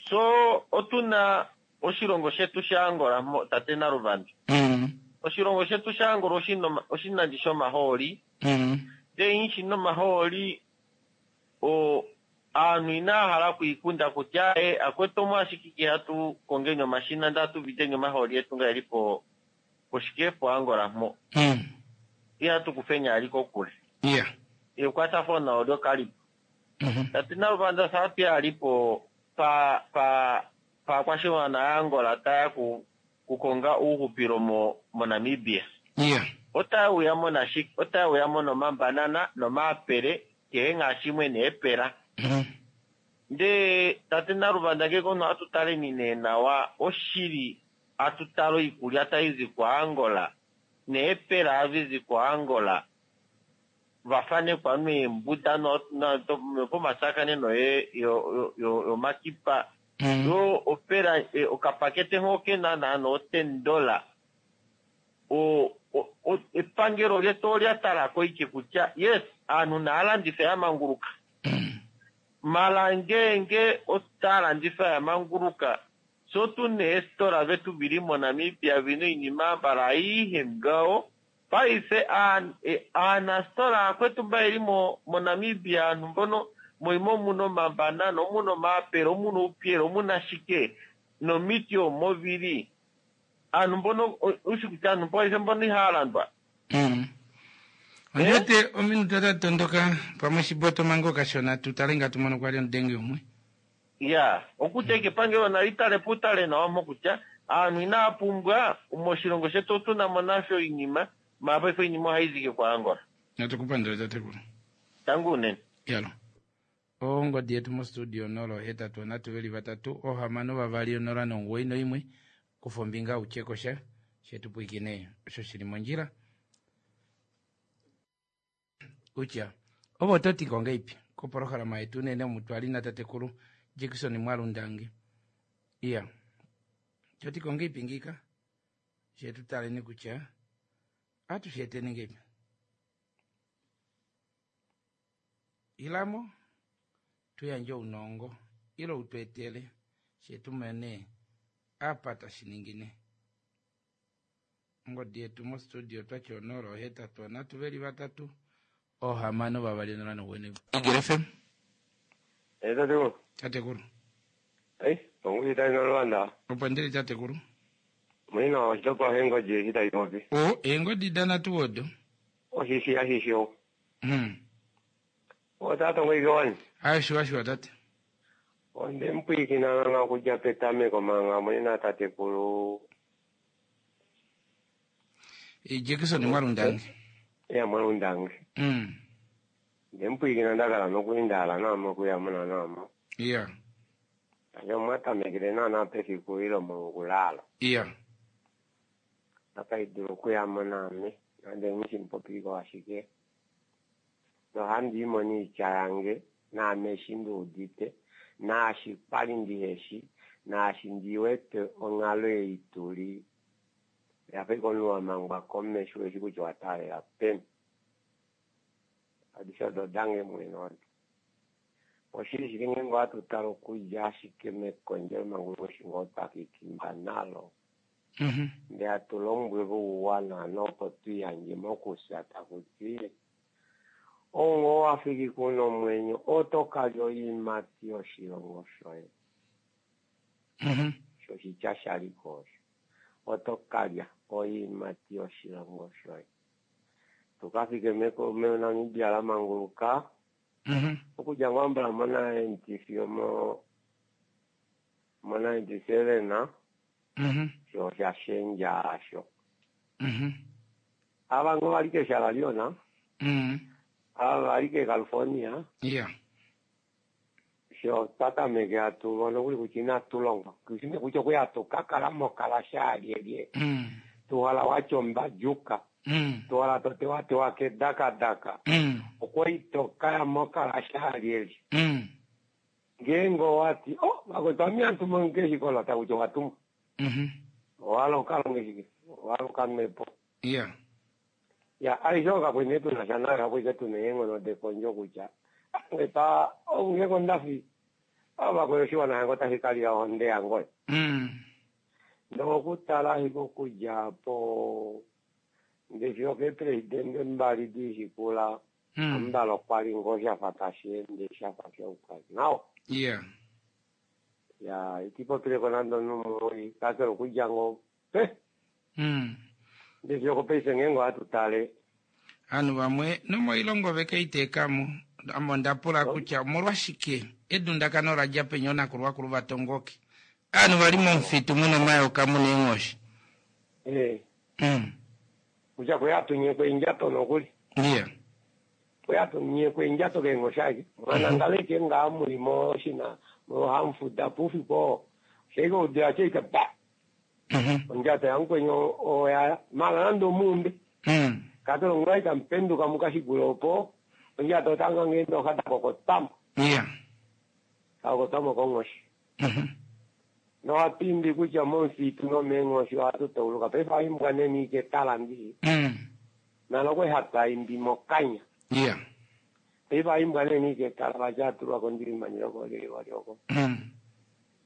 Speaker 9: So otuna oshilongo shetu shaAngola tate Naluvanda. Oshilongo shetu shaAngola oshinandi shomahooli. Ndee nghi shina omahooli aanhu inaa hala okwiikunda kutya e akwetu omwashike ke hatu kongeni omashina ndee hatu videni omahooli etu nga eli po poshike poAngola mpo. Ihatu kufeni ali kokule. Ekwatafano olyo kalipo. Tate Naluvanda saatu yalipo pa pa paakwashiwana yaAngola taya ku kukonga uuhupilo mo moNamibia. Otaya uyamo nashike? Otaya uyamo nomambanana nomaapele kehe ngaa shimwe neepela. Ndee tate Naluvanda ngeke omunhu atu taleni nee nawa oshili atu tala oikulya taizi kuAngola neepela avizi kuAngola vafanekwa meembuda nopomatsakaneno yomakipa yo opela okapakete ngo kena naana o $10 epangelo letu olya talako ike kutya yes aanhu naalandife yamanguluka mala ngeenge otaalandifa yamanguluka so tuna eesitola vetu vili moNamibia vina oinima mbala aihe ngaho paife aanasitola akwetu mba yeli moNamibia aanhu mbono moima omuna omambanana omuna omaapela omuna oupyela omuna shike nomiti omo vili aanhu mbono ushi kutya aanhu paife mbono ihaya landwa.
Speaker 1: Ondi wete ominute otadi tondoka pamwe oshiboto manga okashona tu tale nga tu mono kwali omudenge umwe.
Speaker 9: Ya, okutya ike epangelo nali tale po utale nawa mpo kutya aanhu inaya pumbwa moshilongo shetu otuna mo nasho oinima mara paife oinima ohayi zi ike kuAngola.
Speaker 1: Natu ku pandule tatekulu.
Speaker 9: Tangi unene.
Speaker 1: Yalo. Ongodi yetu mostudio 083 3 6 2 0 91. Kufa ombinga u tye ko sha, she tu pwilikine osho shi li mondjila. Kutya ove oto ti ko ngeipi kopolohalama yetu unene omu twa li natatekulu Jackson Mwalundange. Iya. To ti ko ngeipi ngiika? She tu taleni kutya ohatu shi eteni ngeipi. Ila mo tu yandje ounongo ile u tu etele she tu mone apa tashi ningine. Ongodi yetu mostudio twati 0 8 3 veli 3 6 2 0 1. Eagle FM.
Speaker 10: Eh, tatekulu.
Speaker 1: Tatekulu.
Speaker 10: Eh, ongushi tayi nolwanda.
Speaker 1: Opo ndili tatekulu.
Speaker 10: Mulina oshitopolwa sheengodi eshi tayi popi.
Speaker 1: O, eengodi danatu odo.
Speaker 10: Oshishi ashishi o. Otata ngoike wani.
Speaker 1: Ayo shiwa shiwa tate.
Speaker 10: Onde mpwiikina nana okudja petameko manga mulina tatekulu.
Speaker 1: Jackson Mwalundange.
Speaker 10: Ya Mwalundange. Nde mpwiikina ndakala nokuindaala namo okuyamuna namo.
Speaker 1: Iya.
Speaker 10: Ayo mwatamekele nana pefiku ilo mokulala.
Speaker 1: Iya.
Speaker 10: Akaidulu okuyamo name. Nande ngishimpopiko ashike. Nohandi imoni itya yange naame eshi ndiudite naashi kwali ndiheshi naashi ndiwete onghalo ei tuli yafa ike omunhu wamangwa komesho eshi kutya owataalela peni. Adishe odo odange mwene odo. Oshili shili ngeenge ohatu tale okudja ashike mekondjelo manguluko eshi ngoo twakikimba nalo ndee hatu lombwelwa ouwa nopo tuyandje mokufya takuti ongo wafiki kuna omwenyo oto kalya oiimati yoshilongo shoye. Shoshitya shaliko osho. Oto kalya oiimati yoshilongo shoye. Tukafike meNamibia la manguluka okudja ngoo mbala mo 90 fiyo mo 97 sho osha shendja asho. Ava ngoo vali keshala liona ava vali ke California sho twatameke hatu mono kuli kutya inatu longwa kushine kutya okuya tukakala mokala shaalyelye tuhala watya ombadjuka tuhala totewatewa kedakadaka okwali tokaya mokala shaalyelye ngeenge owati o vakwetu ame ihandi keshikola takutya owatumwa owahala okalonge shike owahala okamwepo ya aishe okakwene tunasha nayo hakwike tuna eenghono dekondjo kutya ngepa ongeko ondafi avakwe oshiwana shange otashi kalila ohonde yangoye. Nokutala ashike okudja po ndefiyo keepresidente mbali dishikula ambala okwali ngoo shafa tashi ende shafa shauka nawa. Ya itipopileko nande omunhu kakele okudja ngoo pe ndefiyo kopaife ngeenge ohatu tale
Speaker 1: Ovanhu vamwe nomoilongo vekeiteekamo ame onda pula kutya omolwashike edundakano ola dja peni oonakulwakulu vatongoke ovanhu vali momufitu muna omayoka muna eenghoshi.
Speaker 10: Kutya kwe atunyekwa eendjato nokuli. Kwe atunyekwa eendjato keenghoshi ashike. Mwanangala ike ngaa muli moshina mohamufuda po oufiku oo. Oshaike oudila shaike ba! Ondjato yamukweni oya mala nande omuumbe. Kakele ongula itamupenduka mukashikule opo ondjato otanga ngeende oha dakokotwamo. Dakokotwamo konghoshi. Nohatu imbi kutya momufitu nomeenghoshi ohatu tauluka. Paife ohaimbwa neni ike tala ndi. Nalo okwe hatu imbi mokanya. Paife ohaimbwa neni ike tala vati atulwa kondilimani loko.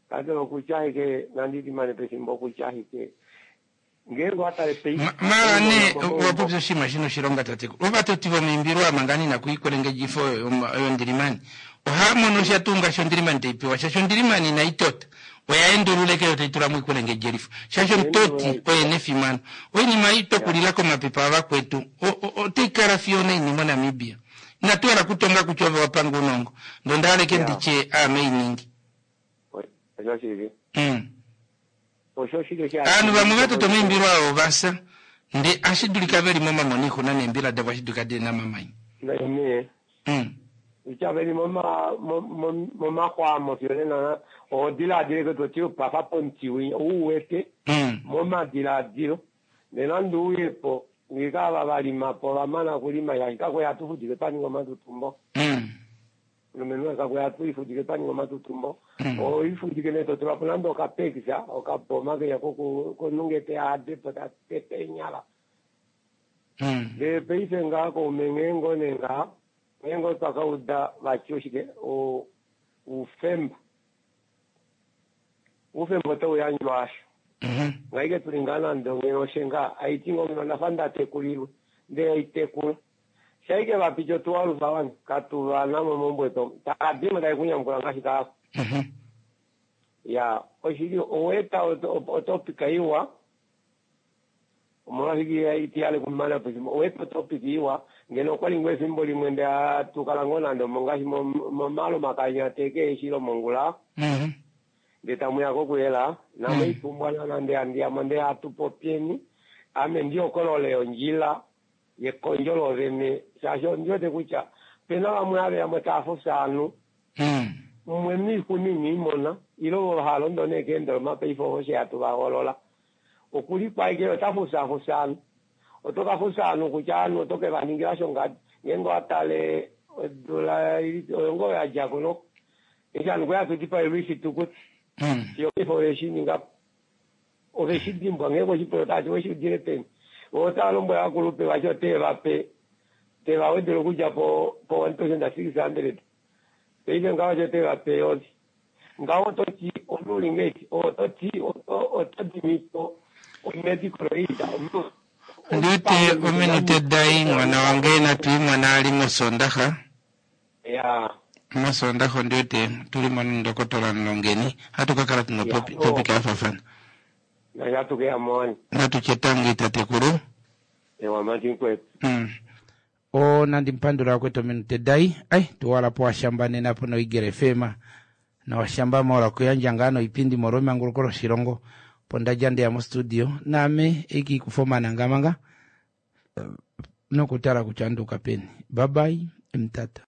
Speaker 10: Kakele okutya ashike nandi limane pefimbo okutya ashike ngeenge owatale paife
Speaker 1: Mala nee wapopya oshinima shina oshilonga tatekulu. Ovatoti vomiimbilwa manga nina kuikwelengedjifo yondilimani ohaa mono sha tuu ngaashi ondilimani taipewa shaashi ondilimani inai tota oya endulula eke yo taitula moikwelengedjelifo shaashi omutoti oye nefimano oinima ei twakulila komapepa avakwetu otaikala fiyo naini moNamibia inatu hala kutonga kutya ove wapanga ounongo ndee onda hala eke nditye aame iningi. Ovanhu vamwe vatota omaimbilo avo ovafya ndee ashi dulika veli momamona oixuna neembila davo ashi dulika dili namamanya.
Speaker 10: Kutya veli momaxwamo fiyo nena oho diladile ke toti pafa pomuti winya ou wete momadiladilo nena ndi uyepo ngika ava valimapo vamana okulima shaashi kakwe hatufudike paninga omatutumbo mulumenhu kakwe hatu ifudike paninga omatutumbo oifudike nee totulapo nande okapekisa okaboma kenya konungete adepo tatete enyala ndee paife ngaa koume ngheengo nee ngaa ngheengo twakauda vati oshike oufemba oufemba otauyandjwa asho ngaike tuli ngaa nande onghee ngaa aiti ngoo ngeno ndafa ndatekulilwe ndee aitekula shaike vapiti otuwalufa wani katuvanamo mombweto takadimo taikunyamukula ngaashi kaako ya oshili oweta otopika iwa omolwashike itiyale kumana pefimbo oweta otopika iwa ngeno okwali ngoo efimbo limwe nde atukala ngoo nande ngaashi momalo makanya teke eshilo mongula nde tamuya kokuyela namo ipumbwana nande andiyamo nde atupopieni ame ndiokolole ondjila yekondjo lovene shaashi ondiwete kutya pena vamwe ave yamwe taafusa anu mumwe miikunini imona ilo halondo nekeendoloma paife oshe hatu vaholola okuli kwaike otafusafusa anu otokafusa anu kutya anu otoke vaningila shongadi ngeenge watale odula oyo ngoo yadjako noko eshi anu kweyatudipaelwa ifitukuti fiyo paife oveshininga oveshidimbwa ngeenge oshipoyo tati weshiudile peni otalombwela akulupe vacho otevape tevawedele okudja po 1600 paife ngaho cho tevape yovi ngaho ototi omulingeti ototi otodimipo omedical aid
Speaker 1: ndiwete ominute dai mwana wange natuimona ali mosondaxa
Speaker 10: ya
Speaker 1: mosondaxa ondiwete tulimo nondokotola nlongeni hatu kakala tuna topic yafafana
Speaker 10: nashatukeya
Speaker 1: natuchetangi tatekulu
Speaker 10: ewa matinkwetu
Speaker 1: o nandi mpandula kwetu ominute dai ai tuwalapo washamba nena po noigere fema na washamba mola kuyandja ngaa noipindi molwa emanguluko loshilongo po ndadja ndeya mostudio naame eiki kufomana ngamanga nokutala kutya nduka peni babai mtata.